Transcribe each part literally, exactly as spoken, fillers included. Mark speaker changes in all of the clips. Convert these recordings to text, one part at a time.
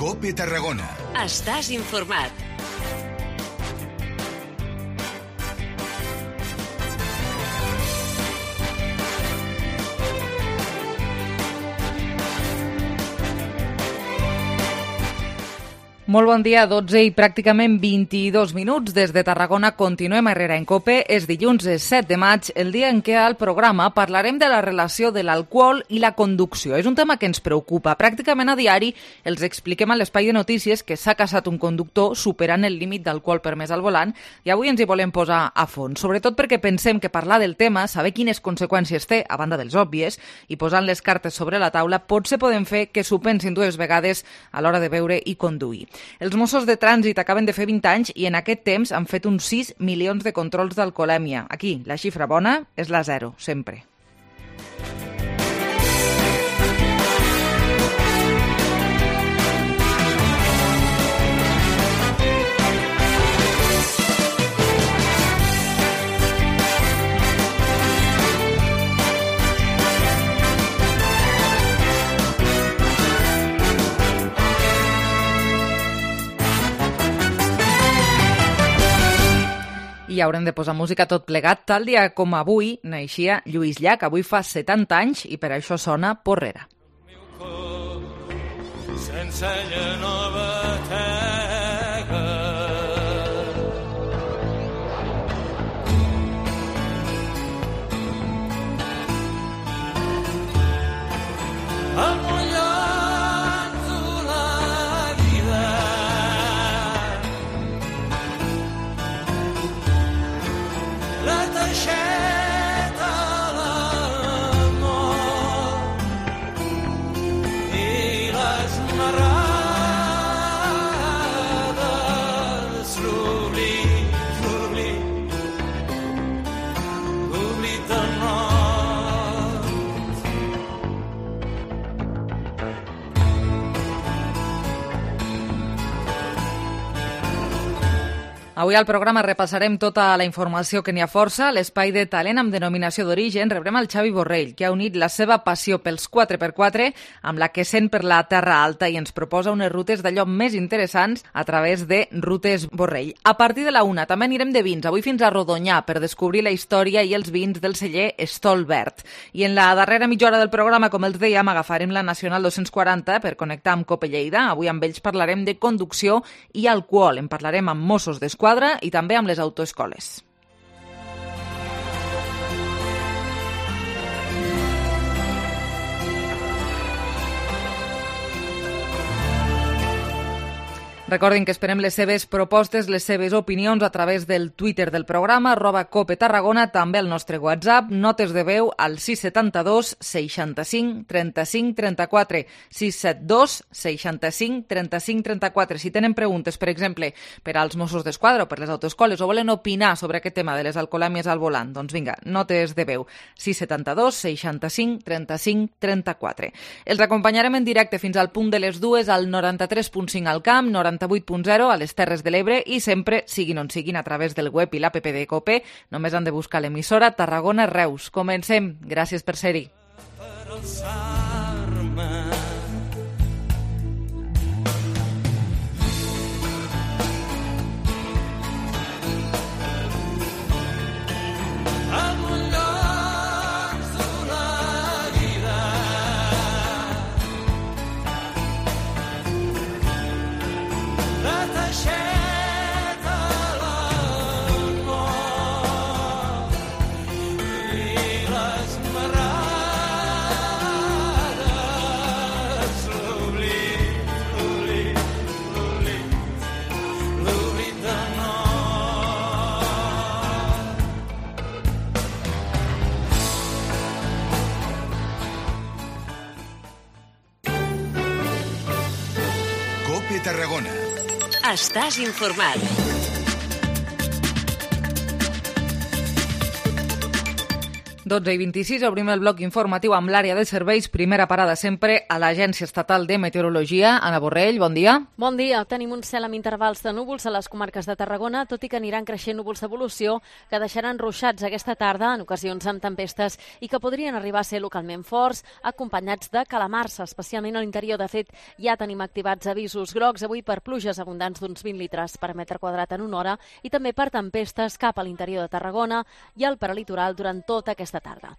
Speaker 1: COPE Tarragona.
Speaker 2: Estàs informat.
Speaker 3: Molt bon dia, dotze i pràcticament vint-i-dos minuts. Des de Tarragona continuem a Herrera en COPE. És dilluns set de maig, el dia en què al programa parlarem de la relació de l'alcohol i la conducció. És un tema que ens preocupa. Pràcticament a diari els expliquem a l'espai de notícies que s'ha casat un conductor superant el límit d'alcohol permès al volant i avui ens hi volem posar a fons. Sobretot perquè pensem que parlar del tema, saber quines conseqüències té, a banda dels òbvies, i posant les cartes sobre la taula, potser podem fer que s'ho pensin dues vegades a l'hora de beure i conduir. Els Mossos de Trànsit acaben de fer vint anys i en aquest temps han fet uns sis milions de controls d'alcoholèmia. Aquí, la xifra bona és la zero, sempre. I haurem de posar música tot plegat. Tal dia com avui naixia Lluís Llach. Avui fa setanta anys i per això sona Porrera. Sense nova tega. El Avui al programa repassarem tota la informació que n'hi ha força. A l'espai de talent amb denominació d'origen rebrem el Xavi Borrell, que ha unit la seva passió pels quatre per quatre amb la que sent per la Terra Alta i ens proposa unes rutes d'allò més interessants a través de Rutes Borrell. A partir de la una també anirem de vins, avui fins a Rodonyà, per descobrir la història i els vins del celler Stolbert. I en la darrera mitja hora del programa, com els dèiem, agafarem la Nacional dos-cents quaranta per connectar amb COPE Lleida. Avui amb ells parlarem de conducció i alcohol. En parlarem amb Mossos d'Esquadra i també amb les autoescoles. Recordin que esperem les seves propostes, les seves opinions a través del Twitter del programa, arroba Cope Tarragona, també el nostre WhatsApp, notes de veu al sis set dos, seixanta-cinc, trenta-cinc, trenta-quatre, sis set dos, seixanta-cinc, trenta-cinc, trenta-quatre. Si tenen preguntes, per exemple, per als Mossos d'Esquadra o per les autoescoles o volen opinar sobre aquest tema de les alcoholèmies al volant, doncs vinga, notes de veu, sis set dos, seixanta-cinc, trenta-cinc, trenta-quatre. Els acompanyarem en directe fins al punt de les dues al noranta-tres punt cinc al camp, noranta-vuit punt zero a les Terres de l'Ebre i sempre, siguin on siguin, a través del web i l'app de COPE. Només han de buscar l'emissora Tarragona Reus. Comencem. Gràcies per ser-hi.
Speaker 1: COPE Tarragona.
Speaker 2: Estàs informat.
Speaker 3: dotze i vint-i-sis, obrim el bloc informatiu amb l'àrea de serveis. Primera parada sempre a l'Agència Estatal de Meteorologia. Anna Borrell, bon dia.
Speaker 1: Bon dia. Tenim un cel amb intervals de núvols a les comarques de Tarragona, tot i que aniran creixent núvols d'evolució que deixaran ruixats aquesta tarda, en ocasions amb tempestes, i que podrien arribar a ser localment forts, acompanyats de calamars, especialment a l'interior. De fet, ja tenim activats avisos grocs avui per pluges abundants d'uns vint litres per metre quadrat en una hora i també per tempestes cap a l'interior de Tarragona i al prelitoral durant tota aquesta tarda.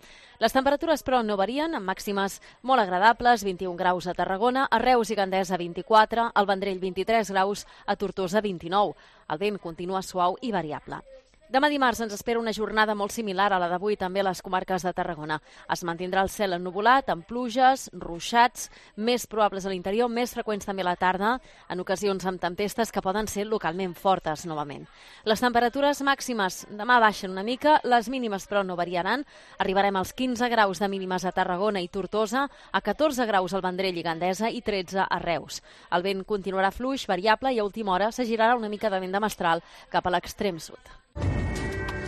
Speaker 1: Les temperatures, però, no varien, amb màximes molt agradables, vint-i-un graus a Tarragona, a Reus i Gandesa vint-i-quatre, al Vendrell vint-i-tres graus, a Tortosa vint-i-nou. El vent continua suau i variable. Demà dimarts ens espera una jornada molt similar a la d'avui també a les comarques de Tarragona. Es mantindrà el cel ennuvolat, amb pluges, ruixats, més probables a l'interior, més freqüents també a la tarda, en ocasions amb tempestes que poden ser localment fortes novament. Les temperatures màximes demà baixen una mica, les mínimes però no variaran. Arribarem als quinze graus de mínimes a Tarragona i Tortosa, a catorze graus al Vendrell i Gandesa i tretze a Reus. El vent continuarà fluix, variable i a última hora s'agirarà una mica de vent de mestral cap a l'extrem sud.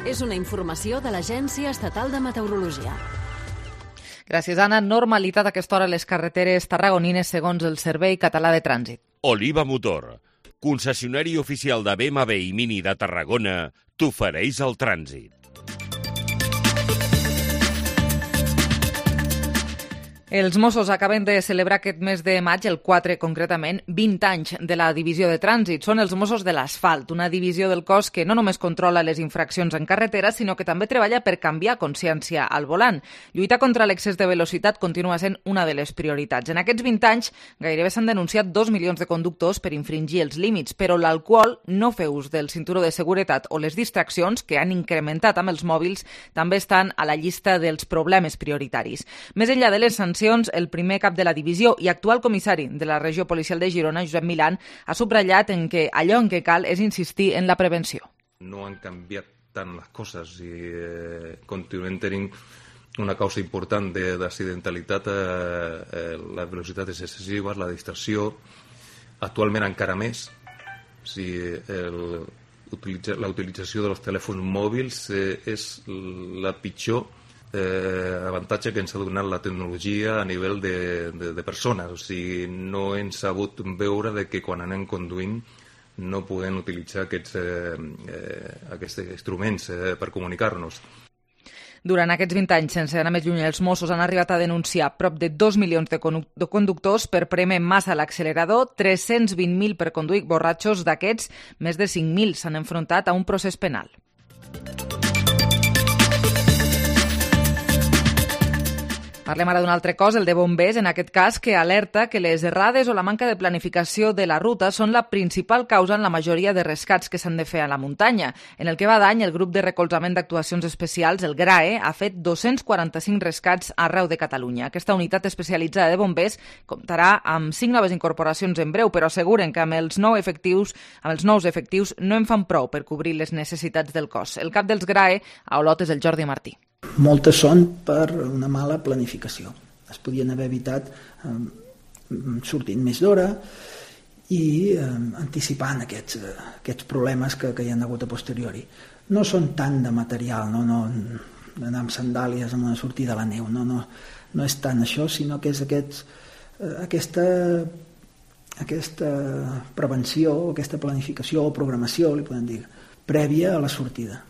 Speaker 2: És una informació de l'Agència Estatal de Meteorologia.
Speaker 3: Gràcies, Anna. Normalitat a aquesta hora a les carreteres tarragonines segons el Servei Català de Trànsit.
Speaker 4: Oliva Motor, concessionari oficial de B M W i Mini de Tarragona, t'ofereix el trànsit.
Speaker 3: Els Mossos acaben de celebrar aquest mes de maig, el quatre concretament, vint anys de la divisió de trànsit. Són els Mossos de l'Asfalt, una divisió del cos que no només controla les infraccions en carretera, sinó que també treballa per canviar consciència al volant. Lluitar contra l'excés de velocitat continua sent una de les prioritats. En aquests vint anys gairebé s'han denunciat dos milions de conductors per infringir els límits, però l'alcohol, no fer ús del cinturó de seguretat o les distraccions, que han incrementat amb els mòbils, també estan a la llista dels problemes prioritaris. Més enllà de les sancions, el primer cap de la divisió i actual comissari de la regió policial de Girona, Josep Milán, ha subratllat en que allò en què cal és insistir en la prevenció.
Speaker 5: No han canviat tant les coses i eh, continuem tenint una causa important d'accidentalitat. Eh, eh, la velocitat és excessiva, la distracció, actualment encara més. Si el, utilitza, la utilització dels telèfons mòbils eh, és la pitjor Eh, avantatge que ens ha donat la tecnologia a nivell de, de, de persones. O sigui, no hem sabut veure de que quan anem conduint no podem utilitzar aquests, eh, eh, aquests instruments eh, per comunicar-nos.
Speaker 3: Durant aquests vint anys, sense anar més lluny, els Mossos han arribat a denunciar prop de dos milions de conductors per prémer massa a l'accelerador, tres-cents vint mil per conduir borratxos. D'aquests, més de cinc mil s'han enfrontat a un procés penal. Parlem ara d'un altre cos, el de bombers, en aquest cas, que alerta que les errades o la manca de planificació de la ruta són la principal causa en la majoria de rescats que s'han de fer a la muntanya. En el que va d'any, el grup de recolzament d'actuacions especials, el GRAE, ha fet dos-cents quaranta-cinc rescats arreu de Catalunya. Aquesta unitat especialitzada de bombers comptarà amb cinc noves incorporacions en breu, però asseguren que amb els, nou efectius, amb els nous efectius no en fan prou per cobrir les necessitats del cos. El cap dels GRAE a Olot és el Jordi Martí.
Speaker 6: Moltes són per una mala planificació. Es podien haver evitat eh, sortint més d'hora i eh, anticipant aquests, eh, aquests problemes que, que hi ha hagut a posteriori. No són tant de material, no, no anar amb sandàlies amb una sortida a la neu, no, no, no és tant això, sinó que és aquests, eh, aquesta, aquesta prevenció, aquesta planificació o programació, li podem dir, prèvia a la sortida.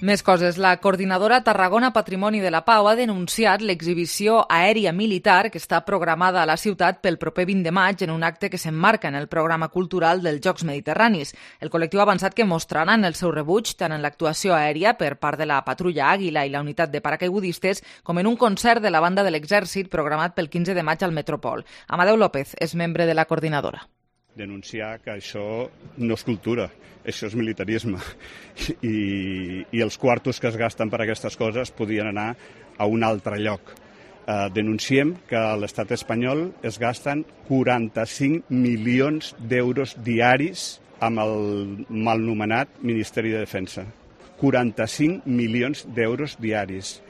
Speaker 3: Més coses. La coordinadora Tarragona Patrimoni de la Pau ha denunciat l'exhibició aèria militar que està programada a la ciutat pel proper vint de maig en un acte que s'emmarca en el programa cultural dels Jocs Mediterranis. El col·lectiu ha avançat que mostraran el seu rebuig tant en l'actuació aèria per part de la Patrulla Àguila i la unitat de paracaigudistes com en un concert de la banda de l'Exèrcit programat pel quinze de maig al Metropol. Amadeu López és membre de la coordinadora.
Speaker 7: Denunciar que això no és cultura, això és militarisme i, i els quartos que es gasten per aquestes coses podien anar a un altre lloc. Eh, denunciem que a l'estat espanyol es gasten quaranta-cinc milions d'euros diaris amb el malnomenat Ministeri de Defensa. quaranta-cinc milions d'euros diaris.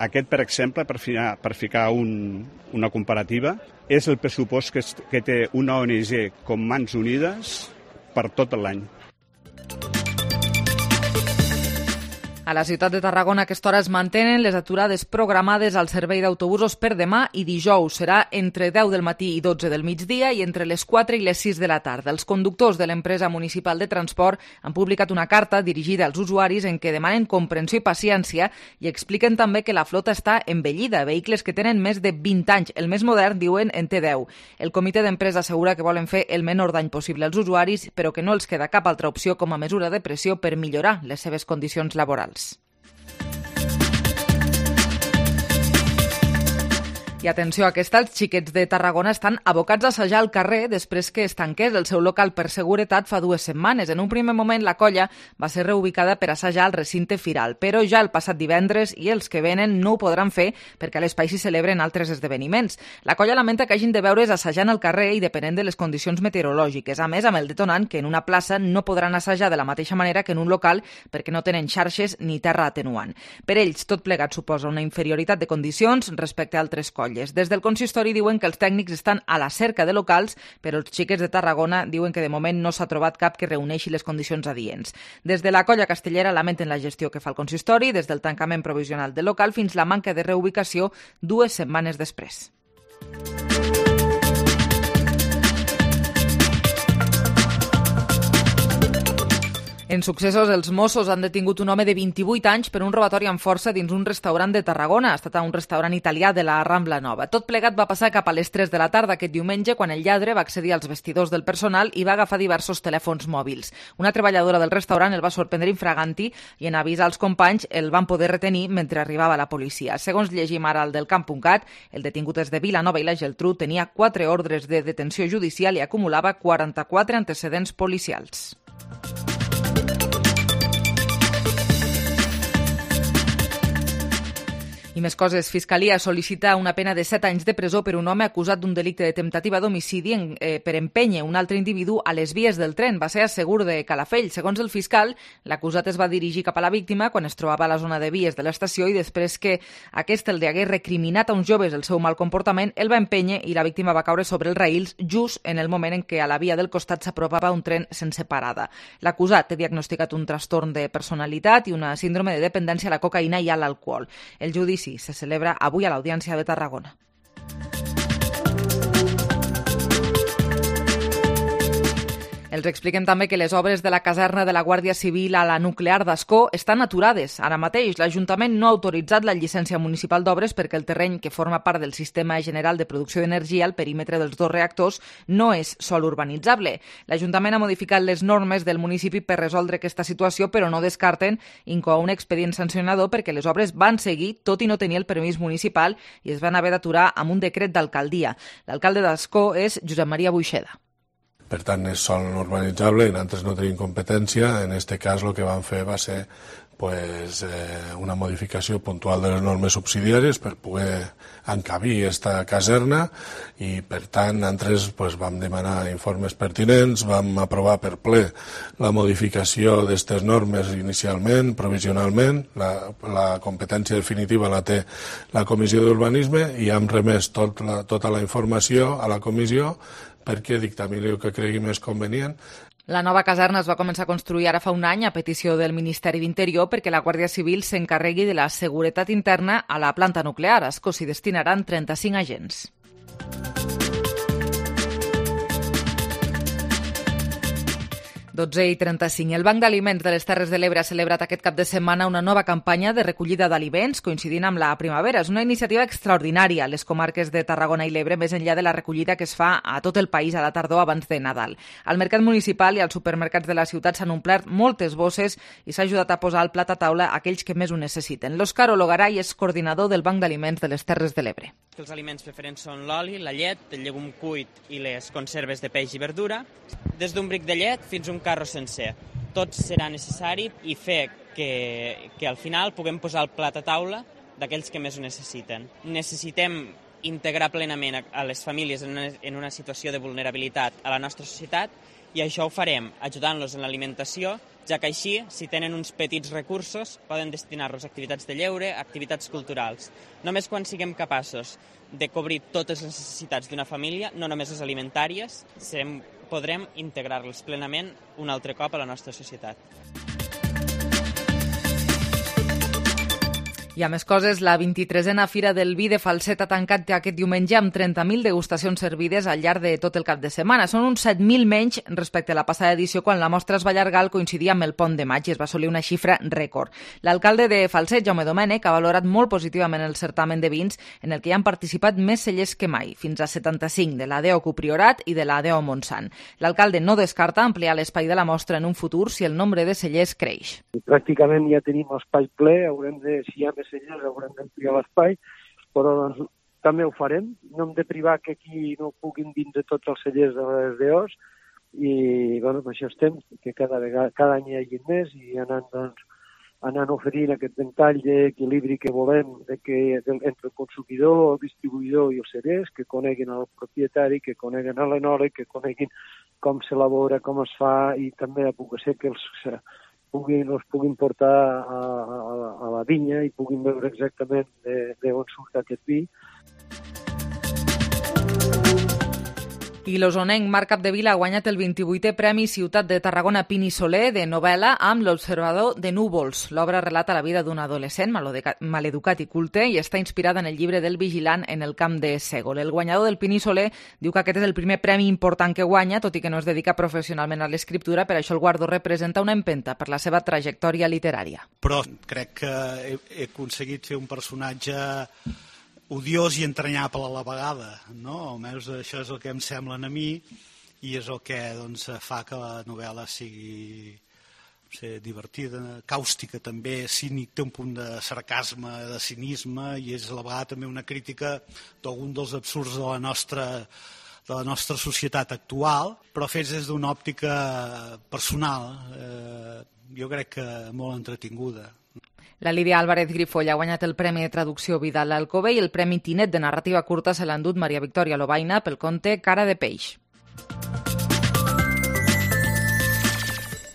Speaker 7: Aquest, per exemple, per ficar, per ficar un, una comparativa, és el pressupost que, que té una O N G com Mans Unides per tot l'any.
Speaker 3: A la ciutat de Tarragona a aquesta hora es mantenen les aturades programades al servei d'autobusos per demà i dijous. Serà entre deu del matí i dotze del migdia i entre les quatre i les sis de la tarda. Els conductors de l'empresa municipal de transport han publicat una carta dirigida als usuaris en què demanen comprensió i paciència i expliquen també que la flota està envellida. Vehicles que tenen més de vint anys. El més modern, diuen, en té deu. El comitè d'empresa assegura que volen fer el menor dany possible als usuaris, però que no els queda cap altra opció com a mesura de pressió per millorar les seves condicions laborals. I atenció, aquesta, els xiquets de Tarragona estan abocats a assajar al carrer després que es tanqués el seu local per seguretat fa dues setmanes. En un primer moment la colla va ser reubicada per assajar al recinte firal, però ja el passat divendres i els que venen no ho podran fer perquè a l'espai s'hi celebren altres esdeveniments. La colla lamenta que hagin de veure's assajant al carrer i depenent de les condicions meteorològiques. A més, amb el detonant que en una plaça no podran assajar de la mateixa manera que en un local perquè no tenen xarxes ni terra atenuant. Per ells, tot plegat suposa una inferioritat de condicions respecte a altres colles. Des del consistori diuen que els tècnics estan a la cerca de locals, però els xiquets de Tarragona diuen que de moment no s'ha trobat cap que reuneixi les condicions adients. Des de la colla castellera lamenten la gestió que fa el consistori, des del tancament provisional del local fins la manca de reubicació dues setmanes després. En successos, els Mossos han detingut un home de vint-i-vuit anys per un robatori amb força dins un restaurant de Tarragona. Ha estat a un restaurant italià de la Rambla Nova. Tot plegat va passar cap a les tres de la tarda aquest diumenge, quan el lladre va accedir als vestidors del personal i va agafar diversos telèfons mòbils. Una treballadora del restaurant el va sorprendre infraganti i en avisar als companys el van poder retenir mentre arribava la policia. Segons llegim ara al del camp punt cat, el detingut és de Vilanova i la Geltrú, tenia quatre ordres de detenció judicial i acumulava quaranta-quatre antecedents policials. I més coses. Fiscalia sol·licita una pena de set anys de presó per un home acusat d'un delicte de temptativa d'homicidi en, eh, per empènyer un altre individu a les vies del tren. Va ser a Segur de Calafell. Segons el fiscal, l'acusat es va dirigir cap a la víctima quan es trobava a la zona de vies de l'estació i després que aquest el hagués recriminat a uns joves el seu mal comportament, el va empènyer i la víctima va caure sobre els raïls just en el moment en què a la via del costat s'apropava un tren sense parada. L'acusat té diagnosticat un trastorn de personalitat i una síndrome de dependència a la cocaïna i a l'alcohol. El judici se celebra avui a l'Audiència de Tarragona. Els expliquem també que les obres de la caserna de la Guàrdia Civil a la nuclear d'Ascó estan aturades. Ara mateix l'Ajuntament no ha autoritzat la llicència municipal d'obres perquè el terreny que forma part del sistema general de producció d'energia al perímetre dels dos reactors no és sòl urbanitzable. L'Ajuntament ha modificat les normes del municipi per resoldre aquesta situació, però no descarten incloure un expedient sancionador perquè les obres van seguir tot i no tenir el permís municipal i es van haver d'aturar amb un decret d'alcaldia. L'alcalde d'Ascó és Josep Maria Buixeda.
Speaker 8: Per tant, és sòl no urbanitzable i nosaltres no tenim competència. En aquest cas el que vam fer va ser pues, eh, una modificació puntual de les normes subsidiàries per poder encabir aquesta caserna i, per tant, nosaltres pues, vam demanar informes pertinents, vam aprovar per ple la modificació d'aquestes normes inicialment, provisionalment, la, la competència definitiva la té la Comissió d'Urbanisme i hem remès tot la, tota la informació a la comissió perquè dictamini el que cregui més convenient.
Speaker 3: La nova caserna es va començar a construir ara fa un any a petició del Ministeri d'Interior perquè la Guàrdia Civil s'encarregui de la seguretat interna a la planta nuclear. A Ascó s'hi destinaran trenta-cinc agents. dotze i trenta-cinc. El Banc d'Aliments de les Terres de l'Ebre ha celebrat aquest cap de setmana una nova campanya de recollida d'aliments coincidint amb la primavera. És una iniciativa extraordinària a les comarques de Tarragona i l'Ebre, més enllà de la recollida que es fa a tot el país a la tardor abans de Nadal. Al mercat municipal i als supermercats de la ciutat s'han omplert moltes bosses i s'ha ajudat a posar al plat a taula aquells que més ho necessiten. L'Òscar Ologaray és coordinador del Banc d'Aliments de les Terres de l'Ebre.
Speaker 9: Els aliments preferents són l'oli, la llet, el llegum cuit i les conserves de peix i verdura. Des d'un bric de llet fins a un carro sencer. Tot serà necessari i fer que, que al final puguem posar el plat a taula d'aquells que més ho necessiten. Necessitem integrar plenament a les famílies en una, en una situació de vulnerabilitat a la nostra societat i això ho farem ajudant-los en l'alimentació, ja que així, si tenen uns petits recursos, poden destinar-los a activitats de lleure, a activitats culturals. Només quan siguem capaços de cobrir totes les necessitats d'una família, no només les alimentàries, serem, podrem integrar-les plenament un altre cop a la nostra societat.
Speaker 3: I a més coses, la vint-i-tresena Fira del Vi de Falset ha tancat aquest diumenge amb trenta mil degustacions servides al llarg de tot el cap de setmana. Són uns set mil menys respecte a la passada edició, quan la mostra es va allargar al coincidir amb el pont de maig i es va assolir una xifra rècord. L'alcalde de Falset, Jaume Domènech, ha valorat molt positivament el certamen de vins, en el que hi han participat més cellers que mai, fins a setanta-cinc, de la D O Q Priorat i de la D O Montsant. L'alcalde no descarta ampliar l'espai de la mostra en un futur si el nombre de cellers creix.
Speaker 10: Pràcticament ja tenim l'espai ple, haurem de, si hi ha més cellers haurem d'ampliar l'espai, però doncs, també ho farem. No hem de privar que aquí no puguin vindre tots els cellers de les D Os i bueno, per això estem, que cada, vegada, cada any hi hagi més i anant, doncs, anant oferint aquest ventall d'equilibri que volem de que, de, entre el consumidor, el distribuïdor i els cellers, que coneguin el propietari, que coneguin l'enòleg, que coneguin com s'elabora, com es fa i també puc ser que els Puguin, els puguin portar a, a, a la vinya i puguin veure exactament d'on surt aquest vi.
Speaker 3: I l'osonenc Marc Capdevila ha guanyat el vint-i-vuitè Premi Ciutat de Tarragona Pini Soler de novel·la amb L'Observador de Núvols. L'obra relata la vida d'un adolescent maleducat i culte i està inspirada en el llibre del vigilant en el camp de Sègol. El guanyador del Pini Soler diu que aquest és el primer premi important que guanya, tot i que no es dedica professionalment a l'escriptura, per això el guardó representa una empenta per la seva trajectòria literària.
Speaker 11: Però crec que he, he aconseguit fer un personatge odiós i entranyable a la vegada, no? Almenys això és el que em semblen a mi i és el que doncs, fa que la novel·la sigui no sé, divertida, càustica també, cínic, té un punt de sarcasme, de cinisme i és a la vegada també una crítica d'algun dels absurds de la nostra de la nostra societat actual, però fets des d'una òptica personal, eh, jo crec que molt entretinguda.
Speaker 3: La Lídia Álvarez Grifoll ha guanyat el Premi de Traducció Vidal Alcover i el Premi Tinet de Narrativa Curta se l'ha endut Maria Victòria Lobaina pel conte Cara de peix.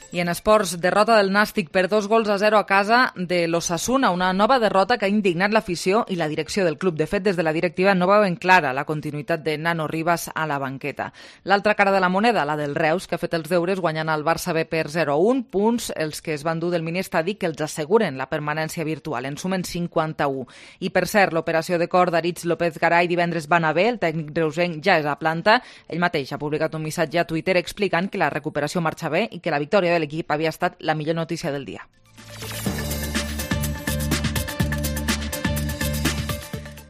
Speaker 3: I en esports, derrota del Nàstic per dos gols a zero a casa de l'Osasuna, una nova derrota que ha indignat l'afició i la direcció del club. De fet, des de la directiva no veuen clara la continuïtat de Nano Rivas a la banqueta. L'altra cara de la moneda, la del Reus, que ha fet els deures guanyant al Barça B per zero a un, punts els que es van dur del mini-estadi que els asseguren la permanència virtual. En sumen cinquanta-u. I per cert, l'operació de cor d'Aritz López Garay divendres va anar bé, el tècnic reusenc ja és a planta. Ell mateix ha publicat un missatge a Twitter explicant que la recuperació marxa bé i que la victòria de l'equip havia estat la millor notícia del dia.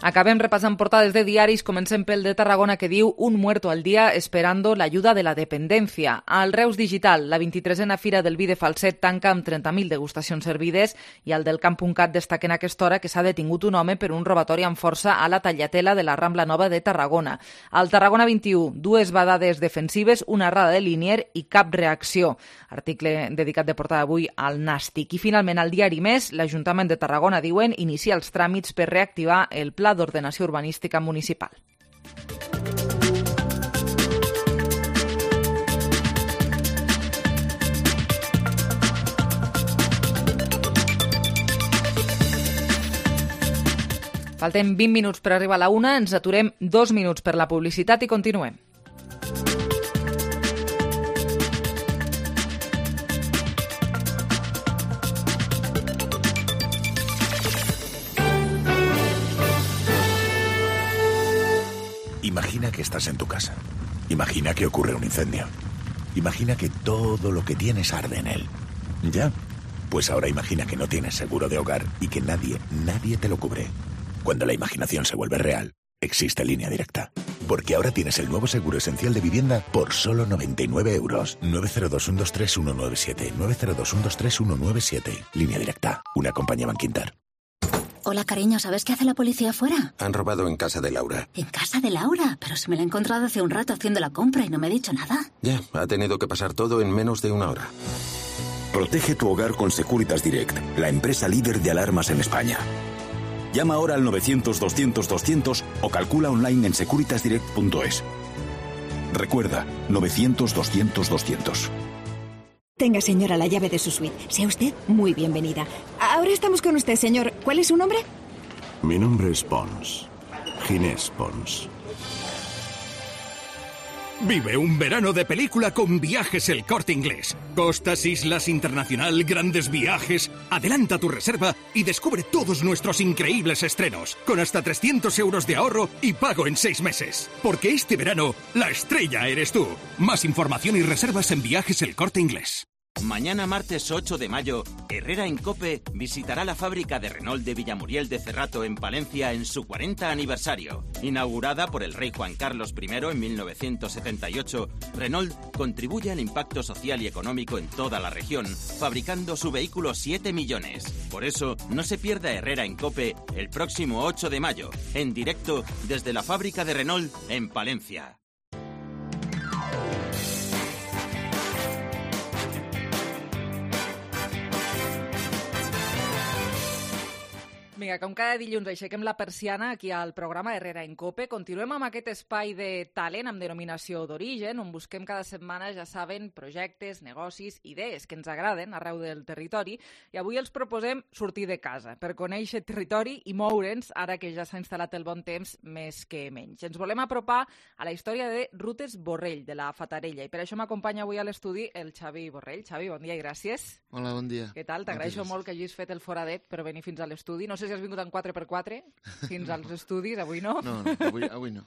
Speaker 3: Acabem repassant portades de diaris, comencem pel de Tarragona que diu un muerto al día esperando la ayuda de la dependencia. Al Reus Digital, la vint-i-tresena Fira del Vi de Falset tanca amb trenta mil degustacions servides i al del Camp.cat destaquen a aquesta hora que s'ha detingut un home per un robatori amb força a la Tallatela de la Rambla Nova de Tarragona. Al Tarragona vint-i-u, dues badades defensives, una errada de Linier i cap reacció. Article dedicat de portada avui al Nàstic. I finalment al diari Més, l'Ajuntament de Tarragona, diuen, inicia els tràmits per reactivar el Pla d'Ordenació Urbanística Municipal. Falten vint minuts per arribar a la una, ens aturem dos minuts per la publicitat i continuem.
Speaker 12: Imagina que estás en tu casa. Imagina que ocurre un incendio. Imagina que todo lo que tienes arde en él. ¿Ya? Pues ahora imagina que no tienes seguro de hogar y que nadie, nadie te lo cubre. Cuando la imaginación se vuelve real, existe Línea Directa. Porque ahora tienes el nuevo seguro esencial de vivienda por solo noventa y nueve euros. nueve cero dos uno dos tres uno nueve siete. nueve cero dos uno dos tres uno nueve siete. Línea Directa. Una compañía Banquinter.
Speaker 13: Hola, cariño, ¿sabes qué hace la policía afuera?
Speaker 14: Han robado en casa de Laura.
Speaker 13: ¿En casa de Laura? Pero se me la he encontrado hace un rato haciendo la compra y no me ha dicho nada.
Speaker 14: Ya, ha tenido que pasar todo en menos de una hora.
Speaker 15: Protege tu hogar con Securitas Direct, la empresa líder de alarmas en España. Llama ahora al novecientos doscientos doscientos o calcula online en securitas direct punto es. Recuerda, novecientos doscientos doscientos.
Speaker 16: Tenga, señora, la llave de su suite. Sea usted muy bienvenida. Ahora estamos con usted, señor. ¿Cuál es su nombre?
Speaker 15: Mi nombre es Pons. Ginés Pons.
Speaker 17: Vive un verano de película con Viajes El Corte Inglés. Costas, islas, internacional, grandes viajes. Adelanta tu reserva y descubre todos nuestros increíbles estrenos, con hasta trescientos euros de ahorro y pago en seis meses. Porque este verano, la estrella eres tú. Más información y reservas en Viajes El Corte Inglés.
Speaker 18: Mañana martes ocho de mayo, Herrera en COPE visitará la fábrica de Renault de Villamuriel de Cerrato en Palencia en su cuarenta aniversario. Inaugurada por el rey Juan Carlos primero en mil novecientos setenta y ocho, Renault contribuye al impacto social y económico en toda la región, fabricando su vehículo siete millones. Por eso, no se pierda Herrera en COPE el próximo ocho de mayo, en directo desde la fábrica de Renault en Palencia.
Speaker 3: Vinga, com cada dilluns aixequem la persiana aquí al programa Herrera en COPE. Continuem amb aquest espai de talent amb denominació d'origen, on busquem cada setmana, ja saben, projectes, negocis, idees que ens agraden arreu del territori. I avui els proposem sortir de casa per conèixer territori i moure'ns ara que ja s'ha instal·lat el bon temps més que menys. Ens volem apropar a la història de Rutes Borrell, de la Fatarella, i per això m'acompanya avui a l'estudi el Xavi Borrell. Xavi, bon dia i gràcies.
Speaker 19: Hola, bon dia.
Speaker 3: Què tal? T'agraeixo molt que hagis fet el foradet per venir fins a l'estudi. No sé si has vingut en quatre per quatre fins als estudis, avui no?
Speaker 19: No, no, avui, avui no.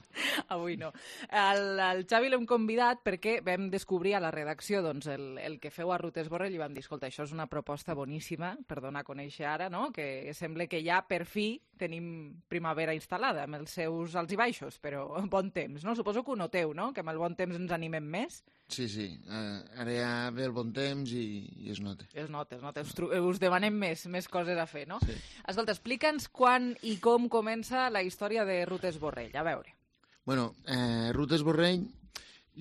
Speaker 3: Avui no. El, el Xavi l'hem convidat perquè vam descobrir a la redacció doncs, el, el que feu a Rutes Borrell i vam dir, escolta, això és una proposta boníssima per donar a conèixer ara, no? Que sembla que ja per fi tenim primavera instal·lada amb els seus alts i baixos, però bon temps, no? Suposo que ho noteu, no? Que amb el bon temps ens animem més.
Speaker 19: Sí, sí. Uh, ara ja ve el bon temps i, i es nota.
Speaker 3: Es nota, es nota. Us, us demanem més, més coses a fer, no?
Speaker 19: Sí.
Speaker 3: Escolta, explica'ns quan i com comença la història de Rutes Borrell. A veure.
Speaker 19: Bueno, eh, Rutes Borrell,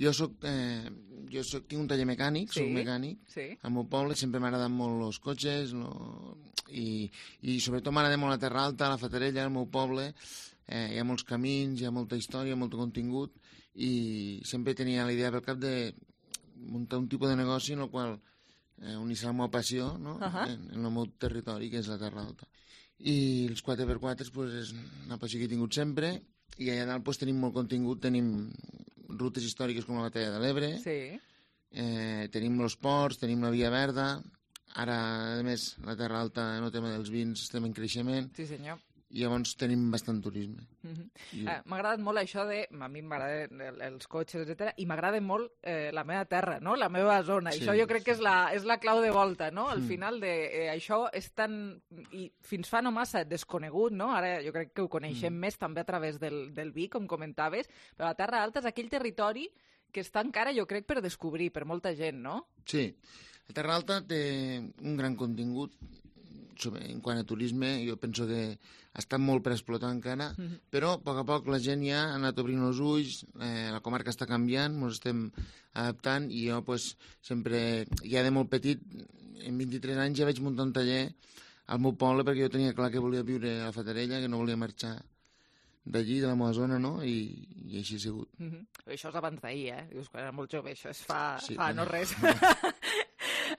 Speaker 19: jo soc, eh, jo soc, tinc un taller mecànic,
Speaker 3: sí,
Speaker 19: soc mecànic.
Speaker 3: Sí.
Speaker 19: Al meu poble sempre m'ha agradat molt els cotxes, no? I, i sobretot m'agrada molt la Terra Alta, la Fatarella, al meu poble. Eh, hi ha molts camins, hi ha molta història, molt contingut, i sempre tenia la idea pel cap de muntar un tipus de negoci en el qual eh, unissar la meva passió, no?
Speaker 3: Uh-huh.
Speaker 19: en, en el meu territori, que és la Terra Alta. I els quatre per quatre pues, és una passió que he tingut sempre, i allà dalt pues, tenim molt contingut, tenim rutes històriques com la Batalla de l'Ebre,
Speaker 3: sí.
Speaker 19: eh, tenim els ports, tenim la Via Verda, ara, a més, la Terra Alta, en el tema dels vins, estem en creixement.
Speaker 3: Sí, senyor.
Speaker 19: I llavors tenim bastant turisme.
Speaker 3: Uh-huh.
Speaker 19: I...
Speaker 3: eh, m'ha agradat molt això de... A mi m'agraden el, els cotxes, etcètera, i m'agrada molt eh, la meva terra, no? La meva zona. Sí. Això jo crec que és la, és la clau de volta, no? Al mm. final de eh, això és tan... I fins fa no massa desconegut, no? Ara jo crec que ho coneixem mm. més també a través del, del vi, com comentaves, però la Terra Alta és aquell territori que està encara, jo crec, per descobrir per molta gent, no?
Speaker 19: Sí. La Terra Alta té un gran contingut en quant a turisme, jo penso que ha estat molt per explotar encara, mm-hmm. però a poc a poc la gent ja ha anat obrint els ulls, eh, la comarca està canviant, ens estem adaptant, i jo pues, sempre, ja de molt petit, en vint-i-tres anys ja vaig muntar un taller al meu poble perquè jo tenia clar que volia viure a la Fatarella, que no volia marxar d'allí, de la meva zona, no? I, i així ha sigut.
Speaker 3: Mm-hmm. Això és abans d'ahir, eh? Dius que era molt jove, això és fa,
Speaker 19: sí,
Speaker 3: fa
Speaker 19: bueno.
Speaker 3: no res.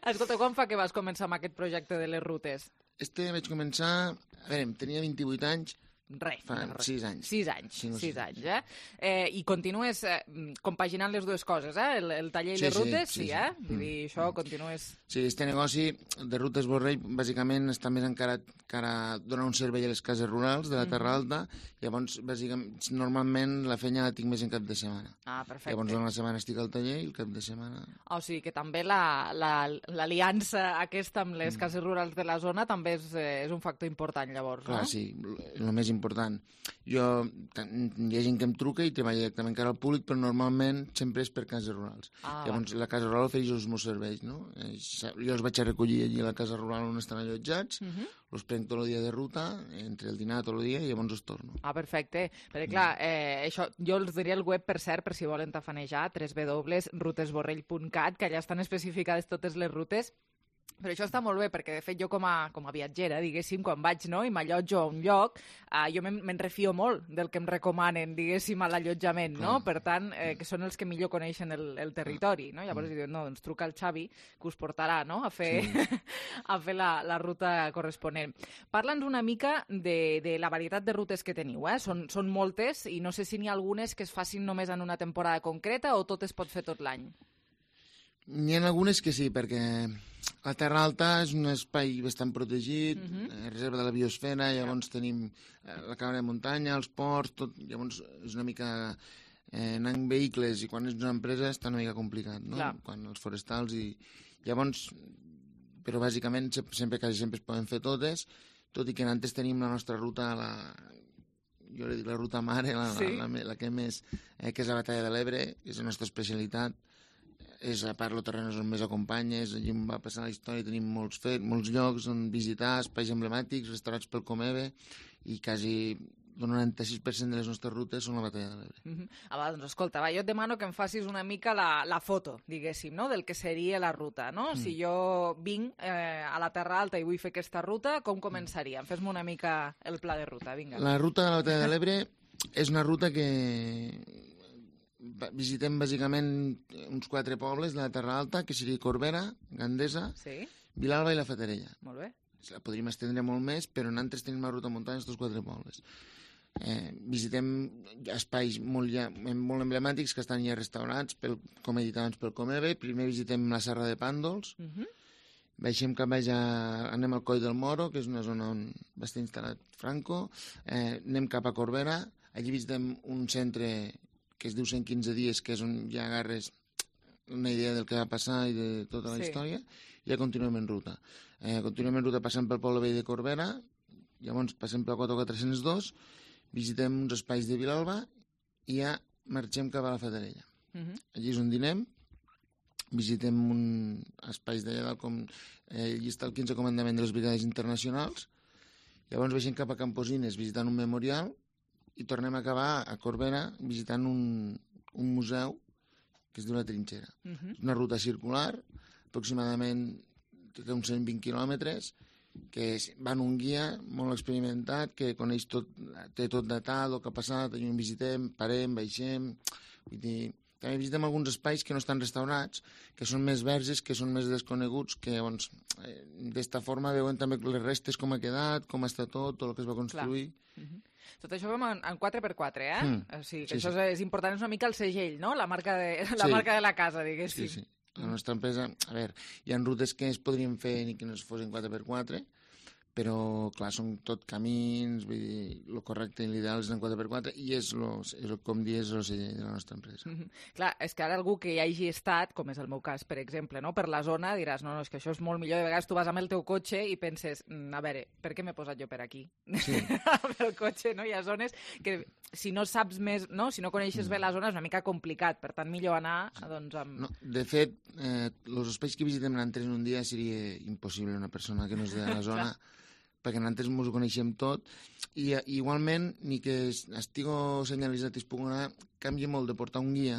Speaker 3: Escolta, quan fa que vas començar amb aquest projecte de les rutes?
Speaker 19: Este vaig començar... A veure, tenia vint-i-vuit anys.
Speaker 3: Res.
Speaker 19: Fa sis anys.
Speaker 3: Sis anys,
Speaker 19: cinc o
Speaker 3: sis
Speaker 19: sis
Speaker 3: anys, eh? eh? I continues eh, compaginant les dues coses, eh? El, el taller i
Speaker 19: sí,
Speaker 3: les rutes,
Speaker 19: sí, sí,
Speaker 3: sí,
Speaker 19: sí.
Speaker 3: eh?
Speaker 19: Mm.
Speaker 3: I això continues...
Speaker 19: Sí, este negoci de Rutes Borrell bàsicament està més encarat que ara donar un servei a les cases rurals de la Terra Alta, i llavors, bàsicament, normalment la feina la tinc més en cap de setmana.
Speaker 3: Ah, perfecte.
Speaker 19: Llavors, una setmana estic al taller i el cap de setmana...
Speaker 3: O sigui que també l'aliança la, la, aquesta amb les cases rurals de la zona també és, és un factor important, llavors,
Speaker 19: Clar,
Speaker 3: no?
Speaker 19: sí, el més important. Jo, hi ha gent que em truca i treballa directament cara al públic, però normalment sempre és per cases rurals.
Speaker 3: Ah,
Speaker 19: llavors, la casa rural ofereix els meus serveis, no? Jo els vaig a recollir allí a la casa rural on estan allotjats, uh -huh. els prenc tot el dia de ruta, entre el dinar tot el dia, i llavors els torno.
Speaker 3: Ah, perfecte. Perquè, clar, eh, això, jo els diria el web, per cert, per si volen tafanejar, w w w punt rutes borrell punt cat, que allà estan especificades totes les rutes, Però això està molt bé, perquè de fet jo com a, com a viatgera, diguéssim, quan vaig no, i m'allotjo a un lloc, eh, jo me'n me refio molt del que em recomanen, diguéssim, a l'allotjament, no? Per tant, eh, que són els que millor coneixen el, el territori, no? Llavors mm. diuen, no, doncs truca al Xavi, que us portarà, no?, a fer, sí. a fer la, la ruta corresponent. Parla'ns una mica de, de la varietat de rutes que teniu, eh? Són, són moltes, i no sé si n'hi ha algunes que es facin només en una temporada concreta o tot es pot fer tot l'any.
Speaker 19: N'hi ha algunes que sí, perquè la Terra Alta és un espai bastant protegit, uh-huh. eh, reserva de la biosfera, llavors yeah. tenim eh, la cabana de muntanya, els ports, tot, llavors és una mica... Eh, anar en vehicles i quan és una empresa està una mica complicat, no? Clar. Quan els forestals i... Llavors, però bàsicament sempre, quasi sempre es poden fer totes, tot i que antes tenim la nostra ruta, la... jo li dic la ruta mare, la, sí. la, la, la que més, eh, que és la Batalla de l'Ebre, que és la nostra especialitat, és a part el terreny on més acompanya, és allí on va passar la història, tenim molts fets, molts llocs on visitar, espais emblemàtics, restaurats pel Comebe, i quasi el noranta-sis per cent de les nostres rutes són la Batalla de l'Ebre.
Speaker 3: Uh-huh. Ah, va, doncs escolta, va, jo et demano que em facis una mica la, la foto, diguéssim, no?, del que seria la ruta, no? Mm. Si jo vinc eh, a la Terra Alta i vull fer aquesta ruta, com començaria? Fes-me una mica el pla de ruta, vinga.
Speaker 19: La ruta de la Batalla de l'Ebre és una ruta que... visitem bàsicament uns quatre pobles de la Terra Alta, que seria Corbera, Gandesa, sí. Vilalba i la Fatarella.
Speaker 3: Molt bé.
Speaker 19: La podríem estendre molt més, però nosaltres tenim la ruta muntanya aquests quatre pobles. Eh, visitem espais molt, ja, molt emblemàtics que estan ja restaurats, pel, com he dit abans, pel Comebe. Primer visitem la Serra de Pàndols, uh-huh. baixem cap baix, a, anem al Coll del Moro, que és una zona on va estar instal·lat Franco, eh, anem cap a Corbera, allí visitem un centre que es diu cent quinze dies, que és on ja agarres una idea del que va passar i de tota la sí. història, i ja continuem en ruta. Eh, continuem en ruta passant pel poble vell de Corbera, llavors passem pel quatre quatre-cents dos, visitem uns espais de Vilalba i ja marxem cap a la Fatarella. Uh-huh. Allí és on dinem, visitem un espais d'allà dalt, com eh, allí està el quinze comandament de les brigades internacionals, llavors baixem cap a Camposines visitant un memorial, i tornem a acabar a Corbera visitant un, un museu que es diu La Trinxera. Uh-huh. És una ruta circular, aproximadament té uns cent vint quilòmetres, que va en un guia molt experimentat, que coneix tot, té tot datat, el que ha passat, allà on visitem, parem, baixem... Vull dir, també visitem alguns espais que no estan restaurats, que són més verges, que són més desconeguts, que doncs, eh, d'esta forma veuen també les restes, com ha quedat, com està tot, tot el que es va construir...
Speaker 3: Uh-huh. Tot això vam en, en quatre per quatre, eh? Mm. O sigui, que sí, això sí. és, és important, és una mica el segell, no? La marca de la, sí. marca de la casa, diguéssim.
Speaker 19: Sí, sí. La nostra empresa, a veure, hi ha rutes que es podrien fer ni que no es fossin quatre per quatre, però, clar, són tot camins, vull dir, el correcte i l'ideal és en quatre per quatre, i és, lo, és lo, com dir, és el segell de la nostra empresa.
Speaker 3: Mm-hmm. Clar, és que ara algú que hi hagi estat, com és el meu cas, per exemple, no? Per la zona, diràs, no, no, és que això és molt millor, de vegades tu vas amb el teu cotxe i penses, a veure, per què m'he posat jo per aquí? Sí. Amb el cotxe, no? Hi ha zones que, si no saps més, no? Si no coneixes mm. bé la zona, és una mica complicat, per tant, millor anar, doncs, amb...
Speaker 19: No, de fet, eh, els espais que visitem nosaltres en un dia seria impossible una persona que no és de la zona... perquè nosaltres ens ho coneixem tot, i igualment, ni que estigo senyalitzat i es pugui anar, canvia molt de portar un guia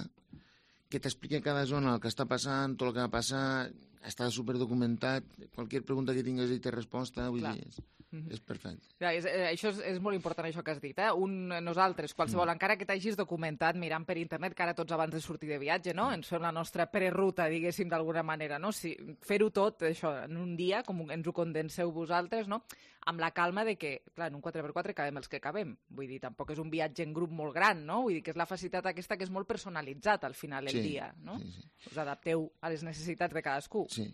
Speaker 19: que t'expliqui a cada zona el que està passant, tot el que va passar, està superdocumentat, qualsevol pregunta que tingues i té resposta, vull Clar. dir, és, mm-hmm. és perfecte.
Speaker 3: Clar, és, eh, això és, és molt important, això que has dit, eh? Un, nosaltres, qualsevol, mm. encara que t'hagis documentat mirant per internet, que ara tots abans de sortir de viatge, no? Ens fem la nostra preruta, diguéssim, d'alguna manera, no? Si, fer-ho tot, això, en un dia, com ens ho condenseu vosaltres, no? Amb la calma de que, clar, en un quatre per quatre cabem els que cabem. Vull dir, tampoc és un viatge en grup molt gran, no? Vull dir que és la facilitat aquesta que és molt personalitzat al final del
Speaker 19: sí,
Speaker 3: dia, no?
Speaker 19: Sí, sí.
Speaker 3: Us adapteu a les necessitats de cadascú.
Speaker 19: Sí.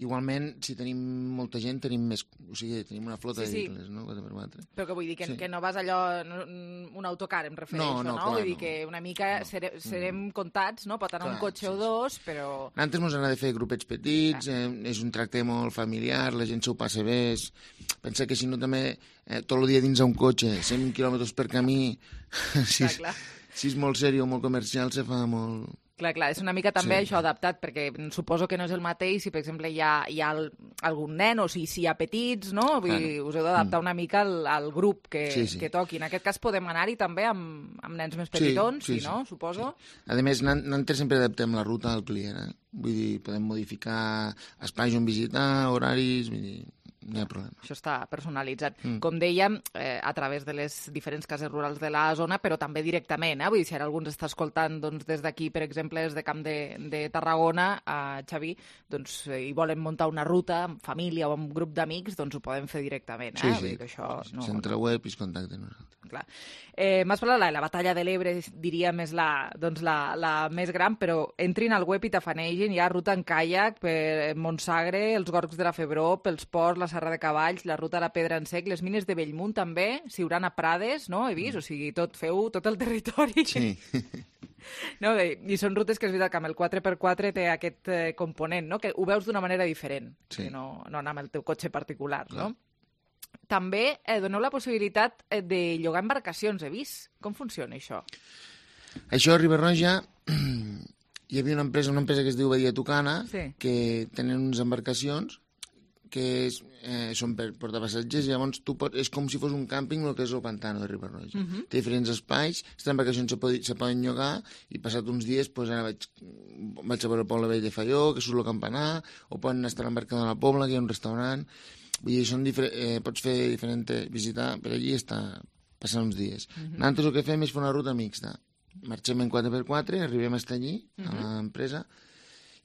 Speaker 19: Igualment, si tenim molta gent, tenim més... O sigui, tenim una flota
Speaker 3: sí, sí.
Speaker 19: de vehicles, no? quatre per quatre.
Speaker 3: Però que vull dir que, sí. que no vas allò... Un autocar, em refereixo,
Speaker 19: no?
Speaker 3: no,
Speaker 19: no? Clar,
Speaker 3: vull dir
Speaker 19: no.
Speaker 3: que una mica no. serem, serem mm. comptats, no? Pot anar clar, un cotxe sí, o dos, però...
Speaker 19: Antes mos agrada fer grupets petits, eh, és un tracte molt familiar, la gent s'ho passa bé, és... pensa que si no també... Eh, tot el dia dins d'un cotxe, cent quilòmetres per camí, si,
Speaker 3: clar, clar.
Speaker 19: si és molt sèrio o molt comercial, se fa molt...
Speaker 3: Clar, clar, és una mica també
Speaker 19: Sí.
Speaker 3: això adaptat, perquè suposo que no és el mateix si, per exemple, hi ha, hi ha el, algun nen o si, si hi ha petits, no? Vull dir, us heu d'adaptar una mica al, al grup que,
Speaker 19: Sí, sí.
Speaker 3: que toqui. En aquest cas podem anar-hi també amb, amb nens més petitons, sí, sí, sí, no? Suposo.
Speaker 19: A més, nosaltres sempre adaptem la ruta al client, eh? Vull dir, podem modificar espais on visitar, horaris, vull dir, no hi ha problema.
Speaker 3: Això està personalitzat.
Speaker 19: Mm.
Speaker 3: Com dèiem, eh, a través de les diferents cases rurals de la zona, però també directament, eh? Vull dir, si ara algú ens està escoltant doncs, des d'aquí, per exemple, des de Camp de, de Tarragona, a Xavi, doncs, eh, i volen muntar una ruta amb família o amb grup d'amics, doncs ho poden fer directament. Eh?
Speaker 19: Sí,
Speaker 3: Vull
Speaker 19: sí.
Speaker 3: dir que això no,
Speaker 19: Centre web i es contacten nosaltres.
Speaker 3: clar. Eh, M'has parlat de la, la batalla de l'Ebre, diríem, és la, doncs la, la més gran, però entrin al web i t'afanegin, hi ha ruta en caiac per Montsagre, els Gorgs de la Febró, pels Ports, la Serra de Cavalls, la ruta a la Pedra en Sec, les mines de Bellmunt també, Siurana Prades, no? He vist, o sigui, tot, feu tot el territori.
Speaker 19: Sí.
Speaker 3: No? I són rutes que és veritat que amb el quatre per quatre té aquest eh, component, no? Que ho veus d'una manera diferent,
Speaker 19: Sí.
Speaker 3: que no, no anar amb el teu cotxe particular, no? També eh, doneu la possibilitat eh, de llogar embarcacions, he vist. Com funciona això?
Speaker 19: Això a Riba-roja hi havia una empresa, una empresa que es diu Badia Tucana,
Speaker 3: Sí.
Speaker 19: que tenen unes embarcacions que és, eh, són per portar passatgers, i llavors tu pot, és com si fos un càmping el que és el pantano de Riba-roja.
Speaker 3: Mhm.
Speaker 19: Té diferents espais, aquestes embarcacions se, pod se poden llogar, i passat uns dies pues, ara vaig, vaig a veure el poble vell de Falló, que surt el campanar, o poden estar a l'embarcador de la Pobla, que hi ha un restaurant. Vull dir, són eh, pots fer diferent, visitar per allí i estar passant uns dies.
Speaker 3: Mhm.
Speaker 19: Nosaltres el que fem és fer una ruta mixta. Marxem en quatre per quatre, arribem fins allí, a
Speaker 3: Mhm.
Speaker 19: l'empresa,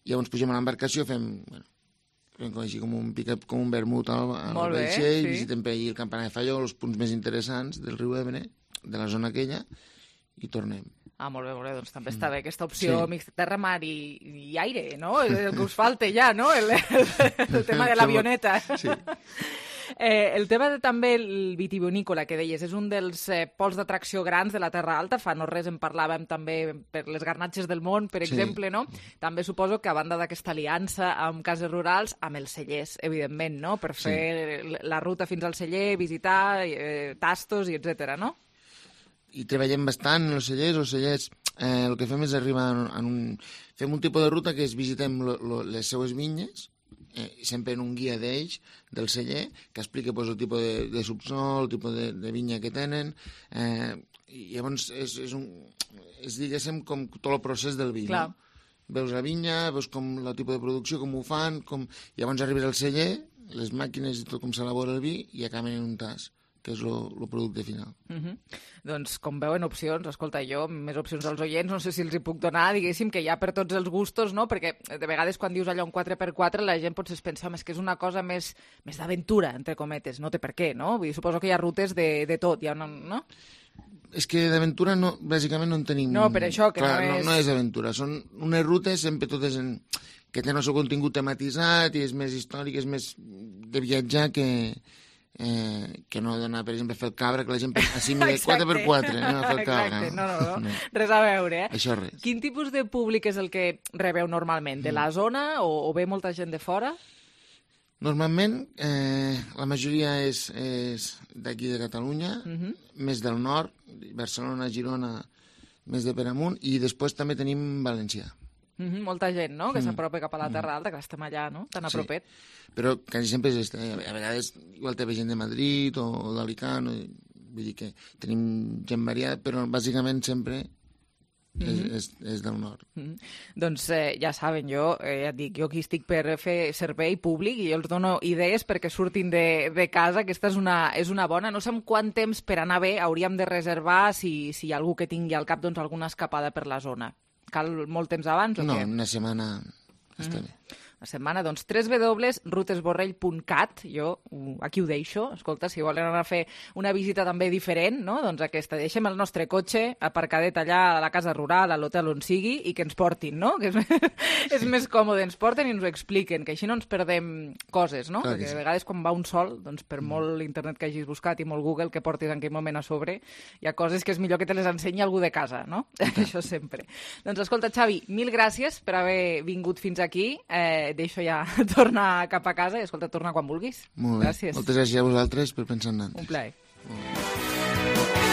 Speaker 19: i llavors pugem a l'embarcació, fem, bueno, fem com, així, com un pick-up, com un vermut al, al
Speaker 3: Molt bé,
Speaker 19: vaixell,
Speaker 3: sí.
Speaker 19: visitem per allí el campanar de Falló, els punts més interessants del riu Ebre, de la zona aquella, i tornem.
Speaker 3: Ah, molt bé, molt bé, doncs també està bé aquesta opció
Speaker 19: Sí.
Speaker 3: mixta, terra, mar i, i aire, no? És el que us falta ja, no? El, el, el tema de l'avioneta.
Speaker 19: Sí.
Speaker 3: Eh, el tema de, també el vitivinícola que deies, és un dels eh, pols d'atracció grans de la Terra Alta. Fa no res en parlàvem també per les garnatges del món, per
Speaker 19: Sí.
Speaker 3: exemple, no? També suposo que a banda d'aquesta aliança amb cases rurals, amb els cellers, evidentment, no? Per fer sí. la ruta fins al celler, visitar, eh, tastos i etcètera, no?
Speaker 19: I treballem bastant en els cellers. Els cellers, eh, el que fem és arribar en, en un... Fem un tipus de ruta que és visitem lo, lo, les seues vinyes, eh, sempre en un guia d'ells, del celler, que explica pues, el tipus de, de subsol, el tipus de, de vinya que tenen, eh, i llavors és, és, un, és, diguéssim, com tot el procés del vi,
Speaker 3: Clar.
Speaker 19: no? Veus la vinya, veus com el tipus de producció, com ho fan, com... llavors arribes al celler, les màquines i tot com s'elabora el vi, i acaben en un tas, que és el producte final.
Speaker 3: Uh -huh. Doncs, com veuen, opcions, escolta, jo, més opcions als oients, no sé si els hi puc donar, diguéssim, que hi ha per tots els gustos, no? Perquè de vegades quan dius allò un quatre per quatre la gent potser es pensa, home, és que és una cosa més, més d'aventura, entre cometes, no té per què, no? Vull dir, suposo que hi ha rutes de, de tot, hi ha una, no?
Speaker 19: És que d'aventura, no, bàsicament, no en tenim...
Speaker 3: No, per això, que
Speaker 19: Clar,
Speaker 3: no és-
Speaker 19: No, no és aventura, són unes rutes sempre totes en... que tenen el seu contingut tematitzat i és més històric, és més de viatjar que... Eh, que no d'anar, per exemple, a fer el cabra, que la gent assimila quatre per quatre, anem a fer el cabra.
Speaker 3: Exacte, no, no, no, res a veure, eh?
Speaker 19: Això res.
Speaker 3: Quin tipus de públic és el que rebeu normalment? De la zona o, o ve molta gent de fora?
Speaker 19: Normalment, eh, la majoria és, és d'aquí de Catalunya,
Speaker 3: Mhm.
Speaker 19: més del nord, Barcelona, Girona, més de per amunt, i després també tenim València.
Speaker 3: Mhm, molta gent, no?, que
Speaker 19: Mm.
Speaker 3: s'apropa cap a la Terra Alta, que estem allà, no?, tan a
Speaker 19: Sí.
Speaker 3: propet.
Speaker 19: Però quasi sempre és, eh, a vegades igual té gent de Madrid o, o d'Alicant, o, vull dir que tenim gent variada, però bàsicament sempre és,
Speaker 3: Mhm.
Speaker 19: és, és del nord.
Speaker 3: Mm. Doncs eh, ja saben, jo eh, ja et dic, jo aquí estic per fer servei públic i jo els dono idees perquè surtin de, de casa. Aquesta és una, és una bona. No sé en quant temps per anar bé hauríem de reservar si, si hi ha algú que tingui al cap doncs, alguna escapada per la zona. Cal molt temps abans o
Speaker 19: No,
Speaker 3: què?
Speaker 19: una setmana està
Speaker 3: Mhm.
Speaker 19: bé.
Speaker 3: Una setmana, doncs, w w w punt rutesborrell punt cat, jo uh, aquí ho deixo, escolta, si volen anar a fer una visita també diferent, no?, doncs aquesta, deixem el nostre cotxe aparcadet allà a la casa rural, a l'hotel on sigui, i que ens portin, no?, que és, és més còmode, ens porten i ens ho expliquen, que així no ens perdem coses, no?,
Speaker 19: Clar que
Speaker 3: perquè
Speaker 19: sí.
Speaker 3: de vegades quan va un sol, doncs per molt internet que hagis buscat i molt Google que portis en aquell moment a sobre, hi ha coses que és millor que te les ensenyi algú de casa, no?, això sempre. Doncs escolta, Xavi, mil gràcies per haver vingut fins aquí, eh, deixo ja tornar cap a casa i, escolta, torna quan vulguis.
Speaker 19: Molt bé.
Speaker 3: Gràcies.
Speaker 19: Moltes gràcies a vosaltres per pensar en nosaltres.
Speaker 3: Un plaer.
Speaker 19: Molt bé.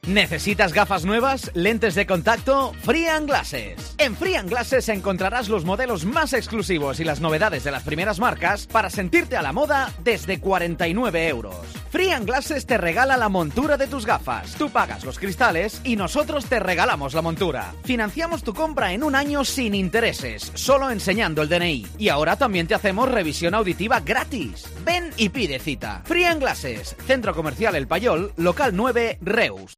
Speaker 20: ¿Necesitas gafas nuevas? ¿Lentes de contacto? Free and Glasses. En Free and Glasses encontrarás los modelos más exclusivos y las novedades de las primeras marcas para sentirte a la moda desde cuarenta y nueve euros. Free and Glasses te regala la montura de tus gafas. Tú pagas los cristales y nosotros te regalamos la montura. Financiamos tu compra en un año sin intereses, solo enseñando el D N I. Y ahora también te hacemos revisión auditiva gratis. Ven y pide cita. Free and Glasses, Centro Comercial El Payol, local nueve, Reus.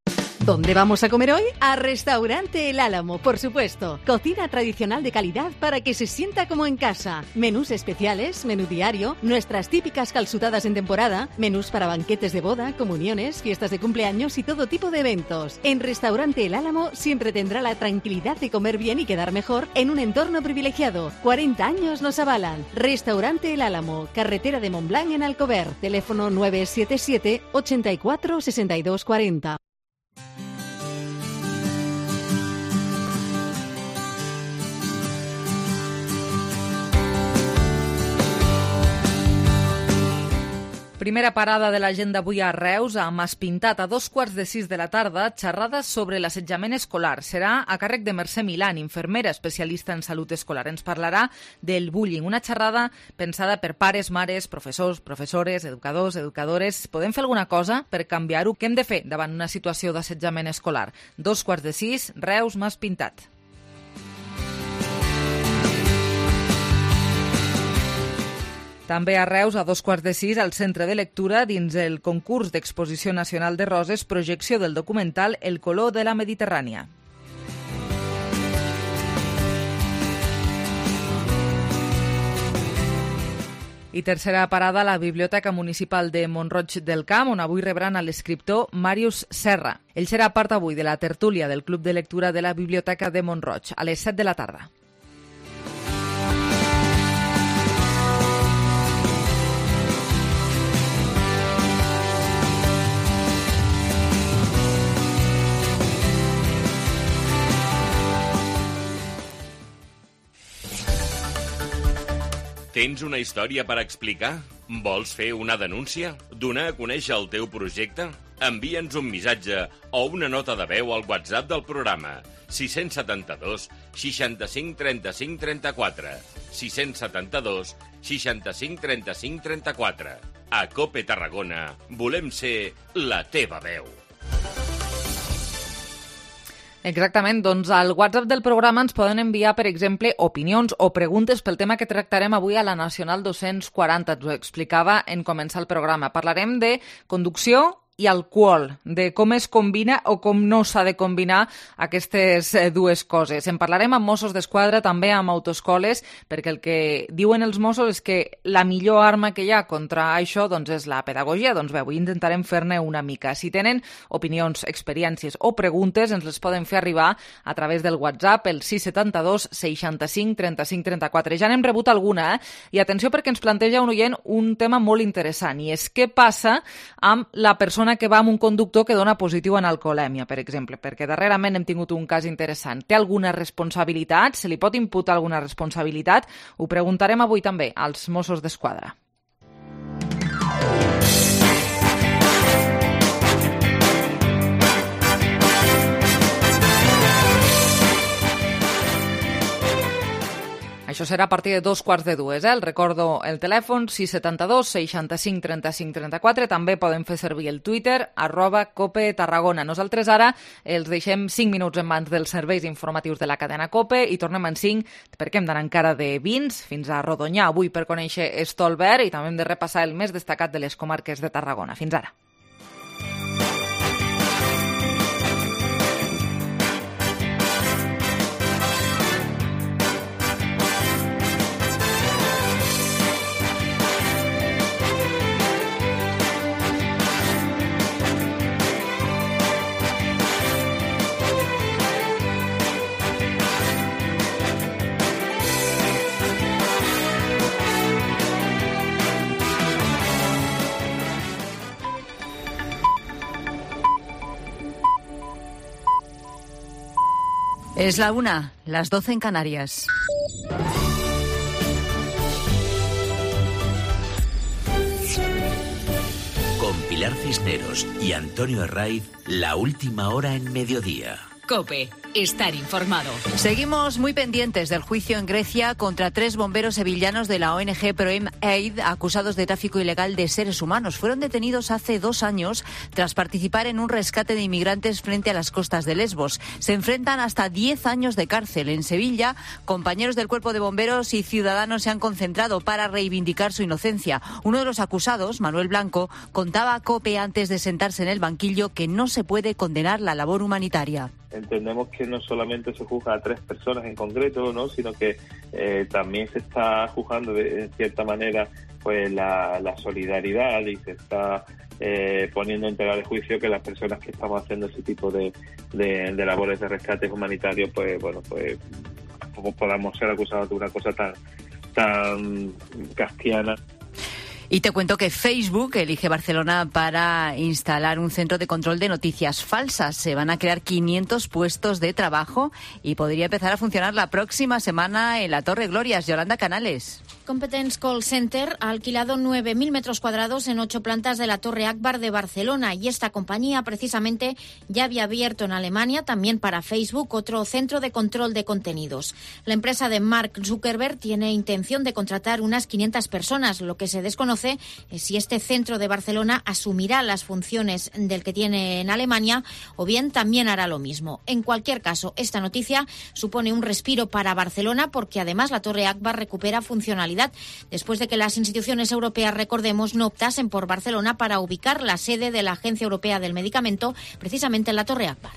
Speaker 21: ¿Dónde vamos a comer hoy? A Restaurante El Álamo, por supuesto. Cocina tradicional de calidad para que se sienta como en casa. Menús especiales, menú diario, nuestras típicas calzutadas en temporada, menús para banquetes de boda, comuniones, fiestas de cumpleaños y todo tipo de eventos. En Restaurante El Álamo siempre tendrá la tranquilidad de comer bien y quedar mejor en un entorno privilegiado. cuarenta años nos avalan. Restaurante El Álamo, carretera de Montblanc en Alcover. Teléfono nueve siete siete, ochenta y cuatro, sesenta y dos cuarenta.
Speaker 3: Primera parada de l'agenda avui a Reus, a Maspintat, a dos quarts de sis de la tarda, xerrades sobre l'assetjament escolar. Serà a càrrec de Mercè Milán, infermera especialista en salut escolar. Ens parlarà del bullying, una xerrada pensada per pares, mares, professors, professores, educadors, educadores. Podem fer alguna cosa per canviar-ho? Què hem de fer davant una situació d'assetjament escolar? Dos quarts de sis, Reus, Maspintat. També a Reus, a dos quarts de sis, al Centre de Lectura, dins el concurs d'Exposició Nacional de Roses, projecció del documental El color de la Mediterrània. I tercera parada a la Biblioteca Municipal de Mont-roig del Camp, on avui rebran a l'escriptor Màrius Serra. Ell serà part avui de la tertúlia del Club de Lectura de la Biblioteca de Mont-roig, a les set de la tarda.
Speaker 4: Tens una història per explicar? Vols fer una denúncia? Donar a conèixer el teu projecte? Envia'ns un missatge o una nota de veu al WhatsApp del programa sis set dos, seixanta-cinc, trenta-cinc, trenta-quatre. sis set dos, seixanta-cinc, trenta-cinc, trenta-quatre. A COPE Tarragona volem ser la teva veu.
Speaker 3: Exactament, doncs al WhatsApp del programa ens poden enviar, per exemple, opinions o preguntes pel tema que tractarem avui a la Nacional dos-cents quaranta. Ens ho explicava en començar el programa. Parlarem de conducció i alcohol, de com es combina o com no s'ha de combinar aquestes dues coses. En parlarem amb Mossos d'Esquadra, també amb autoescoles, perquè el que diuen els Mossos és que la millor arma que hi ha contra això doncs, és la pedagogia. Doncs bé, avui intentarem fer-ne una mica. Si tenen opinions, experiències o preguntes, ens les poden fer arribar a través del WhatsApp, el sis set dos, seixanta-cinc, trenta-cinc, trenta-quatre. Ja n'hem rebut alguna, eh? I atenció perquè ens planteja un oient un tema molt interessant, i és què passa amb la persona que va amb un conductor que dona positiu en alcoholèmia, per exemple, perquè darrerament hem tingut un cas interessant. Té alguna responsabilitat? Se li pot imputar alguna responsabilitat? Ho preguntarem avui també als Mossos d'Esquadra. Això serà a partir de dos quarts de dues. Eh? El recordo el telèfon sis set dos, seixanta-cinc, trenta-cinc, trenta-quatre. També podem fer servir el Twitter, arroba Cope Tarragona. Nosaltres ara els deixem cinc minuts en mans dels serveis informatius de la cadena Cope i tornem en cinc perquè hem d'anar encara de vins fins a Rodonyà avui per conèixer Stolberg i també hem de repassar el més destacat de les comarques de Tarragona. Fins ara.
Speaker 2: Es la una, las doce en Canarias.
Speaker 22: Con
Speaker 1: Pilar Cisneros y Antonio Herraiz, la última hora en mediodía.
Speaker 2: COPE. Estar informado.
Speaker 22: Seguimos muy pendientes del juicio en Grecia contra tres bomberos sevillanos de la O N G Proem Aid acusados de tráfico ilegal de seres humanos. Fueron detenidos hace dos años tras participar en un rescate de inmigrantes frente a las costas de Lesbos. Se enfrentan hasta diez años de cárcel. En Sevilla, compañeros del cuerpo de bomberos y ciudadanos se han concentrado para reivindicar su inocencia. Uno de los acusados, Manuel Blanco, contaba a COPE antes de sentarse en el banquillo que no se puede condenar la labor humanitaria.
Speaker 23: Entendemos que no solamente se juzga a tres personas en concreto, ¿no?, sino que eh, también se está juzgando de, en cierta manera pues la, la solidaridad y se está eh, poniendo en tela de juicio que las personas que estamos haciendo ese tipo de, de, de labores de rescates humanitarios, pues bueno, pues podamos ser acusados de una cosa tan tan kafkiana.
Speaker 22: Y te cuento que Facebook elige Barcelona para instalar un centro de control de noticias falsas. Se van a crear quinientos puestos de trabajo y podría empezar a funcionar la próxima semana en la Torre Glorias. Yolanda Canales.
Speaker 24: Competence Call Center ha alquilado nueve mil metros cuadrados en ocho plantas de la Torre Akbar de Barcelona y esta compañía precisamente ya había abierto en Alemania, también para Facebook, otro centro de control de contenidos. La empresa de Mark Zuckerberg tiene intención de contratar unas quinientas personas. Lo que se desconoce es si este centro de Barcelona asumirá las funciones del que tiene en Alemania o bien también hará lo mismo. En cualquier caso, esta noticia supone un respiro para Barcelona porque además la Torre Akbar recupera funcionalidad después de que las instituciones europeas, recordemos, no optasen por Barcelona para ubicar la sede de la Agencia Europea del Medicamento precisamente en la Torre Akbar.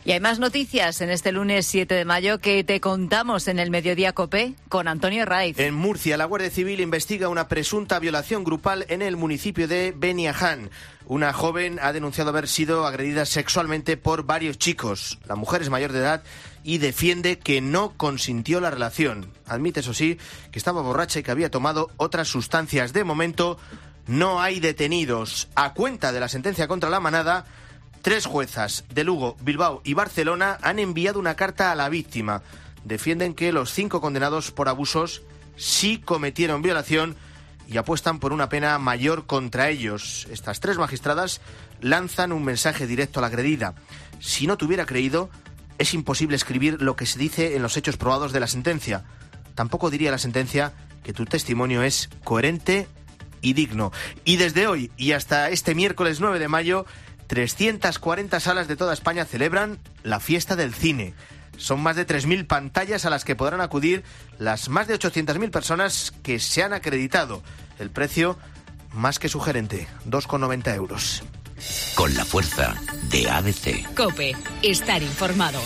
Speaker 22: Y hay más noticias en este lunes siete de mayo que te contamos en el Mediodía COPE con Antonio Herraiz.
Speaker 25: En Murcia, la Guardia Civil investiga una presunta violación grupal en el municipio de Beniaján. Una joven ha denunciado haber sido agredida sexualmente por varios chicos. La mujer es mayor de edad y defiende que no consintió la relación. Admite, eso sí, que estaba borracha y que había tomado otras sustancias. De momento, no hay detenidos. A cuenta de la sentencia contra la manada, tres juezas de Lugo, Bilbao y Barcelona han enviado una carta a la víctima. Defienden que los cinco condenados por abusos sí cometieron violación y apuestan por una pena mayor contra ellos. Estas tres magistradas lanzan un mensaje directo a la agredida. Si no te hubiera creído, es imposible escribir lo que se dice en los hechos probados de la sentencia. Tampoco diría la sentencia que tu testimonio es coherente y digno. Y desde hoy y hasta este miércoles nueve de mayo, trescientas cuarenta salas de toda España celebran la fiesta del cine. Son más de tres mil pantallas a las que podrán acudir las más de ochocientas mil personas que se han acreditado. El precio, más que sugerente, dos con noventa euros.
Speaker 1: Con la fuerza de A B C.
Speaker 2: COPE. Estar informado.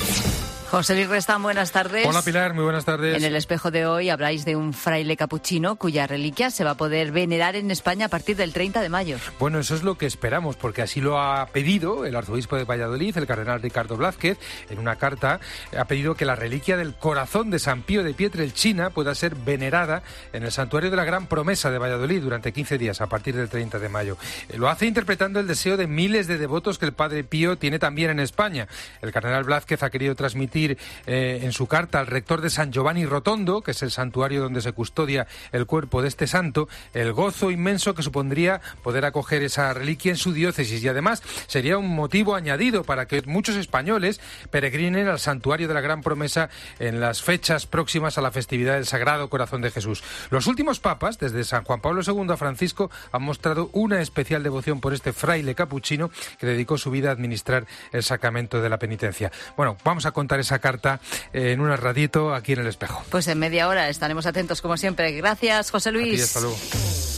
Speaker 22: José Luis Restán, buenas tardes.
Speaker 26: Hola Pilar, muy buenas tardes.
Speaker 22: En el espejo de hoy habláis de un fraile capuchino cuya reliquia se va a poder venerar en España a partir del treinta de mayo.
Speaker 26: Bueno, eso es lo que esperamos, porque así lo ha pedido el arzobispo de Valladolid, el cardenal Ricardo Blázquez. En una carta ha pedido que la reliquia del corazón de San Pío de Pietrelcina pueda ser venerada en el santuario de la Gran Promesa de Valladolid durante quince días a partir del treinta de mayo. Lo hace interpretando el deseo de miles de devotos que el padre Pío tiene también en España. El cardenal Blázquez ha querido transmitir Eh, en su carta al rector de San Giovanni Rotondo, que es el santuario donde se custodia el cuerpo de este santo, el gozo inmenso que supondría poder acoger esa reliquia en su diócesis, y además sería un motivo añadido para que muchos españoles peregrinen al santuario de la Gran Promesa en las fechas próximas a la festividad del Sagrado Corazón de Jesús. Los últimos papas, desde San Juan Pablo segundo a Francisco, han mostrado una especial devoción por este fraile capuchino que dedicó su vida a administrar el sacramento de la penitencia. Bueno, vamos a contar esa carta en un ratito aquí en El Espejo.
Speaker 22: Pues en media hora estaremos atentos como siempre. Gracias, José Luis.
Speaker 26: A ti, hasta luego.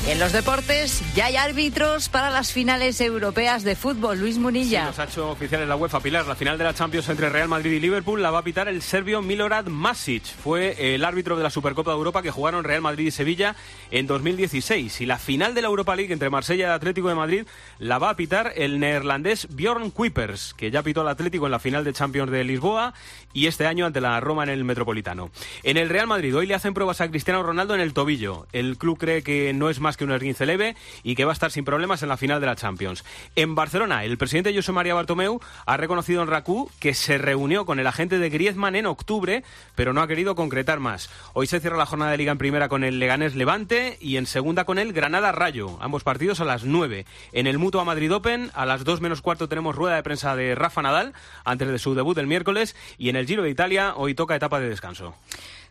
Speaker 22: En los deportes ya hay árbitros para las finales europeas de fútbol. Luis Munilla.
Speaker 27: Sí, nos ha hecho oficial en la UEFA, Pilar. La final de la Champions entre Real Madrid y Liverpool la va a pitar el serbio Milorad Masic. Fue el árbitro de la Supercopa de Europa que jugaron Real Madrid y Sevilla en dos mil dieciséis. Y la final de la Europa League entre Marsella y Atlético de Madrid la va a pitar el neerlandés Bjorn Kuipers, que ya pitó al Atlético en la final de Champions de Lisboa y este año ante la Roma en el Metropolitano. En el Real Madrid hoy le hacen pruebas a Cristiano Ronaldo en el tobillo. El club cree que no es más que que un esguince leve y que va a estar sin problemas en la final de la Champions. En Barcelona, el presidente Josep María Bartomeu ha reconocido en RAC1 que se reunió con el agente de Griezmann en octubre, pero no ha querido concretar más. Hoy se cierra la jornada de Liga en primera con el Leganés Levante y en segunda con el Granada Rayo. Ambos partidos a las nueve. En el Mutua Madrid Open, a las dos menos cuarto tenemos rueda de prensa de Rafa Nadal antes de su debut el miércoles, y en el Giro de Italia hoy toca etapa de descanso.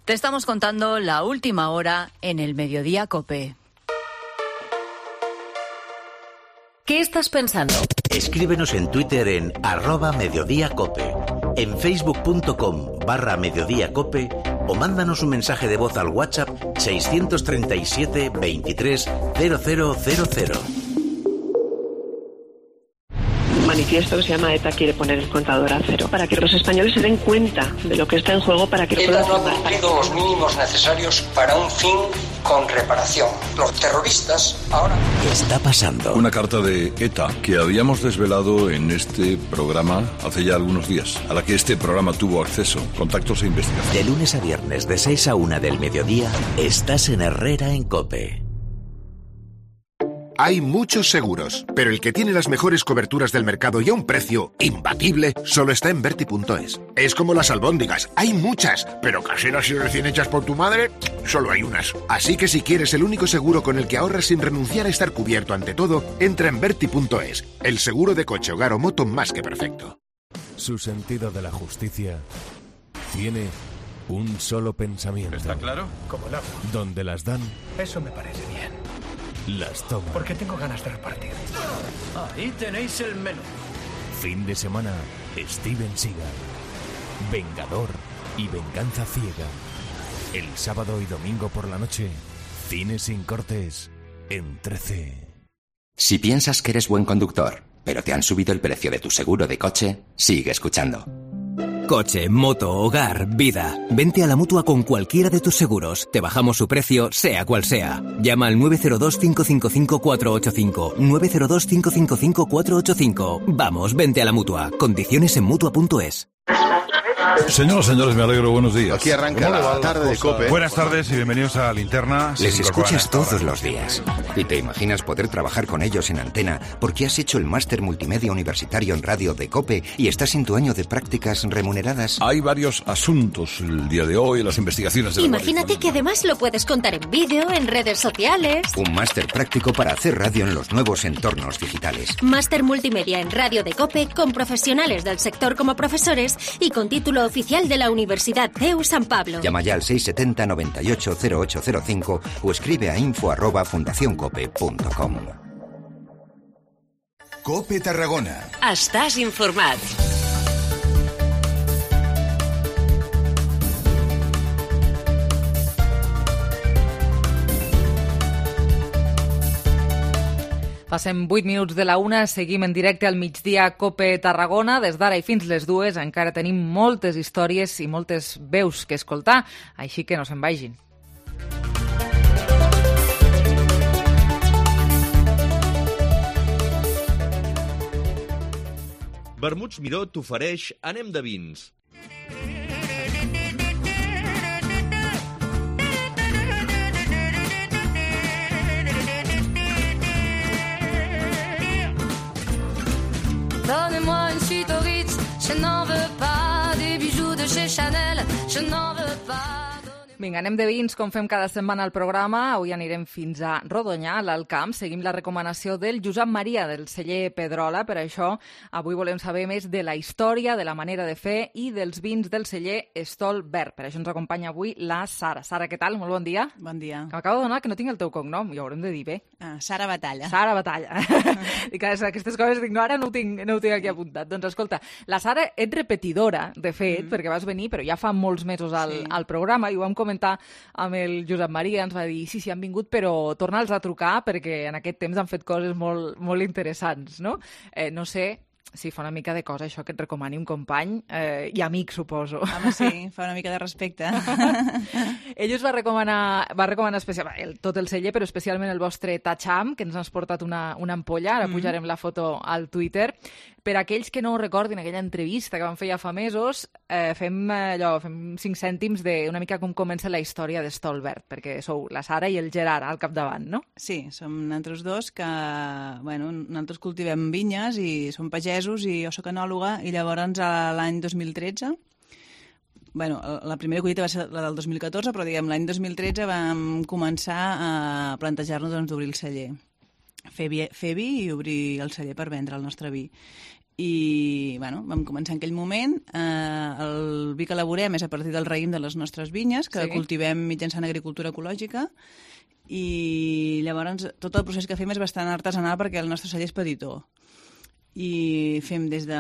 Speaker 22: Te estamos contando la última hora en el Mediodía COPE.
Speaker 2: ¿Qué estás pensando?
Speaker 1: Escríbenos en Twitter en arroba mediodíacope, en facebook.com barra mediodíacope o mándanos un mensaje de voz al WhatsApp seiscientos treinta y siete veintitrés cero cero cero cero.
Speaker 5: Manifiesto que se llama ETA quiere poner el contador a cero para que los españoles se den cuenta de lo que está en juego para que lo
Speaker 6: ETA
Speaker 5: puedan
Speaker 6: no ha cumplido los mínimos necesarios para un fin con reparación. Los terroristas ahora...
Speaker 1: ¿Qué está pasando?
Speaker 7: Una carta de ETA que habíamos desvelado en este programa hace ya algunos días, a la que este programa tuvo acceso, contactos e investigación.
Speaker 1: De lunes a viernes de seis a una del mediodía, estás en Herrera en COPE.
Speaker 8: Hay muchos seguros, pero el que tiene las mejores coberturas del mercado y a un precio imbatible solo está en Verti punto es. Es como las albóndigas, hay muchas, pero caseras y recién hechas por tu madre, solo hay unas. Así que si quieres el único seguro con el que ahorras sin renunciar a estar cubierto ante todo, entra en Verti punto es, el seguro de coche, hogar o moto más que perfecto.
Speaker 9: Su sentido de la justicia tiene un solo pensamiento.
Speaker 10: ¿Está claro? Como el agua.
Speaker 9: Donde las dan,
Speaker 10: Eso me parece bien.
Speaker 9: las toman.
Speaker 10: Porque tengo ganas de repartir. Ahí tenéis el menú.
Speaker 9: Fin de semana, Steven Seagal. Vengador y venganza ciega. El sábado y domingo por la noche, Cine sin cortes en trece.
Speaker 11: Si piensas que eres buen conductor, pero te han subido el precio de tu seguro de coche, sigue escuchando.
Speaker 28: Coche, moto, hogar, vida. Vente a la Mutua con cualquiera de tus seguros. Te bajamos su precio, sea cual sea. Llama al nueve cero dos, cinco cinco cinco, cuatro ocho cinco. nueve cero dos, cinco cinco cinco, cuatro ocho cinco. Vamos, vente a la Mutua. Condiciones en Mutua punto es.
Speaker 7: Señoras, señores, me alegro, buenos días.
Speaker 29: Aquí arranca la tarde de COPE.
Speaker 7: Buenas tardes y bienvenidos a Linterna.
Speaker 11: Les escuchas todos los días. Y te imaginas poder trabajar con ellos en antena porque has hecho el máster multimedia universitario en radio de COPE y estás en tu año de prácticas remuneradas.
Speaker 7: Hay varios asuntos el día de hoy, las investigaciones de la
Speaker 30: Imagínate que además lo puedes contar en vídeo, en redes sociales.
Speaker 11: Un máster práctico para hacer radio en los nuevos entornos digitales.
Speaker 30: Máster multimedia en radio de COPE con profesionales del sector como profesores y con título oficial de la Universidad C E U San Pablo.
Speaker 11: Llama ya al seis setenta, noventa y ocho, cero ocho cero cinco o escribe a info arroba fundacioncope punto com.
Speaker 31: COPE Tarragona.
Speaker 2: Estàs informat.
Speaker 3: Passem vuit minuts de la una, seguim en directe al migdia COPE Tarragona. Des d'ara i fins les dues encara tenim moltes històries i moltes veus que escoltar, així que no se'n vagin.
Speaker 32: Vermuts Miró t'ofereix Anem de vins.
Speaker 33: Donnez-moi une suite au Ritz, je n'en veux pas. Des bijoux de chez Chanel, je n'en veux pas.
Speaker 3: Vinga, anem de vins, com fem cada setmana al programa. Avui anirem fins a Rodonyà, a l'Alt Camp. Seguim la recomanació del Josep Maria, del celler Pedrola. Per això, avui volem saber més de la història, de la manera de fer i dels vins del celler Estol Verd. Per això ens acompanya avui la Sara. Sara, què tal? Molt bon dia.
Speaker 34: Bon dia.
Speaker 3: M'acabo de donar que no tinc el teu cognom, i ho haurem de dir bé.
Speaker 34: Ah, Sara Batalla.
Speaker 3: Sara Batalla. I que aquestes coses dic, no, ara no ho tinc, no ho tinc aquí apuntat. Doncs escolta, la Sara ets repetidora, de fet, mm. perquè vas venir, però ja fa molts mesos al, sí. al programa, i ho vam comentar amb el Josep Maria, ens va dir, sí, sí, han vingut, però torna'ls a trucar perquè en aquest temps han fet coses molt, molt interessants, no? Eh, no sé si fa una mica de cosa això que et recomani un company eh, i amic, suposo.
Speaker 34: Home, sí, fa una mica de respecte.
Speaker 3: Ell us va recomanar, va recomanar especial, el, tot el celler, però especialment el vostre Tacham, que ens has portat una, una ampolla, ara mm. pujarem la foto al Twitter, Per aquells que no ho recordin, aquella entrevista que vam fer ja fa mesos, eh, fem allò, fem cinc cèntims d'una mica com comença la història de Stolberg, perquè sou la Sara i el Gerard al capdavant, no?
Speaker 34: Sí, som nosaltres dos que, bueno, nosaltres cultivem vinyes i som pagesos i jo soc enòloga i llavors l'any dos mil tretze, bueno, la primera collita va ser la del dos mil catorze, però diguem l'any dos mil tretze vam començar a plantejar-nos doncs, d'obrir el celler. Fer vi, fer vi i obrir el celler per vendre el nostre vi. I bueno, vam començar en aquell moment. Eh, el vi que elaborem és a partir del raïm de les nostres vinyes, que sí. cultivem mitjançant agricultura ecològica, i llavors tot el procés que fem és bastant artesanal perquè el nostre celler és petitó. I fem des de,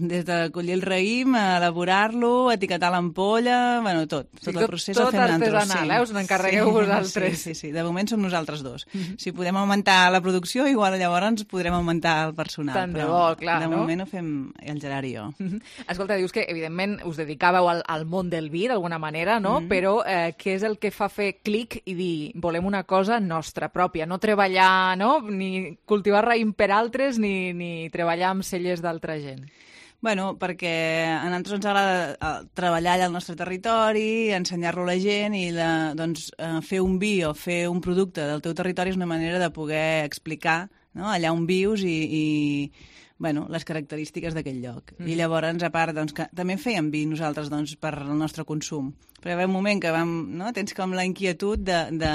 Speaker 34: des de collir el raïm, elaborar-lo, etiquetar l'ampolla, bueno, tot. Tot el procés
Speaker 3: tot,
Speaker 34: el fem nosaltres.
Speaker 3: Tot artesanal, sí. eh? Us n'encarregueu sí, vosaltres.
Speaker 34: Sí, sí, sí, de moment som nosaltres dos. Mm-hmm. Si podem augmentar la producció, igual llavors podrem augmentar el personal.
Speaker 3: Tant de bo, clar,
Speaker 34: de
Speaker 3: no?
Speaker 34: De moment ho fem el Gerard i jo.
Speaker 3: Mm-hmm. Escolta, dius que evidentment us dedicàveu al, al món del vi d'alguna manera, no? Mm-hmm. Però eh, què és el que fa fer clic i dir volem una cosa nostra pròpia, no treballar, no? Ni cultivar raïm per altres, ni, ni treballar amb cellers d'altra gent?
Speaker 34: Bueno, perquè a nosaltres ens agrada treballar allà al nostre territori, ensenyar-lo a la gent i la, doncs, fer un vi o fer un producte del teu territori és una manera de poder explicar, no?, allà on vius i, i bueno, les característiques d'aquell lloc. Mm. I llavors, a part, doncs, que també fèiem vi nosaltres doncs, per al nostre consum. Però hi va un moment que vam, no?, tens com la inquietud de, de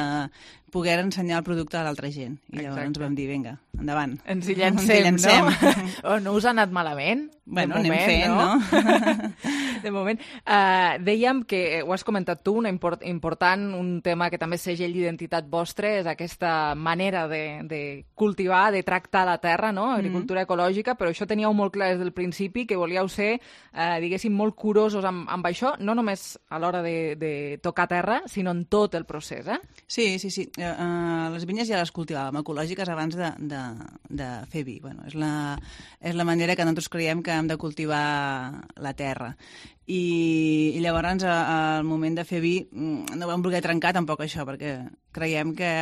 Speaker 34: poder ensenyar el producte a l'altra gent. I llavors Exacte. Ens vam dir, vinga, endavant.
Speaker 3: Ens hi llancem, Ens hi llancem. no? O no us ha anat malament?
Speaker 34: Bueno,
Speaker 3: moment,
Speaker 34: anem fent, no?
Speaker 3: no? De moment. Uh, dèiem que, ho has comentat tu, una import, important, un tema que també és segell d'identitat vostre, és aquesta manera de, de cultivar, de tractar la terra, no? Agricultura mm. ecològica, però això teníeu molt clar des del principi, que volíeu ser, uh, diguéssim, molt curosos amb, amb això, no només a l'hora de, de tocar terra, sinó en tot el procés, eh?
Speaker 34: Sí, sí, sí. Uh, les vinyes ja les cultivàvem ecològiques abans de, de, de fer vi. Bueno, és la, és la manera que nosaltres creiem que hem de cultivar la terra. I, i llavors al moment de fer vi no vam voler trencar tampoc això, perquè creiem que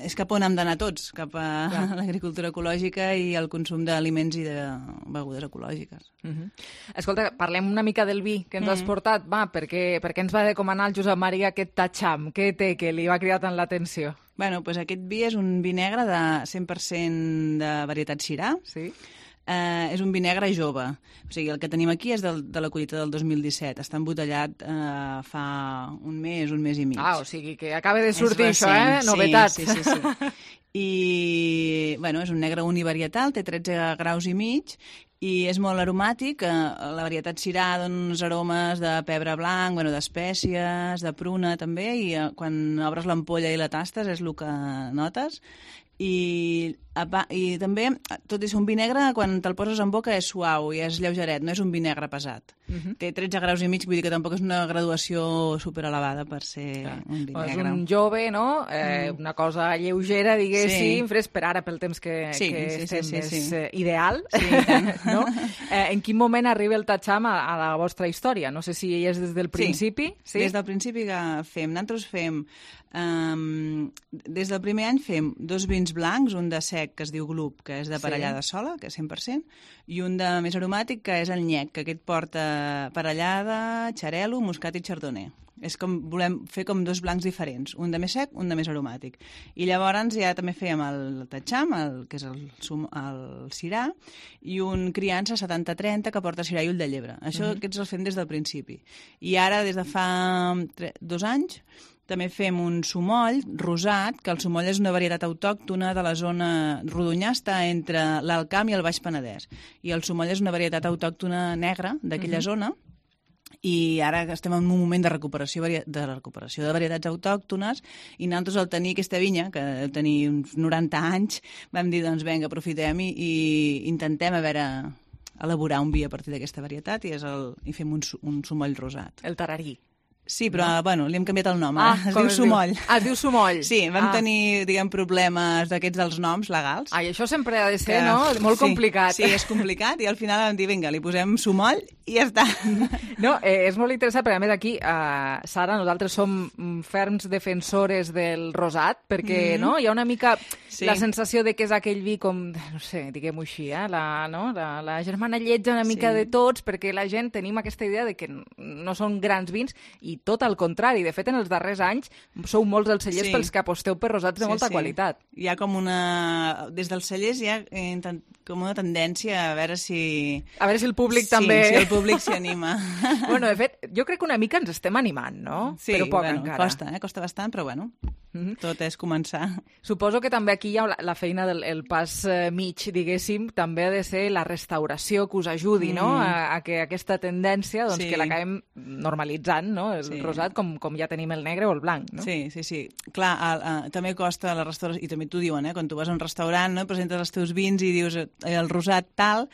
Speaker 34: és cap on hem d'anar tots, cap a ja. l'agricultura ecològica i el consum d'aliments i de begudes ecològiques.
Speaker 3: Uh-huh. Escolta, parlem una mica del vi que ens uh-huh. has portat. Va, per què, per què ens va recomanar el Josep Maria aquest Tacham? Què té que li va cridar tant l'atenció?
Speaker 34: Bueno, pues aquest vi és un vi negre de cent per cent de varietat Syrah.
Speaker 3: Sí.
Speaker 34: Eh, és un vi negre jove. O sigui, el que tenim aquí és del, de la collita del dos mil disset. Està embotellat eh, fa un mes, un mes i mig.
Speaker 3: Ah, o sigui que acaba de sortir això, eh? Novetat.
Speaker 34: Sí, sí, sí. sí. I, bueno, és un negre univarietal, té tretze graus i mig, i és molt aromàtic. La varietat Syrah dona uns aromes de pebre blanc, bueno, d'espècies, de pruna també, i quan obres l'ampolla i la tastes és el que notes. I, i també, tot i ser un vi negre, quan te'l poses en boca és suau i és lleugeret, no és un vi negre pesat. Uh-huh. Té tretze graus i mig, vull dir que tampoc és una graduació superelevada per ser Clar. un vi negre.
Speaker 3: És un jove, no? Eh, mm. Una cosa lleugera, diguéssim, sí. fresc per ara, pel temps que,
Speaker 34: sí,
Speaker 3: que
Speaker 34: sí,
Speaker 3: estem,
Speaker 34: sí, sí, sí.
Speaker 3: és eh, ideal.
Speaker 34: Sí,
Speaker 3: no? eh, en quin moment arriba el Tacham a, a la vostra història? No sé si és des del principi.
Speaker 34: Sí, sí? Des del principi que fem. Nosaltres fem... Um, des del primer any fem dos vins blancs, un de sec que es diu Glup, que és de parellada sí. sola, que és cent per cent, i un de més aromàtic, que és el Nyec, que aquest porta parellada, xarel·lo, moscat i chardonnay. És com, volem fer com dos blancs diferents, un de més sec, un de més aromàtic. I llavors ja també fèiem el Tacham, el, que és el, el Syrah, i un criança setanta trenta que porta Syrah i ull de llebre. Això uh-huh. aquests els fem des del principi. I ara, des de fa tre, dos anys, també fem un sumoll rosat, que el sumoll és una varietat autòctona de la zona Rodonyà, està entre l'Alt Camp i el Baix Penedès. I el sumoll és una varietat autòctona negra d'aquella uh-huh. zona, i ara estem en un moment de recuperació de recuperació de varietats autòctones, i nosaltres al tenir aquesta vinya, que deu tenir uns noranta anys, vam dir, doncs vinga, aprofitem i, i intentem a veure elaborar un vi a partir d'aquesta varietat, i, és el, i fem un, un sumoll rosat.
Speaker 3: El tararí.
Speaker 34: Sí, però, no? bueno, li hem canviat el nom.
Speaker 3: Ah,
Speaker 34: es diu
Speaker 3: es
Speaker 34: Sumoll.
Speaker 3: Diu? Ah, es diu Sumoll.
Speaker 34: Sí, vam
Speaker 3: ah.
Speaker 34: tenir, diguem, problemes d'aquests dels noms legals.
Speaker 3: Ai, això sempre ha de ser,
Speaker 34: que,
Speaker 3: no? Molt
Speaker 34: sí,
Speaker 3: complicat.
Speaker 34: Sí, és complicat, i al final vam dir, vinga, li posem Sumoll i ja està.
Speaker 3: No, eh, és molt interessant, perquè a més aquí, eh, Sara, nosaltres som ferms defensores del rosat, perquè mm-hmm. no, hi ha una mica sí. la sensació de que és aquell vi com, no sé, diguem-ho així, eh? la, no? la, la germana lletja una mica sí. de tots, perquè la gent tenim aquesta idea de que no són grans vins, i tot al contrari. De fet, en els darrers anys sou molts els cellers sí. pels que aposteu per rosats de sí, molta sí. qualitat.
Speaker 34: Hi ha com una... Des dels cellers hi ha eh, com una tendència a veure si...
Speaker 3: A veure si el públic
Speaker 34: sí,
Speaker 3: també...
Speaker 34: si el públic s'hi anima.
Speaker 3: Bueno, de fet, jo crec que una mica ens estem animant, no?
Speaker 34: Sí,
Speaker 3: però poc
Speaker 34: bueno,
Speaker 3: encara.
Speaker 34: costa, eh? Costa bastant, però bueno, mm-hmm. tot és començar.
Speaker 3: Suposo que també aquí hi ha la, la feina del el pas eh, mig, diguéssim, també ha de ser la restauració que us ajudi, mm. no? A, a que aquesta tendència, doncs, sí. que l'acabem normalitzant, no? El sí. rosat, com, com ja tenim el negre o el blanc, no?
Speaker 34: Sí, sí, sí. Clar, el, el, també costa la restauració, i també t'ho diuen, eh? Quan tu vas a un restaurant, no? Presentes els teus vins i dius el rosat tal...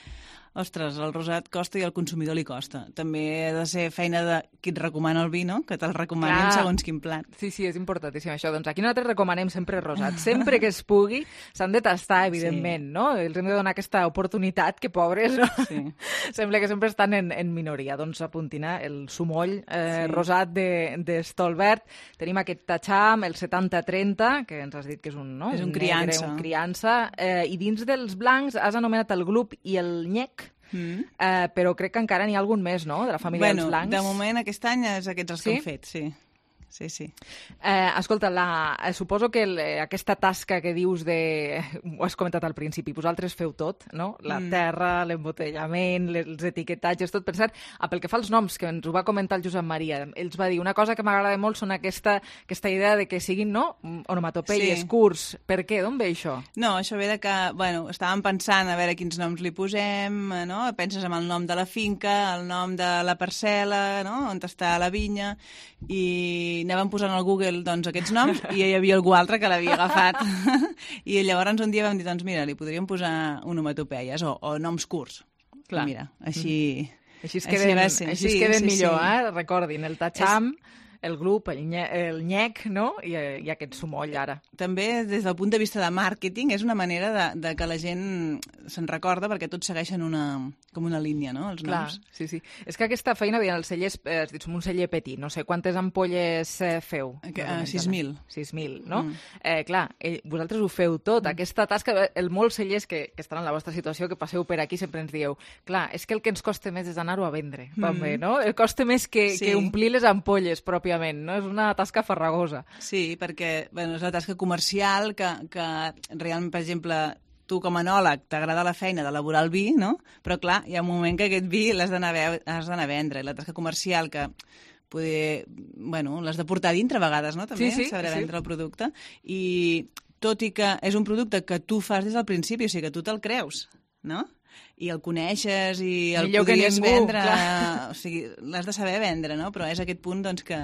Speaker 34: Ostres, el rosat costa i al consumidor li costa. També ha de ser feina de qui et recomana el vi, no? Que te'l recomanin segons quin plat.
Speaker 3: Sí, sí, és importantíssim això. Doncs aquí nosaltres recomanem sempre rosat. Sempre que es pugui, s'han de tastar, evidentment, sí. no? Els hem de donar aquesta oportunitat, que pobres, no? Sí. Sembla que sempre estan en, en minoria. Doncs apuntin el Sumoll eh, sí. rosat de, de Stolbert. Tenim aquest Tacham, el setanta trenta, que ens has dit que és un, no?
Speaker 34: És un,
Speaker 3: un
Speaker 34: criança.
Speaker 3: Negre, un criança. Eh, I dins dels blancs has anomenat el Glup i el Nyec. Mm. Uh, però crec que encara n'hi ha algun més, no?, de la família
Speaker 34: bueno,
Speaker 3: dels blancs.
Speaker 34: De moment aquest any és aquests els sí? que hem fet, sí. Sí, sí.
Speaker 3: Eh, escolta, la, eh, suposo que el, aquesta tasca que dius de... Ho has comentat al principi, vosaltres feu tot, no? La mm. terra, l'embotellament, els etiquetatges, tot. Per cert, pel que fa als noms, que ens ho va comentar el Josep Maria, ells va dir una cosa que m'agrada molt són aquesta, aquesta idea de que siguin, no?, onomatopeies, sí. curts. Per què? D'on ve això?
Speaker 34: No, això ve de que, bueno, estàvem pensant a veure quins noms li posem, no? Penses en el nom de la finca, el nom de la parcel·la, no?, on està la vinya, i anàvem posant al Google doncs, aquests noms i hi havia algú altre que l'havia agafat. I llavors un dia vam dir, doncs mira, li podríem posar onomatopeies o, o noms curts. Clar. I mira, així... Mm.
Speaker 3: Així es queden, així així sí, es queden sí, millor, sí. eh? Recordin, el Tacham... És... el Glup, el, nye, el Nyec, no? I, i aquest Sumoll, ara.
Speaker 34: També, des del punt de vista de màrqueting, és una manera de, de que la gent se'n recorda, perquè tots segueixen una, com una línia, no?, els
Speaker 3: Clar,
Speaker 34: noms.
Speaker 3: Sí, sí. És que aquesta feina, veient els cellers, eh, has dit, som un celler petit, no sé, quantes ampolles eh, feu?
Speaker 34: Uh, sis mil.
Speaker 3: sis mil, no? Mm. Eh, clar, eh, vosaltres ho feu tot, mm. aquesta tasca, el molts cellers que, que estan en la vostra situació, que passeu per aquí, sempre ens dieu, clar, és que el que ens costa més és anar-ho a vendre, mm. també, no? El costa més que, sí. que omplir les ampolles, pròpiament, no? És una tasca farragosa.
Speaker 34: Sí, perquè bueno, és una tasca comercial que, que realment, per exemple, tu com a enòleg t'agrada la feina d'elaborar el vi, no? Però clar, hi ha un moment que aquest vi l'has d'anar a vendre. I la tasca comercial que poder, bueno, l'has de portar dintre a vegades, no? També,
Speaker 3: sí, sí,
Speaker 34: saber
Speaker 3: sí.
Speaker 34: vendre el producte. I tot i que és un producte que tu fas des del principi, o sigui que tu te'l creus, no? I el coneixes i el
Speaker 3: Millor
Speaker 34: podries
Speaker 3: ningú,
Speaker 34: vendre,
Speaker 3: clar.
Speaker 34: O sigui, l'has de saber vendre, no? Però és aquest punt, doncs, que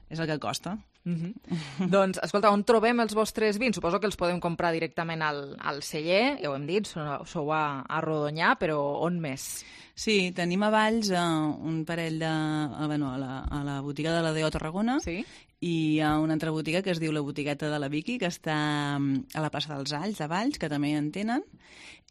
Speaker 34: és el que costa.
Speaker 3: Mm-hmm. Doncs, escolta, on trobem els vostres vins? Suposo que els podem comprar directament al, al celler, ja ho hem dit, sou a, a Rodonyà, però on més?
Speaker 34: Sí, tenim a Valls uh, un parell de... Uh, bueno, a la, a la botiga de la D O Tarragona,
Speaker 3: sí?
Speaker 34: I hi ha una altra botiga que es diu la Botigueta de la Vicky, que està a la plaça dels Alls, de Valls, que també en tenen.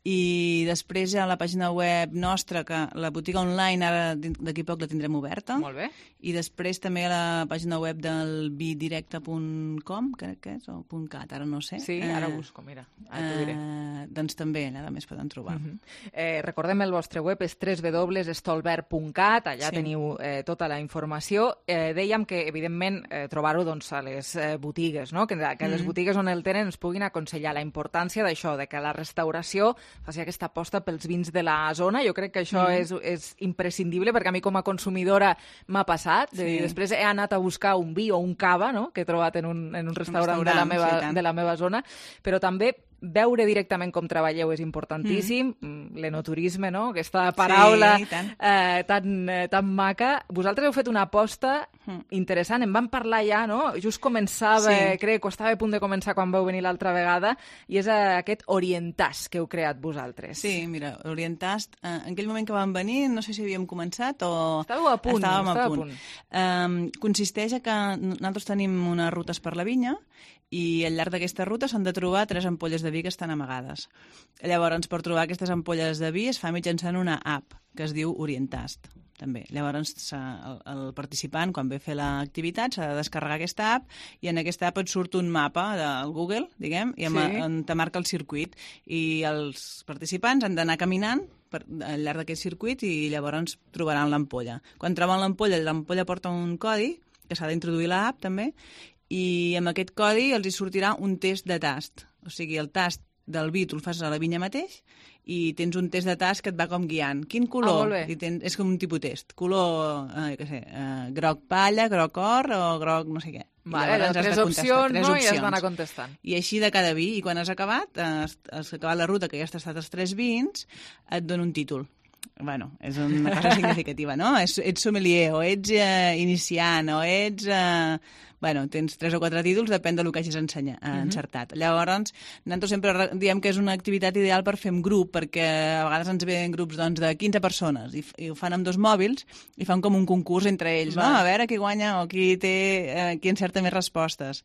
Speaker 34: I després a la pàgina web nostra, que la botiga online ara d'aquí poc la tindrem oberta.
Speaker 3: Molt bé.
Speaker 34: I després també a la pàgina web del vidirecte punt com, crec que és, o .cat, ara no sé.
Speaker 3: Sí, ara busco, mira, ara t'ho diré.
Speaker 34: Eh, doncs també, allà més poden trobar.
Speaker 3: Uh-huh. eh, recordem, el vostre web és w w w punt stolbert punt cat, allà sí. teniu eh, tota la informació. Eh, dèiem que, evidentment, eh, trobar-ho doncs, a les eh, botigues, no? que, que mm-hmm. les botigues on el tenen ens puguin aconsellar la importància d'això, de que la restauració faci aquesta aposta pels vins de la zona. Jo crec que això mm. és, és imprescindible, perquè a mi com a consumidora m'ha passat. Sí. I després he anat a buscar un vi o un cava, no?, que he trobat en un, en un restaurant, un restaurant de, la meva, sí, de la meva zona, però també veure directament com treballeu és importantíssim, mm. l'enoturisme, no? Aquesta paraula sí, eh, tan, eh, tan maca. Vosaltres heu fet una aposta mm. interessant, en vam parlar ja, no? Just començava, sí. crec que estava a punt de començar quan vau venir l'altra vegada, i és aquest Orientast que heu creat vosaltres.
Speaker 34: Sí, mira, Orientast, eh, en aquell moment que vam venir, no sé si havíem començat o...
Speaker 3: Estàveu a punt.
Speaker 34: Estàvem
Speaker 3: a
Speaker 34: punt.
Speaker 3: punt.
Speaker 34: Um, consisteix a que nosaltres tenim unes rutes per la vinya i al llarg d'aquesta ruta s'han de trobar tres ampolles de vi que estan amagades. Llavors, per trobar aquestes ampolles de vi es fa mitjançant una app que es diu Orientast, també. Llavors, el, el participant, quan ve a fer l'activitat, s'ha de descarregar aquesta app i en aquesta app et surt un mapa del Google, diguem, i sí. on te marca el circuit. I els participants han d'anar caminant per, al llarg d'aquest circuit i llavors trobaran l'ampolla. Quan troben l'ampolla, l'ampolla porta un codi que s'ha d'introduir a l'app, també, i amb aquest codi els hi sortirà un test de tast. O sigui, el tast del vi tu el fas a la vinya mateix i tens un test de tast que et va com guiant. Quin color?
Speaker 3: Ah,
Speaker 34: I tens, és com un tipus test. Color, eh, què sé, eh, groc palla, groc or o groc no sé què.
Speaker 3: Vale, les tres opcions,
Speaker 34: tres
Speaker 3: no?
Speaker 34: opcions.
Speaker 3: I has d'anar contestant.
Speaker 34: I així de cada vi. I quan has acabat, has, has acabat la ruta, que ja has tastat els tres vins, et dona un títol. Bueno, és una cosa significativa, no? Ets, ets sommelier, o ets eh, iniciant, o ets... Eh, bueno, tens tres o quatre títols, depèn del que hagis ensenya, eh, uh-huh. encertat. Llavors, nosaltres sempre diem que és una activitat ideal per fer en grup, perquè a vegades ens venen grups doncs, de quinze persones i, i ho fan amb dos mòbils i fan com un concurs entre ells, no? A veure qui guanya o qui té, eh, qui encerta més respostes.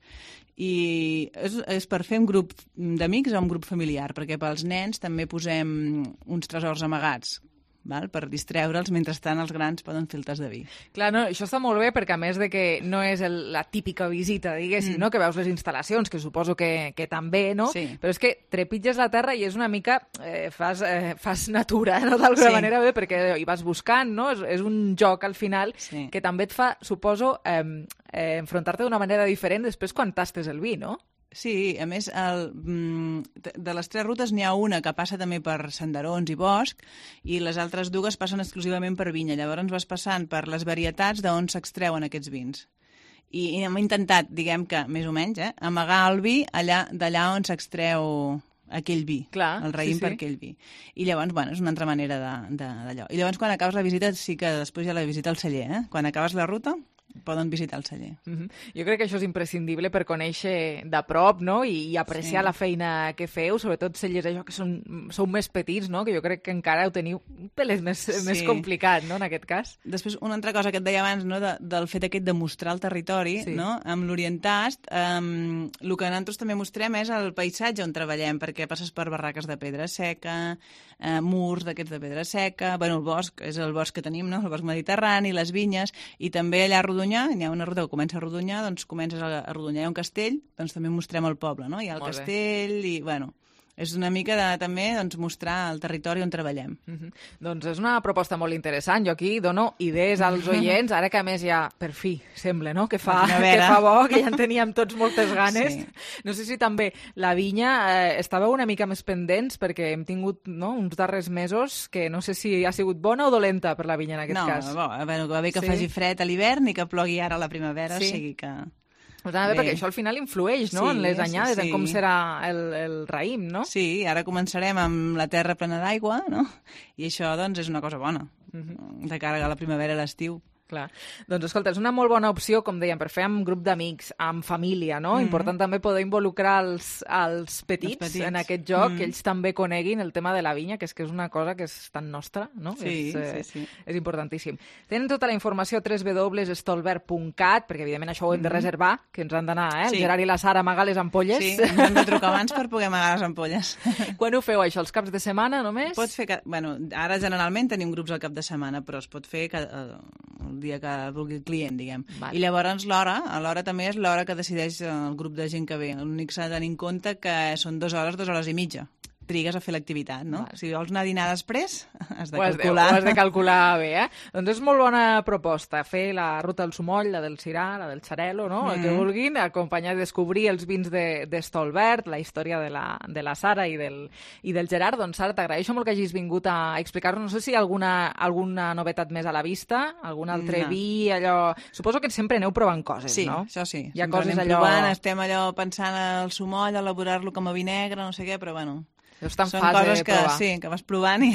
Speaker 34: I és, és per fer un grup d'amics o un grup familiar, perquè pels nens també posem uns tresors amagats, val? Per distreure'ls, mentrestant els grans poden fer el tas de vi.
Speaker 3: Clar, no, això està molt bé perquè a més de que no és el, la típica visita, diguéssim, mm. no? Que veus les instal·lacions, que suposo que, que també, no?
Speaker 34: Sí.
Speaker 3: Però és que trepitges la terra i és una mica... Eh, fas, eh, fas natura, no? D'alguna sí. manera bé, perquè hi vas buscant, no? És, és un joc al final sí. que també et fa, suposo, eh, eh, enfrontar-te d'una manera diferent després quan tastes el vi, no?
Speaker 34: Sí, a més, el, de les tres rutes n'hi ha una que passa també per senderons i bosc i les altres dues passen exclusivament per vinya. Llavors vas passant per les varietats d'on s'extreuen aquests vins. I, i hem intentat, diguem que, més o menys, eh, amagar el vi allà d'allà on s'extreu aquell vi,
Speaker 3: Clar,
Speaker 34: el raïm
Speaker 3: sí, sí.
Speaker 34: per aquell vi. I llavors, bueno, és una altra manera d'allò. I llavors, quan acabes la visita, sí que després hi ha la visita al celler, eh? Quan acabes la ruta, poden visitar el celler.
Speaker 3: Mm-hmm. Jo crec que això és imprescindible per conèixer de prop, no? I, i apreciar sí. la feina que feu, sobretot cellers això que són, sou més petits, no? Que jo crec que encara ho teniu un pelet més, sí. més complicat, no? En aquest cas.
Speaker 34: Després, una altra cosa que et deia abans, no? De, del fet aquest de mostrar el territori, sí. no? Amb l'Orientast, um, el que nosaltres també mostrem és el paisatge on treballem, perquè passes per barraques de pedra seca, uh, murs d'aquests de pedra seca, bueno, el bosc, és el bosc que tenim, no? El bosc mediterrani, les vinyes, i també allà a Rodonyà, hi ha una ruta que comença a Rodonyà, doncs comences a Rodonyà, hi ha un castell, doncs també mostrem el poble, no? Hi ha el Molt castell bé. I, bueno, és una mica de també doncs, mostrar el territori on treballem.
Speaker 3: Mm-hmm. Doncs és una proposta molt interessant. Jo aquí dono idees als oients, ara que a més ja, per fi, sembla, no? Que fa, que fa bo, que ja en teníem tots moltes ganes. Sí. No sé si també la vinya eh, estàveu una mica més pendents, perquè hem tingut no, uns darrers mesos que no sé si ha sigut bona o dolenta per la vinya en aquest
Speaker 34: no,
Speaker 3: cas.
Speaker 34: No, bueno, que va bé que sí. faci fred a l'hivern i que plogui ara a la primavera, sí. o sigui que...
Speaker 3: Pues bé, perquè això al final influeix, no?, sí, en les anyades, sí, sí. en com serà el, el raïm, no?
Speaker 34: Sí, ara començarem amb la terra plena d'aigua, no? I això, doncs, és una cosa bona, uh-huh. de cara a la primavera i l'estiu.
Speaker 3: Clar. Doncs escolta, és una molt bona opció, com dèiem, per fer amb grup d'amics, amb família, no? Mm-hmm. Important també poder involucrar els, els, petits, els petits en aquest joc, mm-hmm. que ells també coneguin el tema de la vinya, que és que és una cosa que és tan nostra, no?
Speaker 34: Sí,
Speaker 3: és, eh,
Speaker 34: sí, sí.
Speaker 3: És importantíssim. Tenen tota la informació a w w w punt stolberg punt cat, perquè evidentment això ho hem de reservar, que ens han d'anar, eh? El sí. Gerard i la Sara a amagar les ampolles.
Speaker 34: Sí, ens hem de trucar abans per poder amagar les ampolles.
Speaker 3: Quan ho feu, això? Els caps de setmana, només?
Speaker 34: Pots fer... Bueno, ara generalment tenim grups al cap de setmana, però es pot fer cada, el dia que vulgui el client, diguem. Vale. I llavors l'hora, l'hora també és l'hora que decideix el grup de gent que ve. L'únic s'ha de tenir en compte que són dues hores, dues hores i mitja. trigues a fer l'activitat, no?
Speaker 3: Vale.
Speaker 34: Si vols anar a dinar després, has de
Speaker 3: ho has
Speaker 34: calcular.
Speaker 3: De, ho has de calcular bé, eh? Doncs és molt bona proposta, fer la ruta del Sumoll, la del Sirà, la del Xarel·lo, no? Mm. El que vulguin, acompanyar i descobrir els vins de, de Stolbert, la història de la, de la Sara i del, i del Gerard. Doncs, Sara, t'agraeixo molt que hagis vingut a explicar-nos. No sé si hi ha alguna, alguna novetat més a la vista, algun altre
Speaker 34: No.
Speaker 3: vi, allò... Suposo que sempre aneu provant coses,
Speaker 34: Sí,
Speaker 3: no?
Speaker 34: això sí.
Speaker 3: Hi ha
Speaker 34: Sempre
Speaker 3: coses
Speaker 34: anem
Speaker 3: allò...
Speaker 34: Provant, estem allò pensant al sumoll, elaborar-lo com a vi negre, no sé què, però bueno...
Speaker 3: Està en
Speaker 34: Són
Speaker 3: fase
Speaker 34: coses
Speaker 3: de
Speaker 34: que,
Speaker 3: provar.
Speaker 34: sí, que vas provant i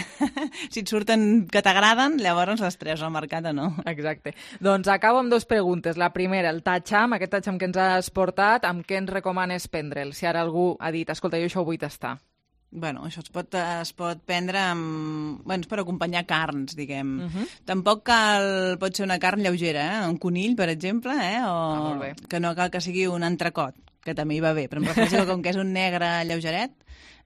Speaker 34: si et surten que t'agraden, llavors les tres al mercat o no.
Speaker 3: Exacte. Doncs acabo amb dues preguntes. La primera, el tatxam, aquest tatxam que ens has portat, amb què ens recomanes prendre'l? Si ara algú ha dit, escolta, jo això ho vull tastar.
Speaker 34: Bueno, això es pot, es pot prendre amb... Bueno, és per acompanyar carns, diguem.
Speaker 3: Uh -huh.
Speaker 34: Tampoc cal... Pot ser una carn lleugera, eh? Un conill, per exemple, eh? O
Speaker 3: Ah, molt bé.
Speaker 34: que no cal que sigui un entrecot, que també hi va bé. Però em refereixo que com que és un negre lleugeret,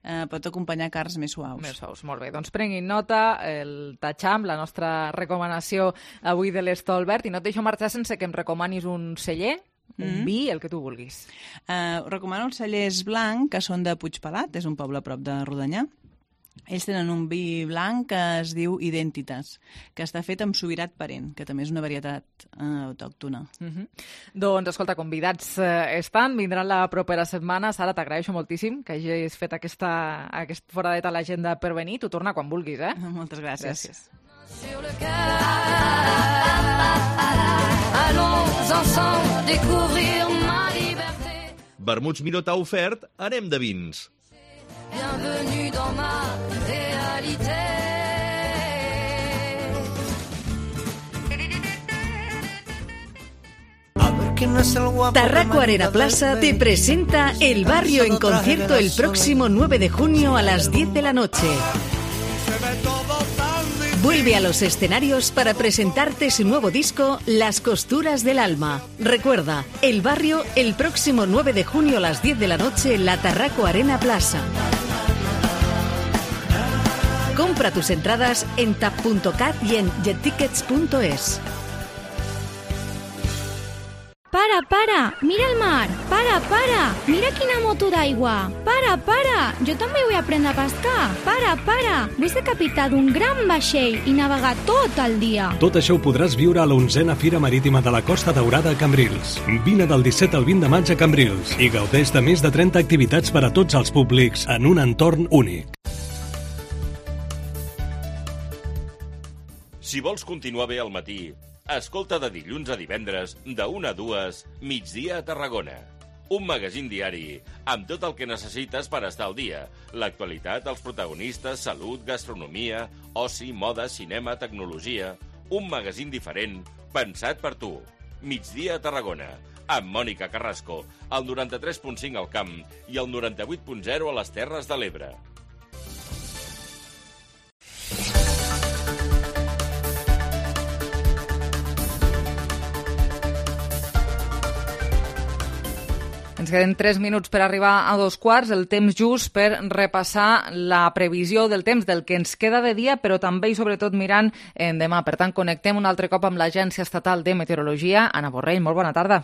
Speaker 34: eh, pot acompanyar carns més suaus.
Speaker 3: Més suaus, molt bé. Doncs prenguin nota, el tatxam, la nostra recomanació avui de l'Stolbert, i no et deixo marxar sense que em recomanis un celler, un
Speaker 34: Mm.
Speaker 3: vi, el que tu vulguis.
Speaker 34: Eh, us recomano els cellers blanc, que són de Puigpelat, és un poble a prop de Rodonyà. Ells tenen un vi blanc que es diu Identitas, que està fet amb subirat parent, que també és una varietat eh, autòctona.
Speaker 3: Uh -huh. Doncs, escolta, convidats eh, estan, vindran la propera setmana. Sara, t'agraeixo moltíssim que hagis fet aquesta, aquest foradet a l'agenda per venir. Tu torna quan vulguis, eh?
Speaker 34: Moltes gràcies.
Speaker 3: Gràcies.
Speaker 33: Sur le cœur, allons ensemble découvrir ma liberté.
Speaker 32: Vermuts Miró t'ha ofert Anem de vins.
Speaker 33: Bienvenue dans ma réalité.
Speaker 4: Tarraco Arena Plaza te presenta El Barrio en concierto el próximo nueve de junio a las diez de la noche. Vuelve a los escenarios para presentarte su nuevo disco Las Costuras del Alma. Recuerda, El Barrio el próximo nueve de junio a las diez de la noche en la Tarraco Arena Plaza. Compra tus entradas en tap punto cat y en jettickets punto es.
Speaker 12: Para, para, mira el mar. Para, para, mira quina moto d'aigua. Para, para, jo també vull aprendre a pescar. Para, para, vull ser capità d'un gran vaixell i navegar tot el dia.
Speaker 13: Tot això ho podràs viure a l'onzena Fira Marítima de la Costa Daurada a Cambrils. Vine del disset al vint de maig a Cambrils i gaudeix de més de trenta activitats per a tots els públics en un entorn únic.
Speaker 14: Si vols continuar bé al matí, escolta de dilluns a divendres, de una a dues, Migdia a Tarragona. Un magazín diari amb tot el que necessites per estar al dia. L'actualitat, els protagonistes, salut, gastronomia, oci, moda, cinema, tecnologia... Un magazín diferent, pensat per tu. Migdia a Tarragona, amb Mònica Carrasco, al noranta-tres punt cinc al Camp i al noranta-vuit punt zero a les Terres de l'Ebre.
Speaker 3: Ens queden tres minuts per arribar a dos quarts, el temps just per repassar la previsió del temps del que ens queda de dia, però també i sobretot mirant en demà. Per tant, connectem un altre cop amb l'Agència Estatal de Meteorologia. Anna Borrell, molt bona tarda.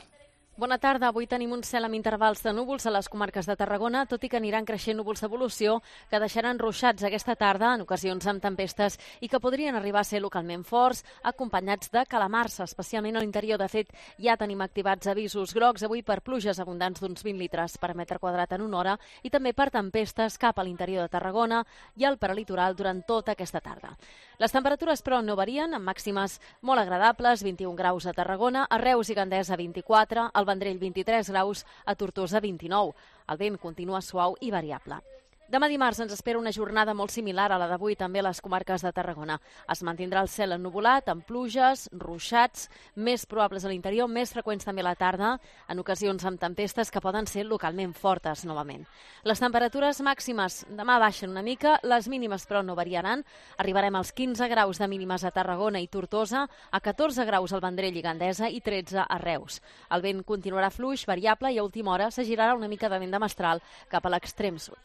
Speaker 15: Bona tarda. Avui tenim un cel amb intervals de núvols a les comarques de Tarragona, tot i que aniran creixent núvols d'evolució que deixaran ruixats aquesta tarda, en ocasions amb tempestes, i que podrien arribar a ser localment forts, acompanyats de calamars, especialment a l'interior. De fet, ja tenim activats avisos grocs avui per pluges abundants d'uns vint litres per metre quadrat en una hora i també per tempestes cap a l'interior de Tarragona i al prelitoral durant tota aquesta tarda. Les temperatures, però, no varien, amb màximes molt agradables, vint-i-un graus a Tarragona, a Reus i Gandesa vint-i-quatre, al Vendrell vint-i-tres graus, a Tortosa vint-i-nou. El vent continua suau i variable. Demà dimarts ens espera una jornada molt similar a la d'avui també a les comarques de Tarragona. Es mantindrà el cel ennuvolat, amb pluges, ruixats, més probables a l'interior, més freqüents també a la tarda, en ocasions amb tempestes que poden ser localment fortes novament. Les temperatures màximes demà baixen una mica, les mínimes però no variaran. Arribarem als quinze graus de mínimes a Tarragona i Tortosa, a catorze graus al Vendrell i Gandesa i tretze a Reus. El vent continuarà fluix, variable, i a última hora s'agirarà una mica de vent de mestral cap a l'extrem sud.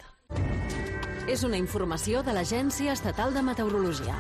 Speaker 2: És una informació de l'Agència Estatal de Meteorologia.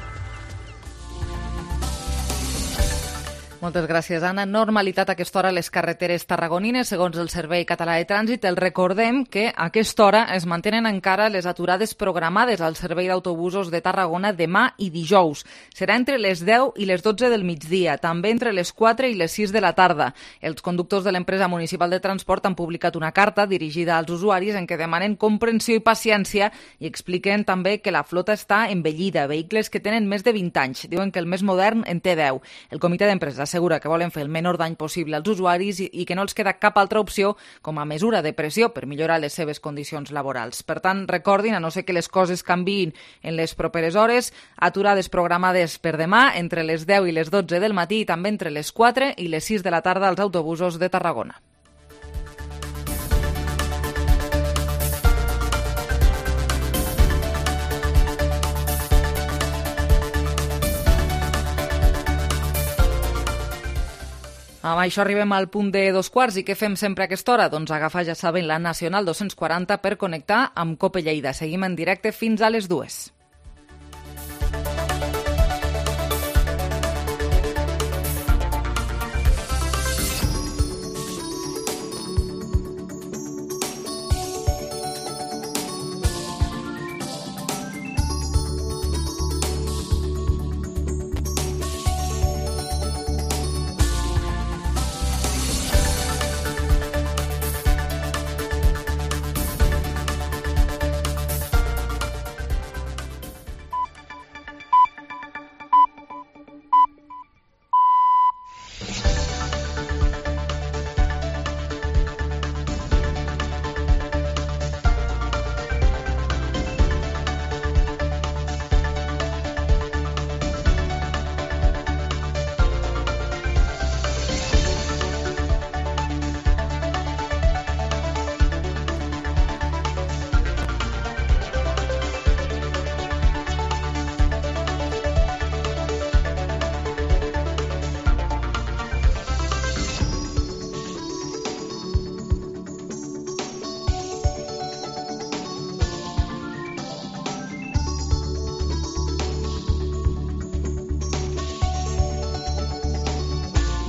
Speaker 3: Moltes gràcies, Anna. Normalitat a aquesta hora a les carreteres tarragonines, segons el Servei Català de Trànsit. El recordem que a aquesta hora es mantenen encara les aturades programades al servei d'autobusos de Tarragona demà i dijous. Serà entre les deu i les dotze del migdia, també entre les quatre i les sis de la tarda. Els conductors de l'empresa municipal de transport han publicat una carta dirigida als usuaris en què demanen comprensió i paciència i expliquen també que la flota està envellida, vehicles que tenen més de vint anys. Diuen que el més modern en té deu. El comitè d'empresa assegura que volen fer el menor dany possible als usuaris i, i que no els queda cap altra opció com a mesura de pressió per millorar les seves condicions laborals. Per tant, recordin, a no ser que les coses canviïn en les properes hores, aturades programades per demà entre les deu i les dotze del matí i també entre les quatre i les sis de la tarda als autobusos de Tarragona. Amb això arribem al punt de dos quarts i què fem sempre a aquesta hora? Doncs agafar, ja saben, la Nacional dos-cents quaranta per connectar amb Cope Lleida. Seguim en directe fins a les dues.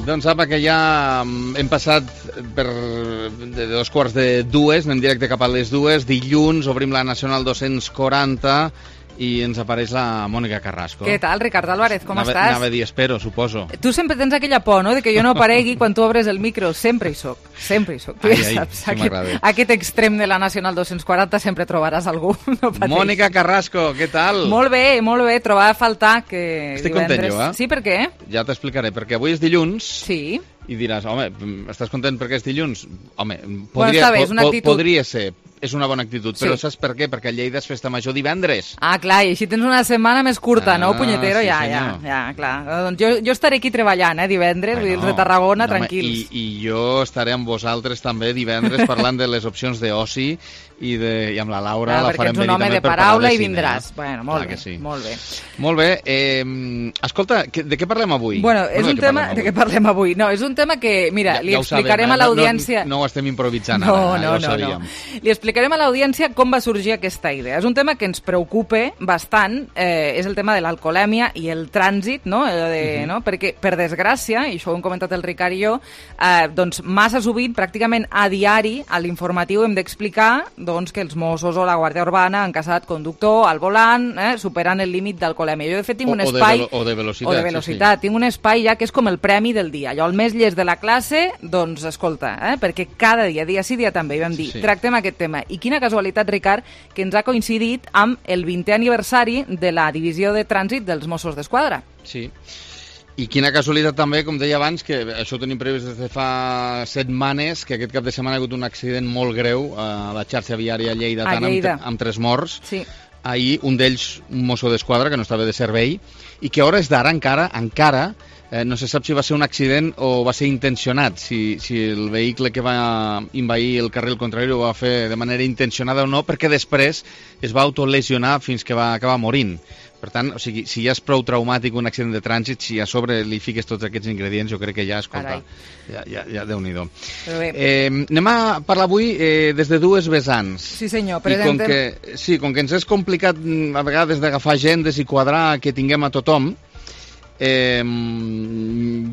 Speaker 5: Doncs apa, que ja hem passat per de dos quarts de dues, anem directe cap a les dues. Dilluns obrim la Nacional dos-cents quaranta i ens apareix la Mònica Carrasco.
Speaker 3: Què tal, Ricard Álvarez, com
Speaker 5: anava,
Speaker 3: estàs?
Speaker 5: Anava a dir, espero, suposo.
Speaker 3: Tu sempre tens aquella por, no?, de que jo no aparegui quan tu obres el micro. Sempre hi soc, sempre hi soc. Tu
Speaker 5: ai,
Speaker 3: ja
Speaker 5: ai,
Speaker 3: saps,
Speaker 5: sí
Speaker 3: aquest, aquest extrem de la Nacional dos-cents quaranta sempre trobaràs algú. No pateix.
Speaker 5: Mònica Carrasco, què tal?
Speaker 3: Molt bé, molt bé, trobava a faltar que
Speaker 5: Estic
Speaker 3: divendres...
Speaker 5: content jo, eh?
Speaker 3: Sí, per què?
Speaker 5: Ja t'explicaré, perquè avui és dilluns.
Speaker 3: Sí.
Speaker 5: I diràs, home, estàs content perquè és dilluns? Home, podria,
Speaker 3: bueno, està bé, és una
Speaker 5: po
Speaker 3: actitud.
Speaker 5: podria ser, és una bona actitud,
Speaker 3: Sí.
Speaker 5: però saps per què? Perquè a Lleida és festa major divendres.
Speaker 3: Ah, clar, i així tens una setmana més curta,
Speaker 5: Ah,
Speaker 3: no, punyetero?
Speaker 5: sí,
Speaker 3: ja, ja,
Speaker 5: senyor.
Speaker 3: ja, clar. Doncs jo, jo estaré aquí treballant, eh, divendres, vull dir, els de Tarragona,
Speaker 5: No, home,
Speaker 3: tranquils.
Speaker 5: I, I jo estaré amb vosaltres també divendres parlant de les opcions d'oci i, de, i amb la Laura
Speaker 3: Ah,
Speaker 5: la
Speaker 3: perquè
Speaker 5: farem
Speaker 3: ets un
Speaker 5: venir
Speaker 3: home
Speaker 5: també
Speaker 3: de
Speaker 5: per
Speaker 3: paraula
Speaker 5: parlar de
Speaker 3: i
Speaker 5: cine,
Speaker 3: vindràs.
Speaker 5: eh?
Speaker 3: Bueno, molt
Speaker 5: Clar
Speaker 3: bé,
Speaker 5: que sí.
Speaker 3: molt bé.
Speaker 5: Molt bé, eh, escolta, que- de què parlem avui?
Speaker 3: Bueno, és
Speaker 5: de
Speaker 3: un
Speaker 5: què
Speaker 3: tema...
Speaker 5: parlem
Speaker 3: De
Speaker 5: avui?
Speaker 3: què parlem avui? No, és un tema que, mira, li
Speaker 5: Ja ho sabem,
Speaker 3: explicarem
Speaker 5: eh?
Speaker 3: a l'audiència...
Speaker 5: No, no, no ho estem improvisant
Speaker 3: No,
Speaker 5: ara,
Speaker 3: no,
Speaker 5: ja ho
Speaker 3: no,
Speaker 5: sabíem.
Speaker 3: no. Li explicarem a l'audiència com va sorgir aquesta idea. És un tema que ens preocupa bastant, eh, és el tema de l'alcoholèmia i el trànsit, no? Eh, de,
Speaker 5: Mhm.
Speaker 3: no? Perquè, per desgràcia, i això ho hem comentat el Ricard i jo, eh, doncs massa sovint, pràcticament a diari, a l'informatiu hem d'explicar doncs, que els Mossos o la Guàrdia Urbana han caçat conductor al volant, eh, superant el límit d'alcoholèmia. Jo, de fet, tinc
Speaker 5: O-
Speaker 3: un
Speaker 5: o de
Speaker 3: espai...
Speaker 5: velo- o de velocitat,
Speaker 3: O de
Speaker 5: sí,
Speaker 3: velocitat. Tinc un espai ja que és com el premi del dia. Jo, el més llest de la classe, doncs, escolta, eh, perquè cada dia, dia sí, dia també, vam dir,
Speaker 5: Sí.
Speaker 3: tractem aquest tema. I quina casualitat, Ricard, que ens ha coincidit amb el vintè aniversari de la divisió de trànsit dels Mossos d'Esquadra.
Speaker 5: Sí. I quina casualitat també, com deia abans, que això ho tenim previst des de fa setmanes, que aquest cap de setmana ha hagut un accident molt greu a la xarxa viària lleidatana
Speaker 3: A Lleida.
Speaker 5: amb, amb tres morts.
Speaker 3: Sí.
Speaker 5: Ahir un d'ells, un mosso d'esquadra, que no estava de servei, i que a hores d'ara encara, encara, eh, no se sap si va ser un accident o va ser intencionat, si, si el vehicle que va envair el carril contrari ho va fer de manera intencionada o no, perquè després es va autolesionar fins que va acabar morint. Per tant, o sigui, si ja és prou traumàtic un accident de trànsit, si a sobre li fiques tots aquests ingredients, jo crec que ja, escolta,
Speaker 3: Carai.
Speaker 5: ja, ja, ja Déu-n'hi-do.
Speaker 3: Però bé.
Speaker 5: Eh, anem a parlar avui eh, des de dues vessants.
Speaker 3: Sí, senyor,
Speaker 5: I com
Speaker 3: presentem...
Speaker 5: que, sí, com que ens és complicat mm, a vegades d'agafar agendes i quadrar que tinguem a tothom, eh,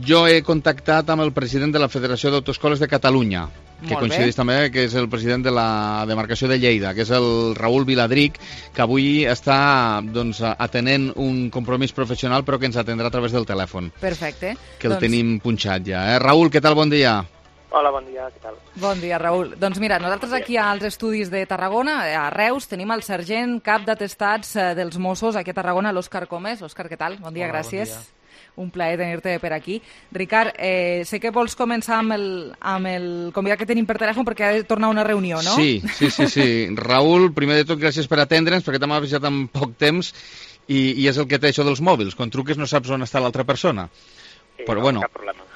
Speaker 5: jo he contactat amb el president de la Federació d'Autoescoles de Catalunya, que coincideix també que és el president de la demarcació de Lleida, que és el Raül Viladric, que avui està doncs, atenent un compromís professional però que ens atendrà a través del telèfon.
Speaker 3: Perfecte.
Speaker 5: Que el doncs... tenim punxat ja. Eh? Raül, què tal? Bon dia.
Speaker 6: Hola, bon dia, què tal?
Speaker 3: Bon dia, Raül. Doncs mira, nosaltres aquí als estudis de Tarragona, a Reus, tenim el sergent cap d'atestats dels Mossos aquí a Tarragona, l'Òscar Comes. Òscar, què tal? Bon dia, Hola, gràcies. Bon dia. Un plaer tenir-te per aquí. Ricard, eh, sé que vols començar amb el, amb el convidat que tenim per telèfon perquè ha de tornar a una reunió, no?
Speaker 5: Sí, sí, sí. sí. Raül, primer de tot, gràcies per atendre'ns, perquè t'hem avisat en poc temps i, i és el que té això dels mòbils. Quan truques no saps on està l'altra persona. Sí, Però, no, bueno,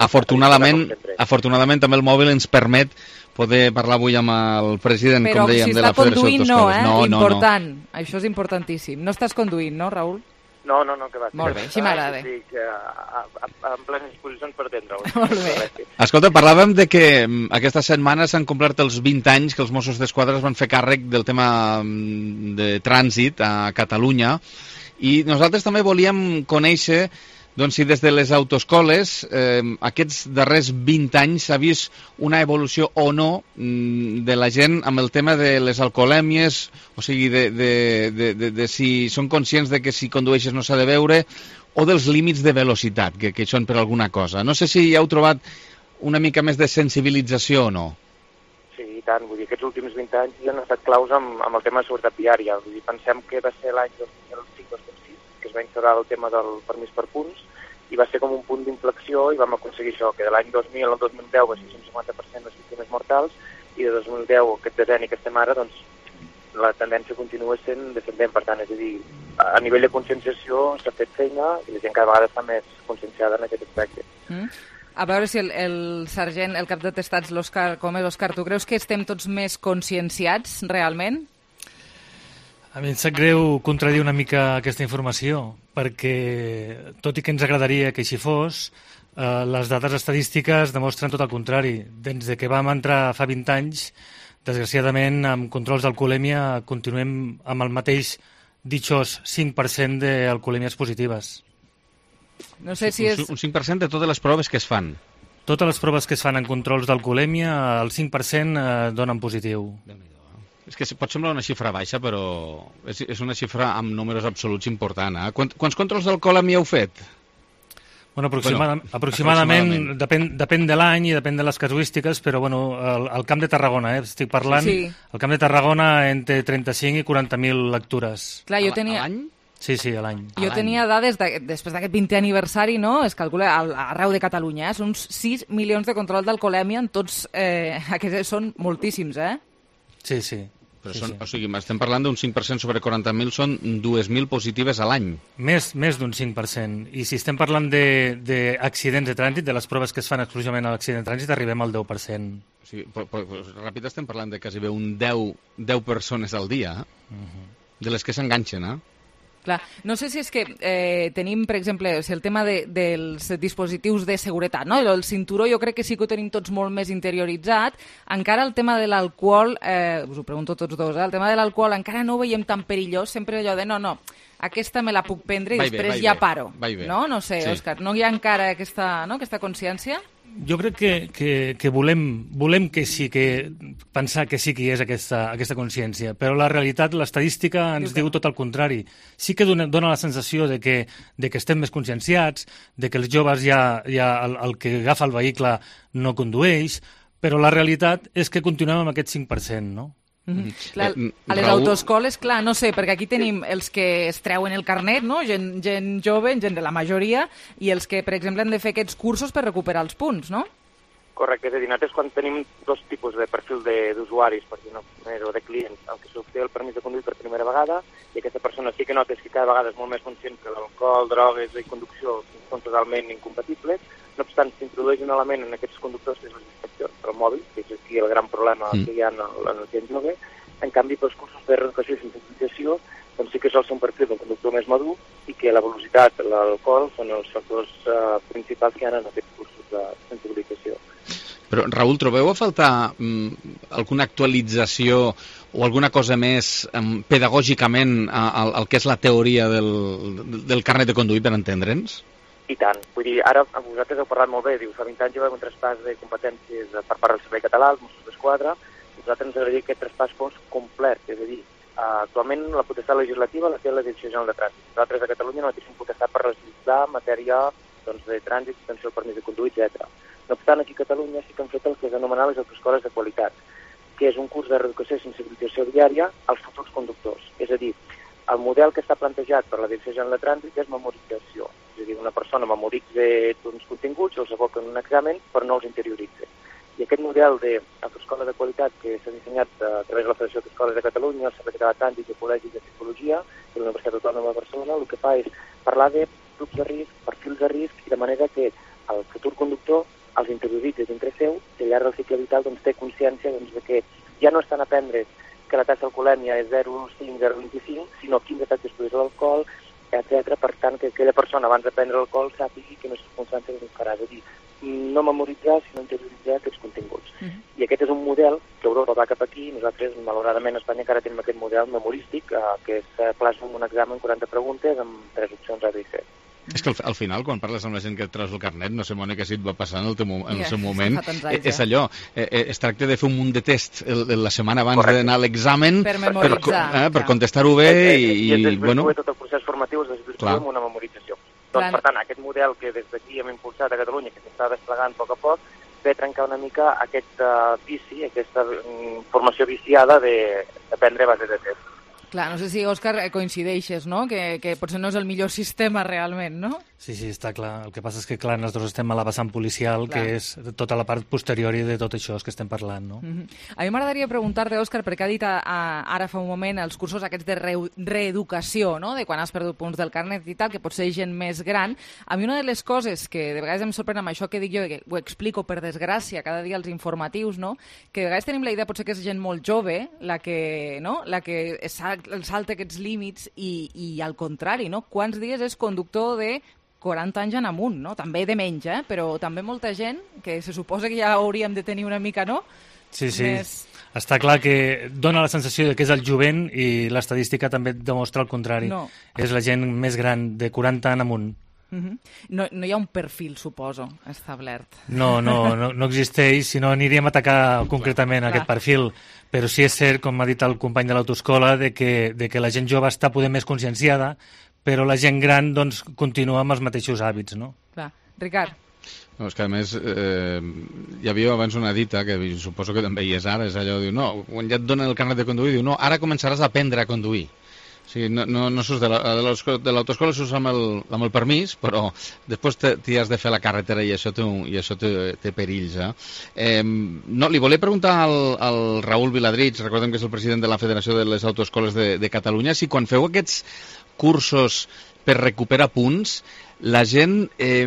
Speaker 5: afortunadament, afortunadament també el mòbil ens permet poder parlar avui amb el president,
Speaker 3: Però
Speaker 5: com dèiem,
Speaker 3: si
Speaker 5: de la Federació d'Autoscoles.
Speaker 3: Però si està conduint, no, eh?
Speaker 5: No,
Speaker 3: Important.
Speaker 5: No, no.
Speaker 3: Això és importantíssim. No estàs conduint, no, Raül?
Speaker 6: No, no, no, que va.
Speaker 3: Molt bé, així m'agrada.
Speaker 6: Sí, que a, a, a, en plenes disposicions per atendre-ho.
Speaker 3: Molt bé.
Speaker 5: Escolta, parlàvem de que aquesta setmana s'han complert els vint anys que els Mossos d'Esquadra es van fer càrrec del tema de trànsit a Catalunya i nosaltres també volíem conèixer doncs, si des de les autoescoles eh, aquests darrers vint anys s'ha vist una evolució o no de la gent amb el tema de les alcoholèmies, o sigui, de, de, de, de, de si són conscients de que si condueixes no s'ha de beure, o dels límits de velocitat, que, que són per alguna cosa. No sé si ja heu trobat una mica més de sensibilització o no.
Speaker 6: Sí, i tant. Vull dir, aquests últims vint anys ja han estat claus amb, amb el tema de seguretat viària. Vull dir, pensem que va ser l'any dos mil cinc dos mil sis que es va instaurar el tema del permís per punts, i va ser com un punt d'inflexió i vam aconseguir això, que de l'any dos mil al dos mil deu va ser un cinquanta per cent les víctimes mortals i de dos mil deu, aquest decenni que estem ara, doncs la tendència continua sent descendent. Per tant, és a dir, a nivell de conscienciació s'ha fet feina i la gent cada vegada està més conscienciada en aquest aspecte.
Speaker 3: Mm. A veure si el, el sergent, el cap d'atestats, l'Òscar Comes, Òscar, tu creus que estem tots més conscienciats realment?
Speaker 16: A mi em sap greu contradir una mica aquesta informació, perquè tot i que ens agradaria que així fos, eh, les dades estadístiques demostren tot el contrari. Des de que vam entrar fa vint anys, desgraciadament, amb controls d'alcoholèmia continuem amb el mateix ditxós cinc per cent d'alcoholèmies positives.
Speaker 3: No sé si és...
Speaker 5: Un cinc per cent de totes les proves que es fan.
Speaker 16: Totes les proves que es fan en controls d'alcoholèmia, el cinc per cent eh, donen positiu.
Speaker 5: És que pot semblar una xifra baixa, però és, és una xifra amb números absoluts important. Eh? Quants, quants controls d'alcoholèmia heu fet?
Speaker 16: Bueno, aproximada, bueno, aproximadament, aproximadament. Depèn, depèn de l'any i depèn de les casuístiques, però bueno, el, el Camp de Tarragona, eh, estic parlant, sí. El Camp de Tarragona entre trenta-cinc i quaranta mil lectures.
Speaker 3: Clar, jo tenia...
Speaker 5: A l'any?
Speaker 16: Sí, sí, a l'any.
Speaker 3: Jo tenia dades, de, després d'aquest vintè aniversari, no? Es calcula arreu de Catalunya, eh? Són uns sis milions de control d'alcoholèmia en tots, eh, aquests són moltíssims, eh?
Speaker 16: Sí, sí.
Speaker 5: Però
Speaker 16: sí,
Speaker 5: són,
Speaker 16: sí.
Speaker 5: O sigui, estem parlant d'un cinc per cent sobre quaranta mil, són dues mil positives a l'any.
Speaker 16: Més, més d'un cinc per cent. I si estem parlant d'accidents de, de trànsit, de les proves que es fan exclusivament a l'accident de trànsit, arribem al deu per cent.
Speaker 5: O sigui, però, però, ràpid estem parlant de quasi bé un deu, deu persones al dia, eh? Uh-huh. De les que s'enganxen, eh?
Speaker 3: Clar. No sé si és que eh, tenim, per exemple, o sigui, el tema de, dels dispositius de seguretat, no? El cinturó jo crec que sí que ho tenim tots molt més interioritzat. Encara el tema de l'alcohol, eh, us ho pregunto tots dos, eh? El tema de l'alcohol encara no ho veiem tan perillós, sempre allò de no, no, aquesta me la puc prendre i vai després bé, ja bé. paro. No? No sé, sí. Òscar, no hi ha encara aquesta, no, aquesta consciència?
Speaker 16: Jo crec que, que, que volem, volem que sí, que pensar que sí que hi és aquesta, aquesta consciència, però la realitat, l'estadística ens diu tot el contrari. Sí que dona, dona la sensació de que, de que estem més conscienciats, de que els joves ja, ja el, el que agafa el vehicle no condueix, però la realitat és que continuem amb aquest cinc per cent, no?
Speaker 3: Mm-hmm. Clar, a les autoescoles, clar, no sé, perquè aquí tenim els que es treuen el carnet, no? gent, gent jove, gent de la majoria, i els que, per exemple, han de fer aquests cursos per recuperar els punts, no?
Speaker 6: Correcte, és a dir, nosaltres quan tenim dos tipus de perfil d'usuaris, per dir-ho o de clients, el que s'obté el permís de conduir per primera vegada, i aquesta persona sí que notes que cada vegada és molt més conscient que l'alcohol, drogues i conducció són totalment incompatibles. No obstant, s'introdueix un element en aquests conductors que és la distracció del mòbil, que és aquí el gran problema mm. que hi ha en el, en el gent jove. En canvi, pels cursos de reeducació i sensibilització, doncs sí que sol ser un perfil d'un conductor més madur i que la velocitat, l'alcohol, són els factors uh, principals que hi ha en aquests cursos de sensibilització.
Speaker 5: Però, Raül, trobeu a faltar mm, alguna actualització o alguna cosa més um, pedagògicament al, al que és la teoria del, del carnet de conduir, per entendre'ns?
Speaker 6: I tant. Vull dir, ara vosaltres heu parlat molt bé, diu, fa vint anys hi va haver un traspàs de competències per part del Servei Català, els Mossos d'Esquadra, i nosaltres ens agradaria que aquest traspàs fos complet, és a dir, actualment la potestat legislativa la té la Direcció General de Trànsit. Nosaltres a Catalunya no tenim potestat per legislar en matèria doncs, de trànsit, extensió del permís de conduir, etcètera. No obstant, aquí a Catalunya sí que han fet el que s'anomena les autoescoles de qualitat, que és un curs de reeducació i sensibilització viària als futurs conductors. És a dir, el model que està plantejat per la Direcció General de Trànsit és memorització. És a dir, una persona memoritza uns continguts, els aboca en un examen, però no els interioritza. I aquest model d'autoescola de qualitat que s'ha dissenyat a través de la Federació d'Escoles de Catalunya, el Servei Català de Trànsit, el Col·legi de Psicologia i la Universitat Autònoma de Barcelona, el que fa és parlar de grups de risc, perfils de risc, i de manera que el futur conductor els interioritza dintre seu i al llarg del cicle vital doncs, té consciència doncs, de que ja no estan a aprendre que la taxa d'alcoholèmia és zero coma cinc, zero coma vint-i-cinc, sinó quins efectes produeix l'alcohol, etcètera. Per tant, que aquella persona abans de prendre l'alcohol sàpigui que no és circumstància que farà. És a dir, no memoritzar, sinó interioritzar aquests continguts. Uh -huh. I aquest és un model que Europa va cap aquí, i nosaltres, malauradament, a Espanya encara tenim aquest model memorístic, eh, que es plasma en un examen quaranta preguntes amb tres opcions A, B i C.
Speaker 5: És que al, al final, quan parles amb la gent que et treus el carnet, no sé, Mònica, si et va passar en el, teu, en el seu moment, anys, és allò, eh, es tracta de fer un munt de test el, la setmana abans d'anar a l'examen
Speaker 15: per, per,
Speaker 5: eh, per contestar-ho bé i,
Speaker 6: i, i
Speaker 5: bueno...
Speaker 6: tot el procés formatiu es desvirtua amb una memorització. Doncs, per tant, aquest model que des d'aquí hem impulsat a Catalunya, que s'està desplegant a poc a poc, ve a trencar una mica aquest uh, vici, aquesta um, formació viciada d'aprendre a base de test.
Speaker 3: Clar, no sé si, Òscar, coincideixes, no? Que, que potser no és el millor sistema realment, no?
Speaker 16: Sí, sí, està clar. El que passa és que, clar, nosaltres estem a la vessant policial,
Speaker 3: clar,
Speaker 16: que és tota la part posterior de tot això que estem parlant, no?
Speaker 3: Mm-hmm. A mi m'agradaria preguntar-te, Òscar, perquè ha dit a, a, ara fa un moment els cursos aquests de re reeducació, no?, de quan has perdut punts del carnet i tal, que pot ser gent més gran. A mi una de les coses que de vegades em sorprèn amb això que dic jo, que ho explico per desgràcia cada dia als informatius, no?, que de vegades tenim la idea potser que és gent molt jove la que, no?, la que salta aquests límits i, i al contrari, no? Quants dies és conductor de quaranta anys en amunt, no? També de menys, eh? Però també molta gent que se suposa que ja hauríem de tenir una mica, no?
Speaker 16: Sí, sí. Més... Està clar que dona la sensació de que és el jovent i l'estadística també demostra el contrari.
Speaker 3: No.
Speaker 16: És la gent més gran, de quaranta en amunt.
Speaker 3: Uh-huh. no, no hi ha un perfil, suposo, establert.
Speaker 16: No, no, no, no existeix, si no aniríem a atacar concretament clar, aquest clar. perfil. Però sí és cert, com ha dit el company de l'autoescola, de que, de que la gent jove està poder més conscienciada, però la gent gran doncs, continua amb els mateixos hàbits, no?
Speaker 3: Clar. Ricard.
Speaker 5: No, és que a més eh, hi havia abans una dita, que suposo que també hi és ara, és allò, diu, no, quan ja et donen el carnet de conduir, diu, no, ara començaràs a aprendre a conduir. O sigui, no, no, no surts de l'autoescola, surts amb el, amb el permís, però després t'hi has de fer la carretera i això té, i això té, té perills. Eh? Eh, no, li volia preguntar al, al Raül Viladrich, recordem que és el president de la Federació de les Autoescoles de, de Catalunya, si quan feu aquests cursos per recuperar punts, la gent eh,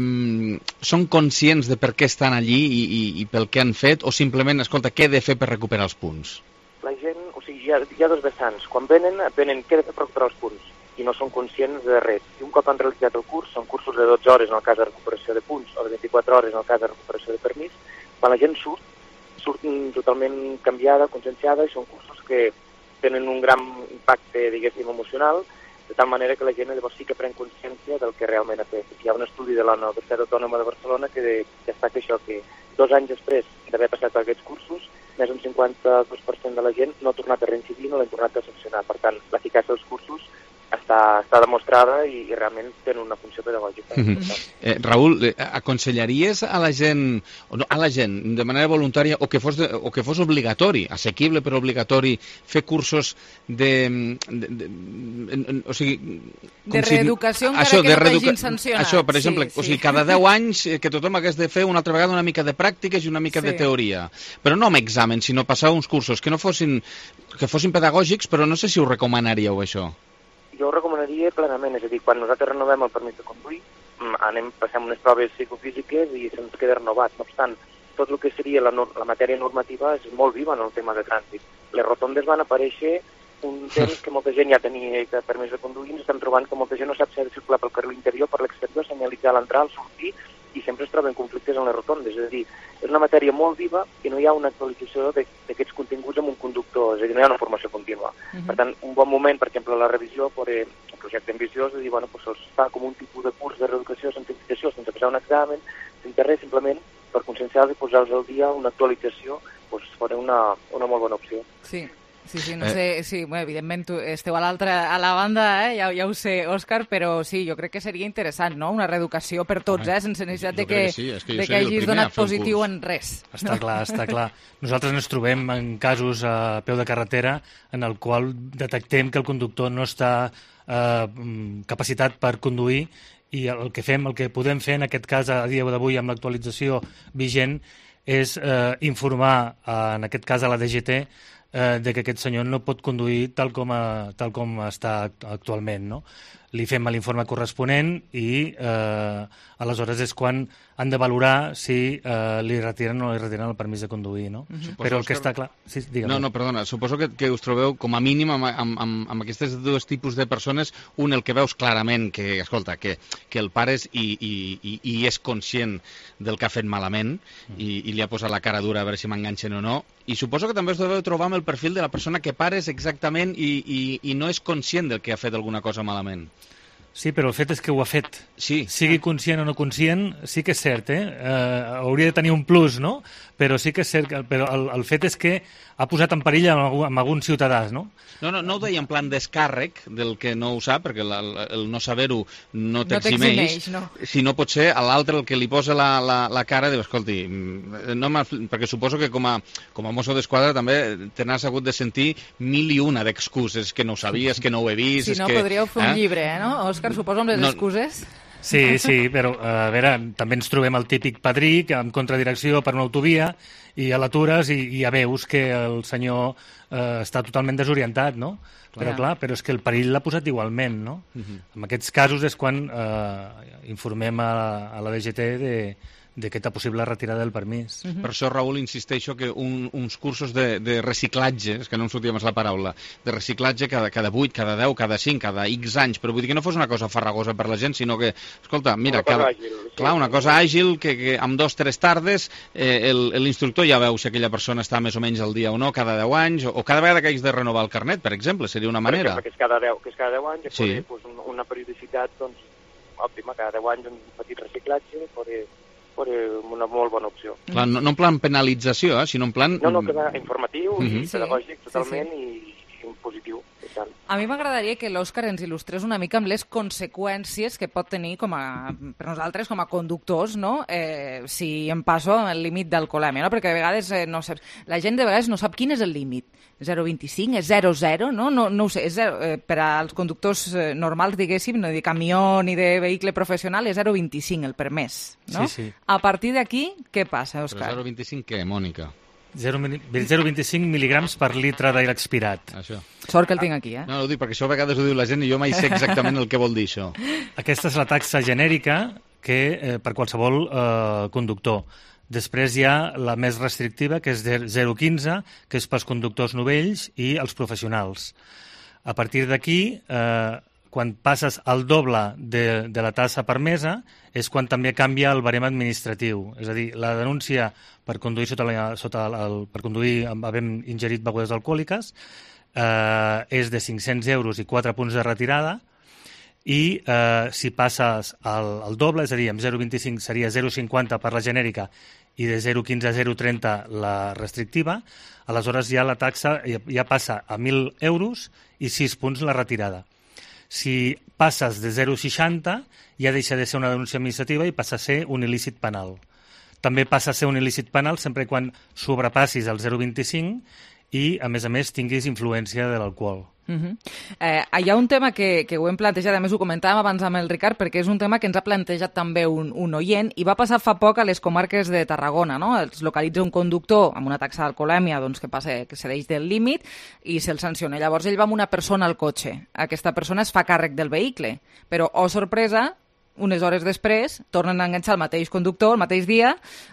Speaker 5: són conscients de per què estan allí i, i, i pel que han fet, o simplement, escolta, què he de fer per recuperar els punts?
Speaker 6: La gent, o sigui, hi ha, hi ha dos vessants. Quan venen, venen què he de fer per recuperar els punts i no són conscients de res. I un cop han realitzat el curs, són cursos de dotze hores en el cas de recuperació de punts o de vint-i-quatre hores en el cas de recuperació de permís, quan la gent surt, surt totalment canviada, conscienciada, i són cursos que tenen un gran impacte, diguéssim, emocional, de tal manera que la gent llavors sí que pren consciència del que realment ha fet. Hi ha un estudi de la Universitat Autònoma de Barcelona que destaca això, que dos anys després d'haver passat aquests cursos, més d'un cinquanta-dos per cent de la gent no ha tornat a reincidir, no l'han tornat a sancionar. Per tant, l'eficàcia dels cursos està, està demostrada i, i realment tenen una funció pedagògica.
Speaker 5: Mm-hmm. eh, Raül, eh, aconsellaries a la gent, o no, a la gent de manera voluntària o que fos, de, o que fos obligatori, assequible però obligatori, fer cursos de... de, de, de o sigui...
Speaker 3: De reeducació si, encara això, que no t'hagin sancionat.
Speaker 5: Això, per exemple, sí, sí. O sigui, cada deu anys que tothom hagués de fer una altra vegada una mica de pràctiques i una mica sí. de teoria. Però no amb examen, sinó passar uns cursos que no fossin, que fossin pedagògics, però no sé si ho recomanaríeu, això.
Speaker 6: Jo ho recomanaria plenament, és a dir, quan nosaltres renovem el permís de conduir, anem, passem unes proves psicofísiques i se'ns queda renovat. No obstant, tot el que seria la, la matèria normativa és molt viva en el tema de trànsit. Les rotondes van aparèixer un temps que molta gent ja tenia permís de conduir, ens estem trobant que molta gent no sap si ha de circular pel carril interior, per l'exterior, senyalitzar l'entrar, el sortir, i sempre es troben conflictes en les rotondes. És a dir, és una matèria molt viva i no hi ha una actualització d'aquests continguts amb un conductor, és a dir, no hi ha una formació contínua. Uh-huh. Per tant, un bon moment, per exemple, la revisió, per el projecte ambiciós, és dir, bueno, pues se'ls fa com un tipus de curs de reeducació, sensibilització, sense passar un examen, sense res, simplement per conscienciar-los i posar-los al dia una actualització, pues, fora una, una molt bona opció.
Speaker 3: Sí. Sí, sí, no sé, sí, bueno, evidentment tu esteu a l'altra, a la banda, eh? ja, ja ho sé, Òscar, però sí, jo crec que seria interessant, no?, una reeducació per tots, eh? sense necessitat de que, que, sí. que, de que hagis donat positiu en res.
Speaker 16: Està clar, està clar. Nosaltres ens trobem en casos a peu de carretera en el qual detectem que el conductor no està eh, capacitat per conduir i el que fem, el que podem fer en aquest cas a dia d'avui amb l'actualització vigent és eh, informar, eh, en aquest cas a la D G T, Eh, de que aquest senyor no pot conduir tal com, a, tal com està actualment, no? Li fem l'informe corresponent i eh, aleshores és quan han de valorar si eh, li retiren o no li retiren el permís de conduir, no? Uh-huh. Però el que està clar... Sí,
Speaker 5: no, no, perdona, suposo que, que us trobeu com a mínim amb, amb, amb, amb aquests dos tipus de persones, un el que veus clarament que, escolta, que, que el pare és i, i, i, i és conscient del que ha fet malament uh-huh. i, i li ha posat la cara dura a veure si m'enganxen o no, i suposo que també us deveu trobar amb el perfil de la persona que pares exactament i, i, i no és conscient del que ha fet alguna cosa malament.
Speaker 16: Sí, però el fet és que ho ha fet.
Speaker 5: Sí.
Speaker 16: Sigui conscient o no conscient, sí que és cert, eh? eh hauria de tenir un plus, no? Però sí que és cert, que, però el, el fet és que ha posat en perill amb, amb alguns ciutadans, no?
Speaker 5: No, no, no ho deia en plan descàrrec del que no ho sap, perquè la, la, el no saber-ho no t'eximeix, no sinó potser a l'altre el que li posa la, la, la cara diu, escolti, no perquè suposo que com a, com a mosso d'esquadra també te n'has hagut de sentir mil i una d'excuses, que no ho sabies, que no ho he vist...
Speaker 3: Si no,
Speaker 5: que,
Speaker 3: podríeu fer un eh? llibre, eh, no? Òscar, suposo amb les no, excuses...
Speaker 16: Sí, sí, però a veure, també ens trobem el típic padrí que en contradirecció per una autovia i a l'atures i, i ja veus que el senyor eh, està totalment desorientat, no? Clar. Però clar, però és que el perill l'ha posat igualment, no? Uh-huh. En aquests casos és quan eh, informem a, a la D G T de d'aquesta possible retirada del permís.
Speaker 5: Uh-huh. Per això, Raül, insisteixo que un, uns cursos de, de reciclatge, és que no em sortia més la paraula, de reciclatge cada, cada vuit, cada deu, cada cinc, cada X anys, però vull dir que no fos una cosa farragosa per la gent, sinó que, escolta, mira, cada, àgil, sí. clar, una cosa àgil, que, que amb dos o tres tardes eh, l'instructor ja veu si aquella persona està més o menys al dia o no, cada deu anys, o, o cada vegada que haguis de renovar el carnet, per exemple, seria una manera.
Speaker 6: Per exemple, que és cada deu, que és cada deu anys, sí. Poder, pues, una periodicitat doncs, òptima, cada deu anys un petit reciclatge, poder... una molt bona opció.
Speaker 5: Clar, no, no en plan penalització, eh, sinó en plan...
Speaker 6: No, no, que informatiu, uh-huh. i pedagògic, sí, totalment, sí, sí. i, i positiu.
Speaker 3: A mi m'agradaria que l'Òscar ens il·lustrés una mica amb les conseqüències que pot tenir com a, per nosaltres com a conductors, no? Eh, si em passo el límit d'alcoholèmia, no? Perquè a vegades eh, no saps, la gent de vegades no sap quin és el límit. zero coma vint-i-cinc, és zero coma zero, no? No, no ho sé, és zero, eh, per als conductors eh, normals, diguéssim, no de camió ni de vehicle professional, és zero coma vint-i-cinc el permès, no?
Speaker 16: Sí, sí.
Speaker 3: A partir d'aquí, què passa, Òscar?
Speaker 5: Però zero coma vint-i-cinc què, Mònica?
Speaker 16: zero coma vint-i-cinc mil·ligrams per litre d'aire expirat.
Speaker 5: Això.
Speaker 3: Sort que el tinc aquí, eh?
Speaker 5: No, no ho dic perquè això a vegades ho diu la gent i jo mai sé exactament el que vol dir això.
Speaker 16: Aquesta és la taxa genèrica que eh, per qualsevol eh, conductor. Després hi ha la més restrictiva, que és zero coma quinze, que és pels conductors novells i els professionals. A partir d'aquí, eh, quan passes al doble de, de la tassa permesa, és quan també canvia el barem administratiu. És a dir, la denúncia per conduir sota la, sota el, per conduir havent ingerit begudes alcohòliques eh, és de cinc-cents euros i quatre punts de retirada, i eh, si passes al, al doble, és a dir, amb zero coma vint-i-cinc seria zero coma cinquanta per la genèrica i de zero coma quinze a zero coma trenta la restrictiva, aleshores ja la taxa ja, ja passa a mil euros i sis punts la retirada. Si passes de zero coma seixanta, ja deixa de ser una denúncia administrativa i passa a ser un il·lícit penal. També passa a ser un il·lícit penal sempre quan sobrepassis el zero coma vint-i-cinc i, a més a més, tinguis influència de l'alcohol.
Speaker 3: Uh-huh. eh, hi ha un tema que, que ho hem plantejat, a més ho comentàvem abans amb el Ricard, perquè és un tema que ens ha plantejat també un, un oient, i va passar fa poc a les comarques de Tarragona, no? Els localitza un conductor amb una taxa d'alcoholèmia doncs, que passa que cedeix del límit i se'l sanciona. Llavors ell va amb una persona al cotxe. Aquesta persona es fa càrrec del vehicle, però, oh sorpresa, unes hores després tornen a enganxar el mateix conductor, el mateix dia,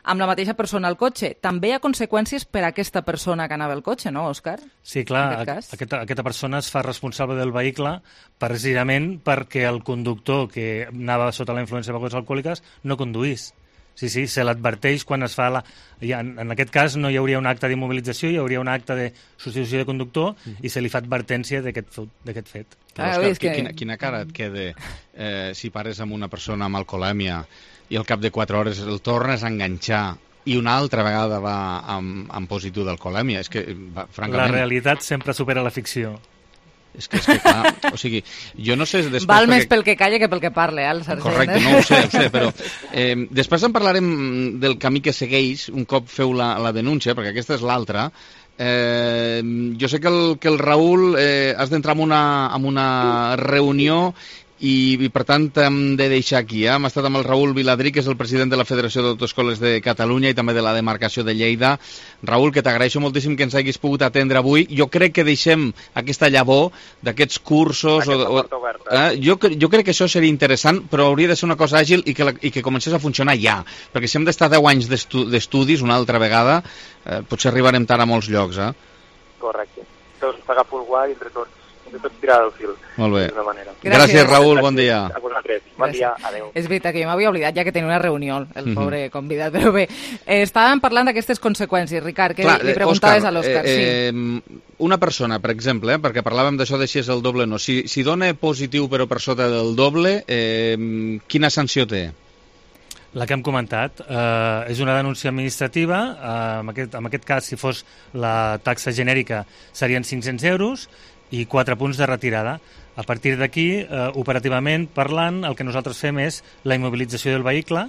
Speaker 3: amb la mateixa persona al cotxe. També hi ha conseqüències per a aquesta persona que anava al cotxe, no, Òscar?
Speaker 16: Sí, clar, aquest aquesta, aquesta persona es fa responsable del vehicle precisament perquè el conductor que anava sota la influència de begudes alcohòliques no conduís. Sí, sí, se l'adverteix quan es fa la... Ja, en aquest cas no hi hauria un acte d'immobilització, hi hauria un acte de substitució de conductor mm. i se li fa advertència d'aquest fet.
Speaker 5: Ah, Òscar, que... quina, quina cara et queda eh, si pares amb una persona amb alcoholèmia i al cap de quatre hores el tornes a enganxar i una altra vegada va amb, amb positiu d'alcoholèmia? És que, va, francament...
Speaker 16: La realitat sempre supera la ficció.
Speaker 5: És que, és que clar, o sigui, jo no sé... Després,
Speaker 3: Val
Speaker 5: perquè...
Speaker 3: més pel que calla que pel que parle, eh, el sergent.
Speaker 5: Correcte, no ho sé, ho sé, però eh, després en parlarem del camí que segueix un cop feu la, la denúncia, perquè aquesta és l'altra. Eh, jo sé que el, que el Raül eh, has d'entrar en una, en una reunió i, i per tant hem de deixar aquí. Eh? Hem estat amb el Raül Viladrí, que és el president de la Federació d'Autoescoles de Catalunya i també de la demarcació de Lleida. Raül, que t'agraeixo moltíssim que ens haguis pogut atendre avui. Jo crec que deixem aquesta llavor d'aquests cursos... O, o, eh? jo, jo crec que això seria interessant, però hauria de ser una cosa àgil i que, la, i que comencés a funcionar ja. Perquè si hem d'estar deu anys d'estudis una altra vegada, eh, potser arribarem tard a molts llocs. Eh?
Speaker 6: Correcte. Doncs t'agafo el guai entre tots. De tot tirar del fil.
Speaker 5: Molt bé.
Speaker 6: Gràcies.
Speaker 5: Gràcies, Raül, bon dia.
Speaker 6: A vosaltres. Bon dia, adeu.
Speaker 3: És veritat que jo m'havia oblidat ja que tenia una reunió, el pobre mm-hmm. convidat, però bé, eh, estàvem parlant d'aquestes conseqüències, Ricard, que Clar, li preguntaves Òscar, a l'Òscar. Eh,
Speaker 5: sí. eh, una persona, per exemple, eh, perquè parlàvem d'això de si és el doble o no, si, si dona positiu però per sota del doble, eh, quina sanció té?
Speaker 16: La que hem comentat eh, és una denúncia administrativa, eh, en, aquest, en aquest cas, si fos la taxa genèrica, serien cinc-cents euros, i quatre punts de retirada. A partir d'aquí, eh, operativament parlant, el que nosaltres fem és la immobilització del vehicle,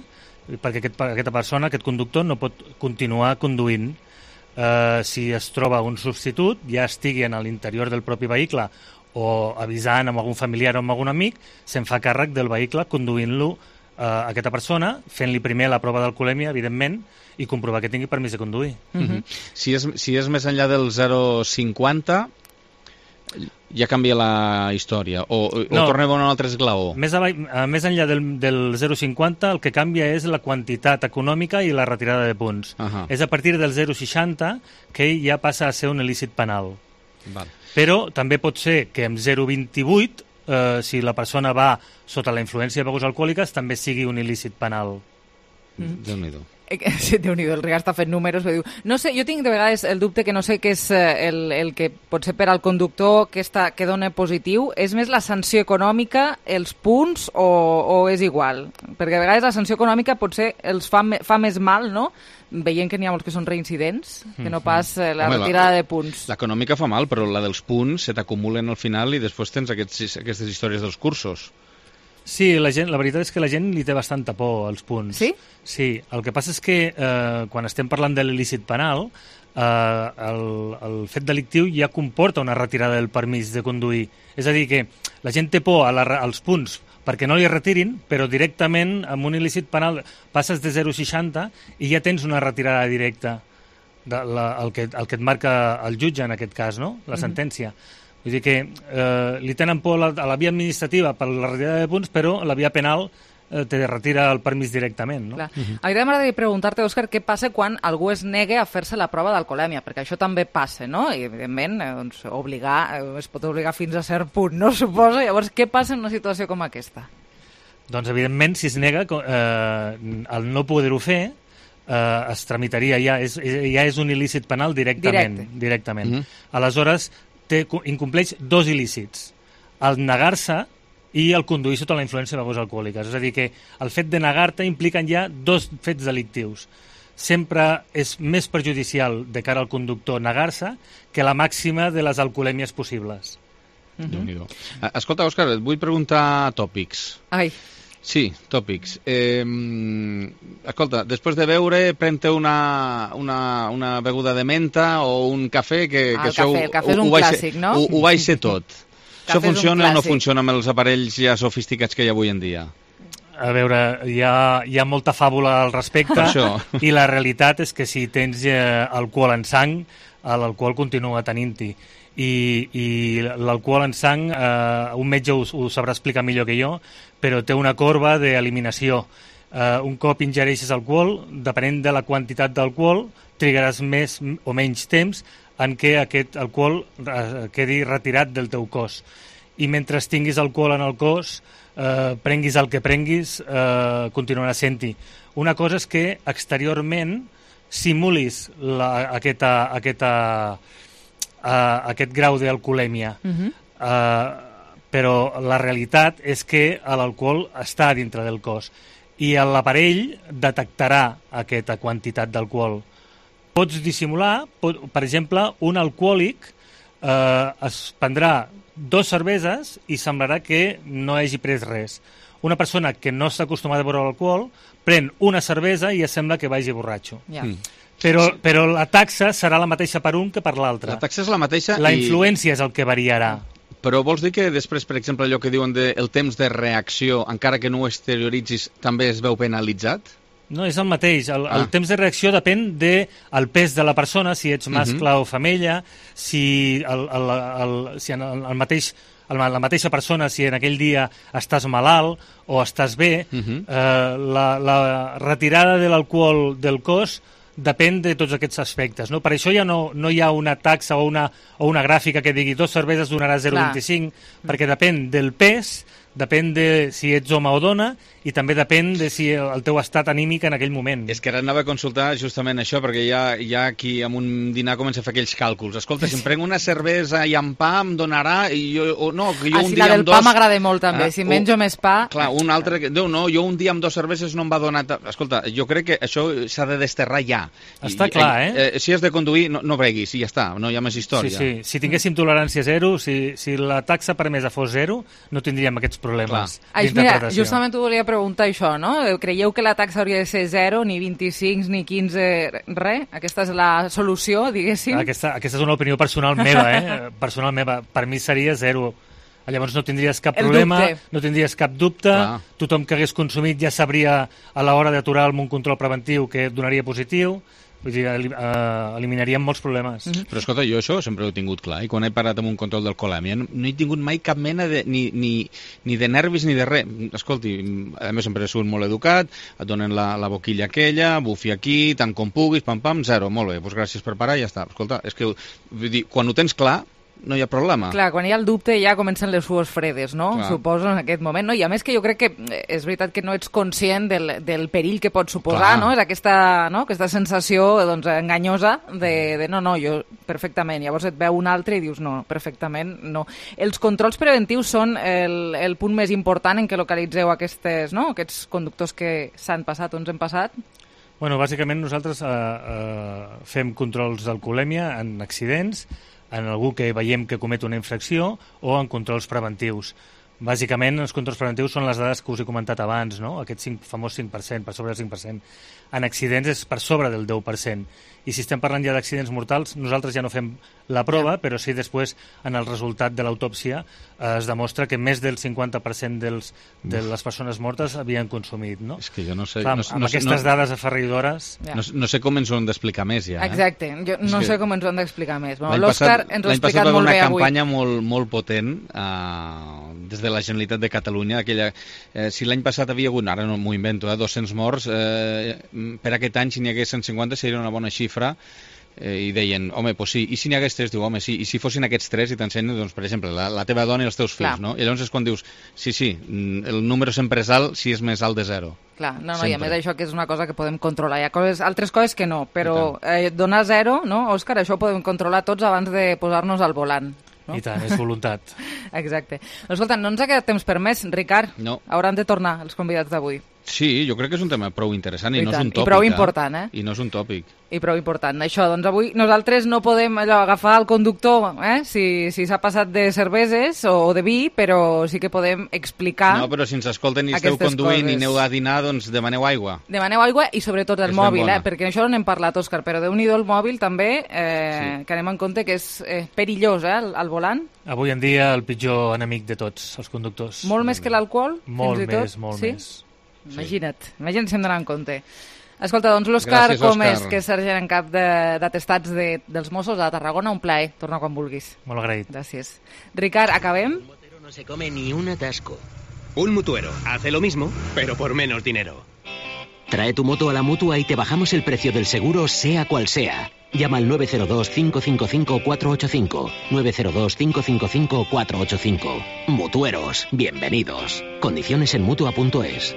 Speaker 16: perquè aquest, aquesta persona, aquest conductor, no pot continuar conduint. Eh, si es troba un substitut, ja estigui en l'interior del propi vehicle o avisant amb algun familiar o amb algun amic, se'n fa càrrec del vehicle conduint-lo eh, a aquesta persona, fent-li primer la prova d'alcoholèmia, evidentment, i comprovar que tingui permís de conduir.
Speaker 5: Mm-hmm. si, és, si és més enllà del zero coma cinquanta... ja canvia la història, o, o no, tornem a un altre esglaó?
Speaker 16: Més, a, més enllà del, del zero coma cinquanta, el que canvia és la quantitat econòmica i la retirada de punts. Uh -huh. És a partir del zero coma seixanta que ja passa a ser un il·lícit penal.
Speaker 5: Val.
Speaker 16: Però també pot ser que amb zero coma vint-i-vuit, eh, si la persona va sota la influència de begudes alcohòliques, també sigui un il·lícit penal.
Speaker 5: Mm. Déu-n'hi-do.
Speaker 3: Sí, Déu-n'hi-do, el Ricard està fent números, però diu, no sé, jo tinc de vegades el dubte que no sé què és el, el que pot ser per al conductor que, està, que dona positiu, és més la sanció econòmica, els punts o, o és igual? Perquè a vegades la sanció econòmica potser els fa, fa més mal, no?, veient que n'hi ha molts que són reincidents, que no pas la Home, retirada la, de punts.
Speaker 5: L'econòmica fa mal, però la dels punts se t'acumulen al final i després tens aquests, aquestes històries dels cursos.
Speaker 16: Sí, la, gent, la veritat és que la gent li té bastanta por als punts.
Speaker 3: Sí?
Speaker 16: Sí, el que passa és que eh, quan estem parlant de l'il·lícit penal, eh, el, el fet delictiu ja comporta una retirada del permís de conduir. És a dir, que la gent té por a la, als punts perquè no li retirin, però directament amb un il·lícit penal passes de zero coma seixanta i ja tens una retirada directa, de la, el, que, el que et marca el jutge en aquest cas, no?, la sentència. Mm-hmm. Vull dir que eh, li tenen por a la, a la via administrativa per la retirada de punts, però la via penal eh, te retira el permís directament. No?
Speaker 3: Clar. Uh-huh. A mi m'agradaria preguntar-te, Òscar, què passa quan algú es nega a fer-se la prova d'alcoholèmia? Perquè això també passa, no? I, evidentment, eh, doncs, obligar, eh, es pot obligar fins a cert punt, no? Suposo. Llavors, què passa en una situació com aquesta?
Speaker 16: Doncs, evidentment, si es nega, eh, el no poder-ho fer, eh, es tramitaria ja, és, ja és un il·lícit penal directament.
Speaker 3: Directe.
Speaker 16: directament.
Speaker 5: Uh-huh.
Speaker 16: Aleshores, té, incompleix dos il·lícits, el negar-se i el conduir sota la influència de begudes alcohòliques. És a dir, que el fet de negar-te impliquen ja dos fets delictius. Sempre és més perjudicial de cara al conductor negar-se que la màxima de les alcoholèmies possibles.
Speaker 5: Uh-huh. Escolta, Òscar, et vull preguntar tòpics.
Speaker 3: Ai.
Speaker 5: Sí, tòpics. Eh, escolta, després de beure, pren-te una, una, una beguda de menta o un cafè, que,
Speaker 3: ah,
Speaker 5: que
Speaker 3: el
Speaker 5: això
Speaker 3: cafè, el cafè és un clàssic, no?
Speaker 5: Ho, ho vaig ser tot. Això funciona o no funciona amb els aparells ja sofisticats que hi ha avui en dia?
Speaker 16: A veure, hi ha, hi ha molta fàbula al respecte i la realitat és que si tens eh, alcohol en sang, l'alcohol continua tenint-hi. I, i l'alcohol en sang, eh, un metge ho, ho sabrà explicar millor que jo, però té una corba d'eliminació. Eh, un cop ingereixes alcohol, depenent de la quantitat d'alcohol, trigaràs més o menys temps en què aquest alcohol eh, quedi retirat del teu cos. I mentre tinguis alcohol en el cos, eh, prenguis el que prenguis, eh, continuarà sent-hi. Una cosa és que exteriorment simulis la, aquesta, aquesta, uh, aquest grau d'alcoholèmia. Uh-huh. uh, però la realitat és que l'alcohol està dintre del cos i l'aparell detectarà aquesta quantitat d'alcohol. Pots dissimular, pot, per exemple, un alcohòlic eh, es prendrà dos cerveses i semblarà que no hagi pres res. Una persona que no està acostumada a beure l'alcohol pren una cervesa i ja sembla que vagi borratxo.
Speaker 3: Ja.
Speaker 16: Mm. Però, però la taxa serà la mateixa per un que per l'altre.
Speaker 5: La taxa és la mateixa
Speaker 16: La
Speaker 5: i...
Speaker 16: influència és el que variarà.
Speaker 5: Però vols dir que després, per exemple, allò que diuen de el temps de reacció, encara que no ho exterioritzis, també es veu penalitzat?
Speaker 16: No, és el mateix. El,
Speaker 5: Ah.
Speaker 16: el temps de reacció depèn del pes de la persona, si ets mascle
Speaker 5: Mhm.
Speaker 16: o femella, si, el, el, el, si en el, el mateix, el, la mateixa persona, si en aquell dia estàs malalt o estàs bé,
Speaker 5: Mhm.
Speaker 16: eh, la, la retirada de l'alcohol del cos depèn de tots aquests aspectes. No? Per això ja no, no hi ha una taxa o una, o una gràfica que digui dos cerveses donarà zero coma vint-i-cinc, perquè depèn del pes, depèn de si ets home o dona i també depèn de si el teu estat anímic en aquell moment.
Speaker 5: És que ara anava a consultar justament això, perquè hi ha, hi ha qui amb un dinar comença a fer aquells càlculs. Escolta, si em prenc una cervesa i amb pa em donarà... I jo, o no, que jo
Speaker 3: Ah,
Speaker 5: un
Speaker 3: sí,
Speaker 5: dia
Speaker 3: la del
Speaker 5: amb
Speaker 3: pa
Speaker 5: dos...
Speaker 3: m'agrada molt també,
Speaker 5: Ah,
Speaker 3: si
Speaker 5: o-
Speaker 3: menjo més pa...
Speaker 5: Clar, un altre... que- Déu, no, jo un dia amb dos cerveses no em va donar... ta- Escolta, jo crec que això s'ha de desterrar ja.
Speaker 16: Està
Speaker 5: I-
Speaker 16: clar, eh?
Speaker 5: eh? Si has de conduir, no, no breguis, i ja està, no hi ha més història.
Speaker 16: Sí, sí. Si tinguéssim tolerància zero, si, si la taxa permesa fos zero, no tindríem aquests problemes
Speaker 3: Ai, mira,
Speaker 16: d'interpretació.
Speaker 3: justament t'ho volia preguntar això, no? Creieu que la taxa hauria de ser zero, ni vint-i-cinc, ni quinze, res? Aquesta és la solució, diguéssim?
Speaker 16: Aquesta, aquesta és una opinió personal meva, eh? Personal meva. Per mi seria zero. Llavors no tindries cap
Speaker 3: El
Speaker 16: problema,
Speaker 3: dubte.
Speaker 16: no tindries cap dubte,
Speaker 5: Clar.
Speaker 16: tothom que hagués consumit ja sabria a l'hora d'aturar amb un control preventiu que donaria positiu, vull dir, elim eh, eliminaríem molts problemes.
Speaker 3: Mhm.
Speaker 5: Però escolta, jo això sempre ho he tingut clar, i quan he parat amb un control d'alcoholèmia no, no he tingut mai cap mena de, ni, ni, ni de nervis ni de res. Escolti, a més sempre he sigut molt educat, et donen la, la boquilla aquella, bufi aquí, tant com puguis, pam pam, zero, molt bé, doncs gràcies per parar i ja està. Escolta, és que vull dir, quan ho tens clar, no hi ha problema.
Speaker 3: Clar, quan hi ha el dubte ja comencen les sues fredes, no?
Speaker 5: Clar.
Speaker 3: Suposo, en aquest moment. No? I a més que jo crec que eh, és veritat que no ets conscient del, del perill que pot suposar,
Speaker 5: Clar.
Speaker 3: no? És aquesta, no? aquesta sensació doncs, enganyosa de, de no, no, jo perfectament. Llavors et veu un altre i dius no, perfectament no. Els controls preventius són el, el punt més important en què localitzeu aquestes, no? aquests conductors que s'han passat o ens hem passat.
Speaker 16: Bueno, bàsicament nosaltres eh, eh, fem controls d'alcoholèmia en accidents, en algú que veiem que comet una infracció o en controls preventius. Bàsicament, els controls preventius són les dades que us he comentat abans, no? Aquest cinc, famós cinc per cent, per sobre del cinc per cent. En accidents és per sobre del deu per cent. I si estem parlant ja d'accidents mortals, nosaltres ja no fem la prova, però sí després, en el resultat de l'autòpsia, eh, es demostra que més del cinquanta per cent dels, de les persones mortes havien consumit, no?
Speaker 5: És que jo no sé...
Speaker 16: Clar,
Speaker 5: no,
Speaker 16: amb
Speaker 5: no,
Speaker 16: aquestes
Speaker 5: no,
Speaker 16: dades aferridores...
Speaker 3: Ja.
Speaker 5: no, no sé com ens ho han d'explicar més, ja. Eh?
Speaker 3: Exacte, jo no
Speaker 5: És
Speaker 3: sé
Speaker 5: que
Speaker 3: com ens ho han d'explicar més. Bueno,
Speaker 5: L'any
Speaker 3: L'Òscar
Speaker 5: passat-
Speaker 3: ens ho ha
Speaker 5: l'any passat
Speaker 3: explicat
Speaker 5: va haver
Speaker 3: molt
Speaker 5: una
Speaker 3: bé avui.
Speaker 5: campanya molt, molt potent eh, des de la Generalitat de Catalunya. Aquella, eh, si l'any passat havia hagut, ara no m'ho invento, eh, dos-cents morts, eh, per aquest any, si n'hi hagués cent cinquanta, seria una bona xifra. Eh, I deien, home, doncs sí, i si n'hi hagués tres? Diu, home, sí, i si fossin aquests tres i t'ensenyen, doncs, per exemple, la, la teva dona i els teus fills,
Speaker 3: Clar.
Speaker 5: no? I llavors és quan dius, sí, sí, mm, el número sempre és alt si és més alt de zero.
Speaker 3: Clar, no, no, i a
Speaker 5: Sempre.
Speaker 3: més això que és una cosa que podem controlar. Hi ha coses, altres coses que no, però eh, donar zero, no, Òscar, això ho podem controlar tots abans de posar-nos al volant. No?
Speaker 16: I tant, és voluntat.
Speaker 3: Exacte. Escolta, no ens ha quedat temps per més, Ricard.
Speaker 5: No.
Speaker 3: Hauran de tornar els convidats d'avui.
Speaker 5: Sí, jo crec que és un tema prou interessant i,
Speaker 3: I
Speaker 5: no
Speaker 3: tant,
Speaker 5: és un
Speaker 3: i
Speaker 5: tòpic.
Speaker 3: prou important, eh?
Speaker 5: I no és un tòpic.
Speaker 3: I prou important. Això, doncs avui nosaltres no podem allò, agafar el conductor eh, si si s'ha passat de cerveses o de vi, però sí que podem explicar...
Speaker 5: No, però si ens escolten i esteu
Speaker 3: aquestes
Speaker 5: conduint
Speaker 3: coses.
Speaker 5: i aneu a dinar, doncs demaneu aigua.
Speaker 3: Demaneu aigua i sobretot el
Speaker 5: És ben
Speaker 3: mòbil,
Speaker 5: bona.
Speaker 3: eh? Perquè això no n'hem parlat, Òscar, però déu-n'hi-do el mòbil també, eh,
Speaker 5: Sí.
Speaker 3: que anem en compte que és eh, perillós, eh, al, al volant.
Speaker 16: Avui en dia el pitjor enemic de tots, els conductors.
Speaker 3: Molt més que l'alcohol,
Speaker 16: Molt
Speaker 3: fins i tot.
Speaker 16: més, molt
Speaker 3: sí?
Speaker 16: més.
Speaker 3: Imagina't, imagina't si hem d'anar en compte. Escolta, doncs l'Òscar
Speaker 5: Gràcies,
Speaker 3: Gómez,
Speaker 5: Òscar.
Speaker 3: que és sergent en cap de- d'atestats de, dels Mossos de Tarragona, un plaer. Torna quan vulguis.
Speaker 16: Molt agraït.
Speaker 3: Gràcies. Ricard, acabem?
Speaker 28: No se come ni un atasco.
Speaker 1: Un mutuero hace lo mismo, pero por menos dinero.
Speaker 28: Trae tu moto a la Mutua y te bajamos el precio del seguro sea cual sea. Llama al nueve cero dos, cinco cinco cinco, cuatro ocho cinco. nueve cero dos, cinco cinco cinco, cuatro ocho cinco. Mutueros, bienvenidos. Condiciones en mutua punto es.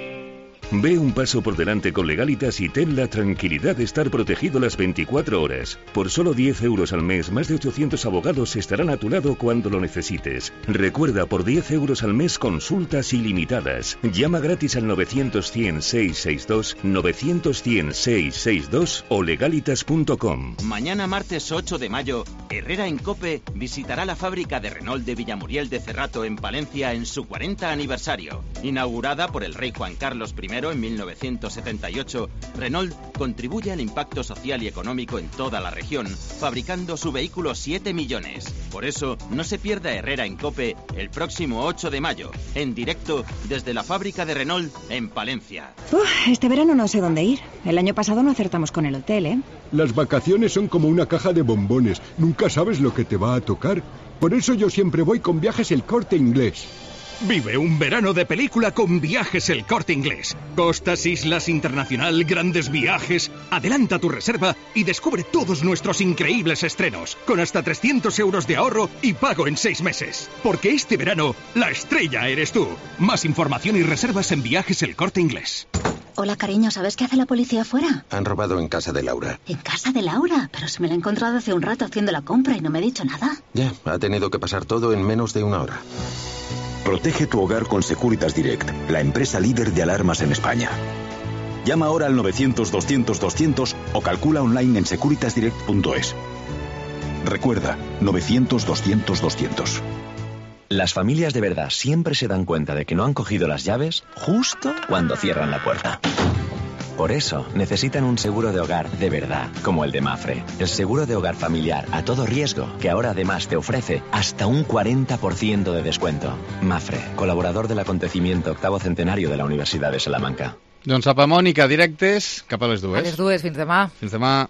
Speaker 8: Ve un paso por delante con Legalitas y ten la tranquilidad de estar protegido las veinticuatro horas. Por solo diez euros al mes, más de ochocientos abogados estarán a tu lado cuando lo necesites. Recuerda, por diez euros al mes, consultas ilimitadas. Llama gratis al novecientos, cien, seiscientos sesenta y dos, novecientos, cien, seiscientos sesenta y dos o legalitas punto com.
Speaker 10: Mañana, martes ocho de mayo, Herrera en COPE visitará la fábrica de Renault de Villamuriel de Cerrato en Palencia en su cuarenta aniversario. Inaugurada por el rey Juan Carlos primero en mil novecientos setenta y ocho, Renault contribuye al impacto social y económico en toda la región, fabricando su vehículo siete millones. Por eso, no se pierda Herrera en COPE el próximo ocho de mayo, en directo desde la fábrica de Renault en Palencia.
Speaker 17: Uf, este verano no sé dónde ir. El año pasado no acertamos con el hotel, ¿eh?
Speaker 18: Las vacaciones son como una caja de bombones. Nunca sabes lo que te va a tocar. Por eso yo siempre voy con Viajes El Corte Inglés.
Speaker 19: Vive un verano de película con Viajes El Corte Inglés. Costas, islas, internacional, grandes viajes. Adelanta tu reserva y descubre todos nuestros increíbles estrenos, con hasta trescientos euros de ahorro y pago en seis meses. Porque este verano, la estrella eres tú. Más información y reservas en Viajes El Corte Inglés.
Speaker 20: Hola, cariño, ¿sabes qué hace la policía afuera?
Speaker 21: Han robado en casa de Laura.
Speaker 20: ¿En casa de Laura? Pero si me la he encontrado hace un rato haciendo la compra y no me ha dicho nada.
Speaker 21: Ya, ha tenido que pasar todo en menos de una hora.
Speaker 22: Protege tu hogar con Securitas Direct, la empresa líder de alarmas en España. Llama ahora al novecientos, doscientos, doscientos o calcula online en securitas direct punto es. Recuerda, novecientos, doscientos, doscientos.
Speaker 23: Las familias de verdad siempre se dan cuenta de que no han cogido las llaves justo cuando cierran la puerta. Por eso, necesitan un seguro de hogar de verdad, como el de Mafre. El seguro de hogar familiar a todo riesgo, que ahora además te ofrece hasta un cuarenta por ciento de descuento. Mafre, colaborador del acontecimiento octavo centenario de la Universidad de Salamanca.
Speaker 5: Doncs apa, Mònica, directes cap a les dues.
Speaker 3: A les dues, fins demà.
Speaker 5: Fins demà.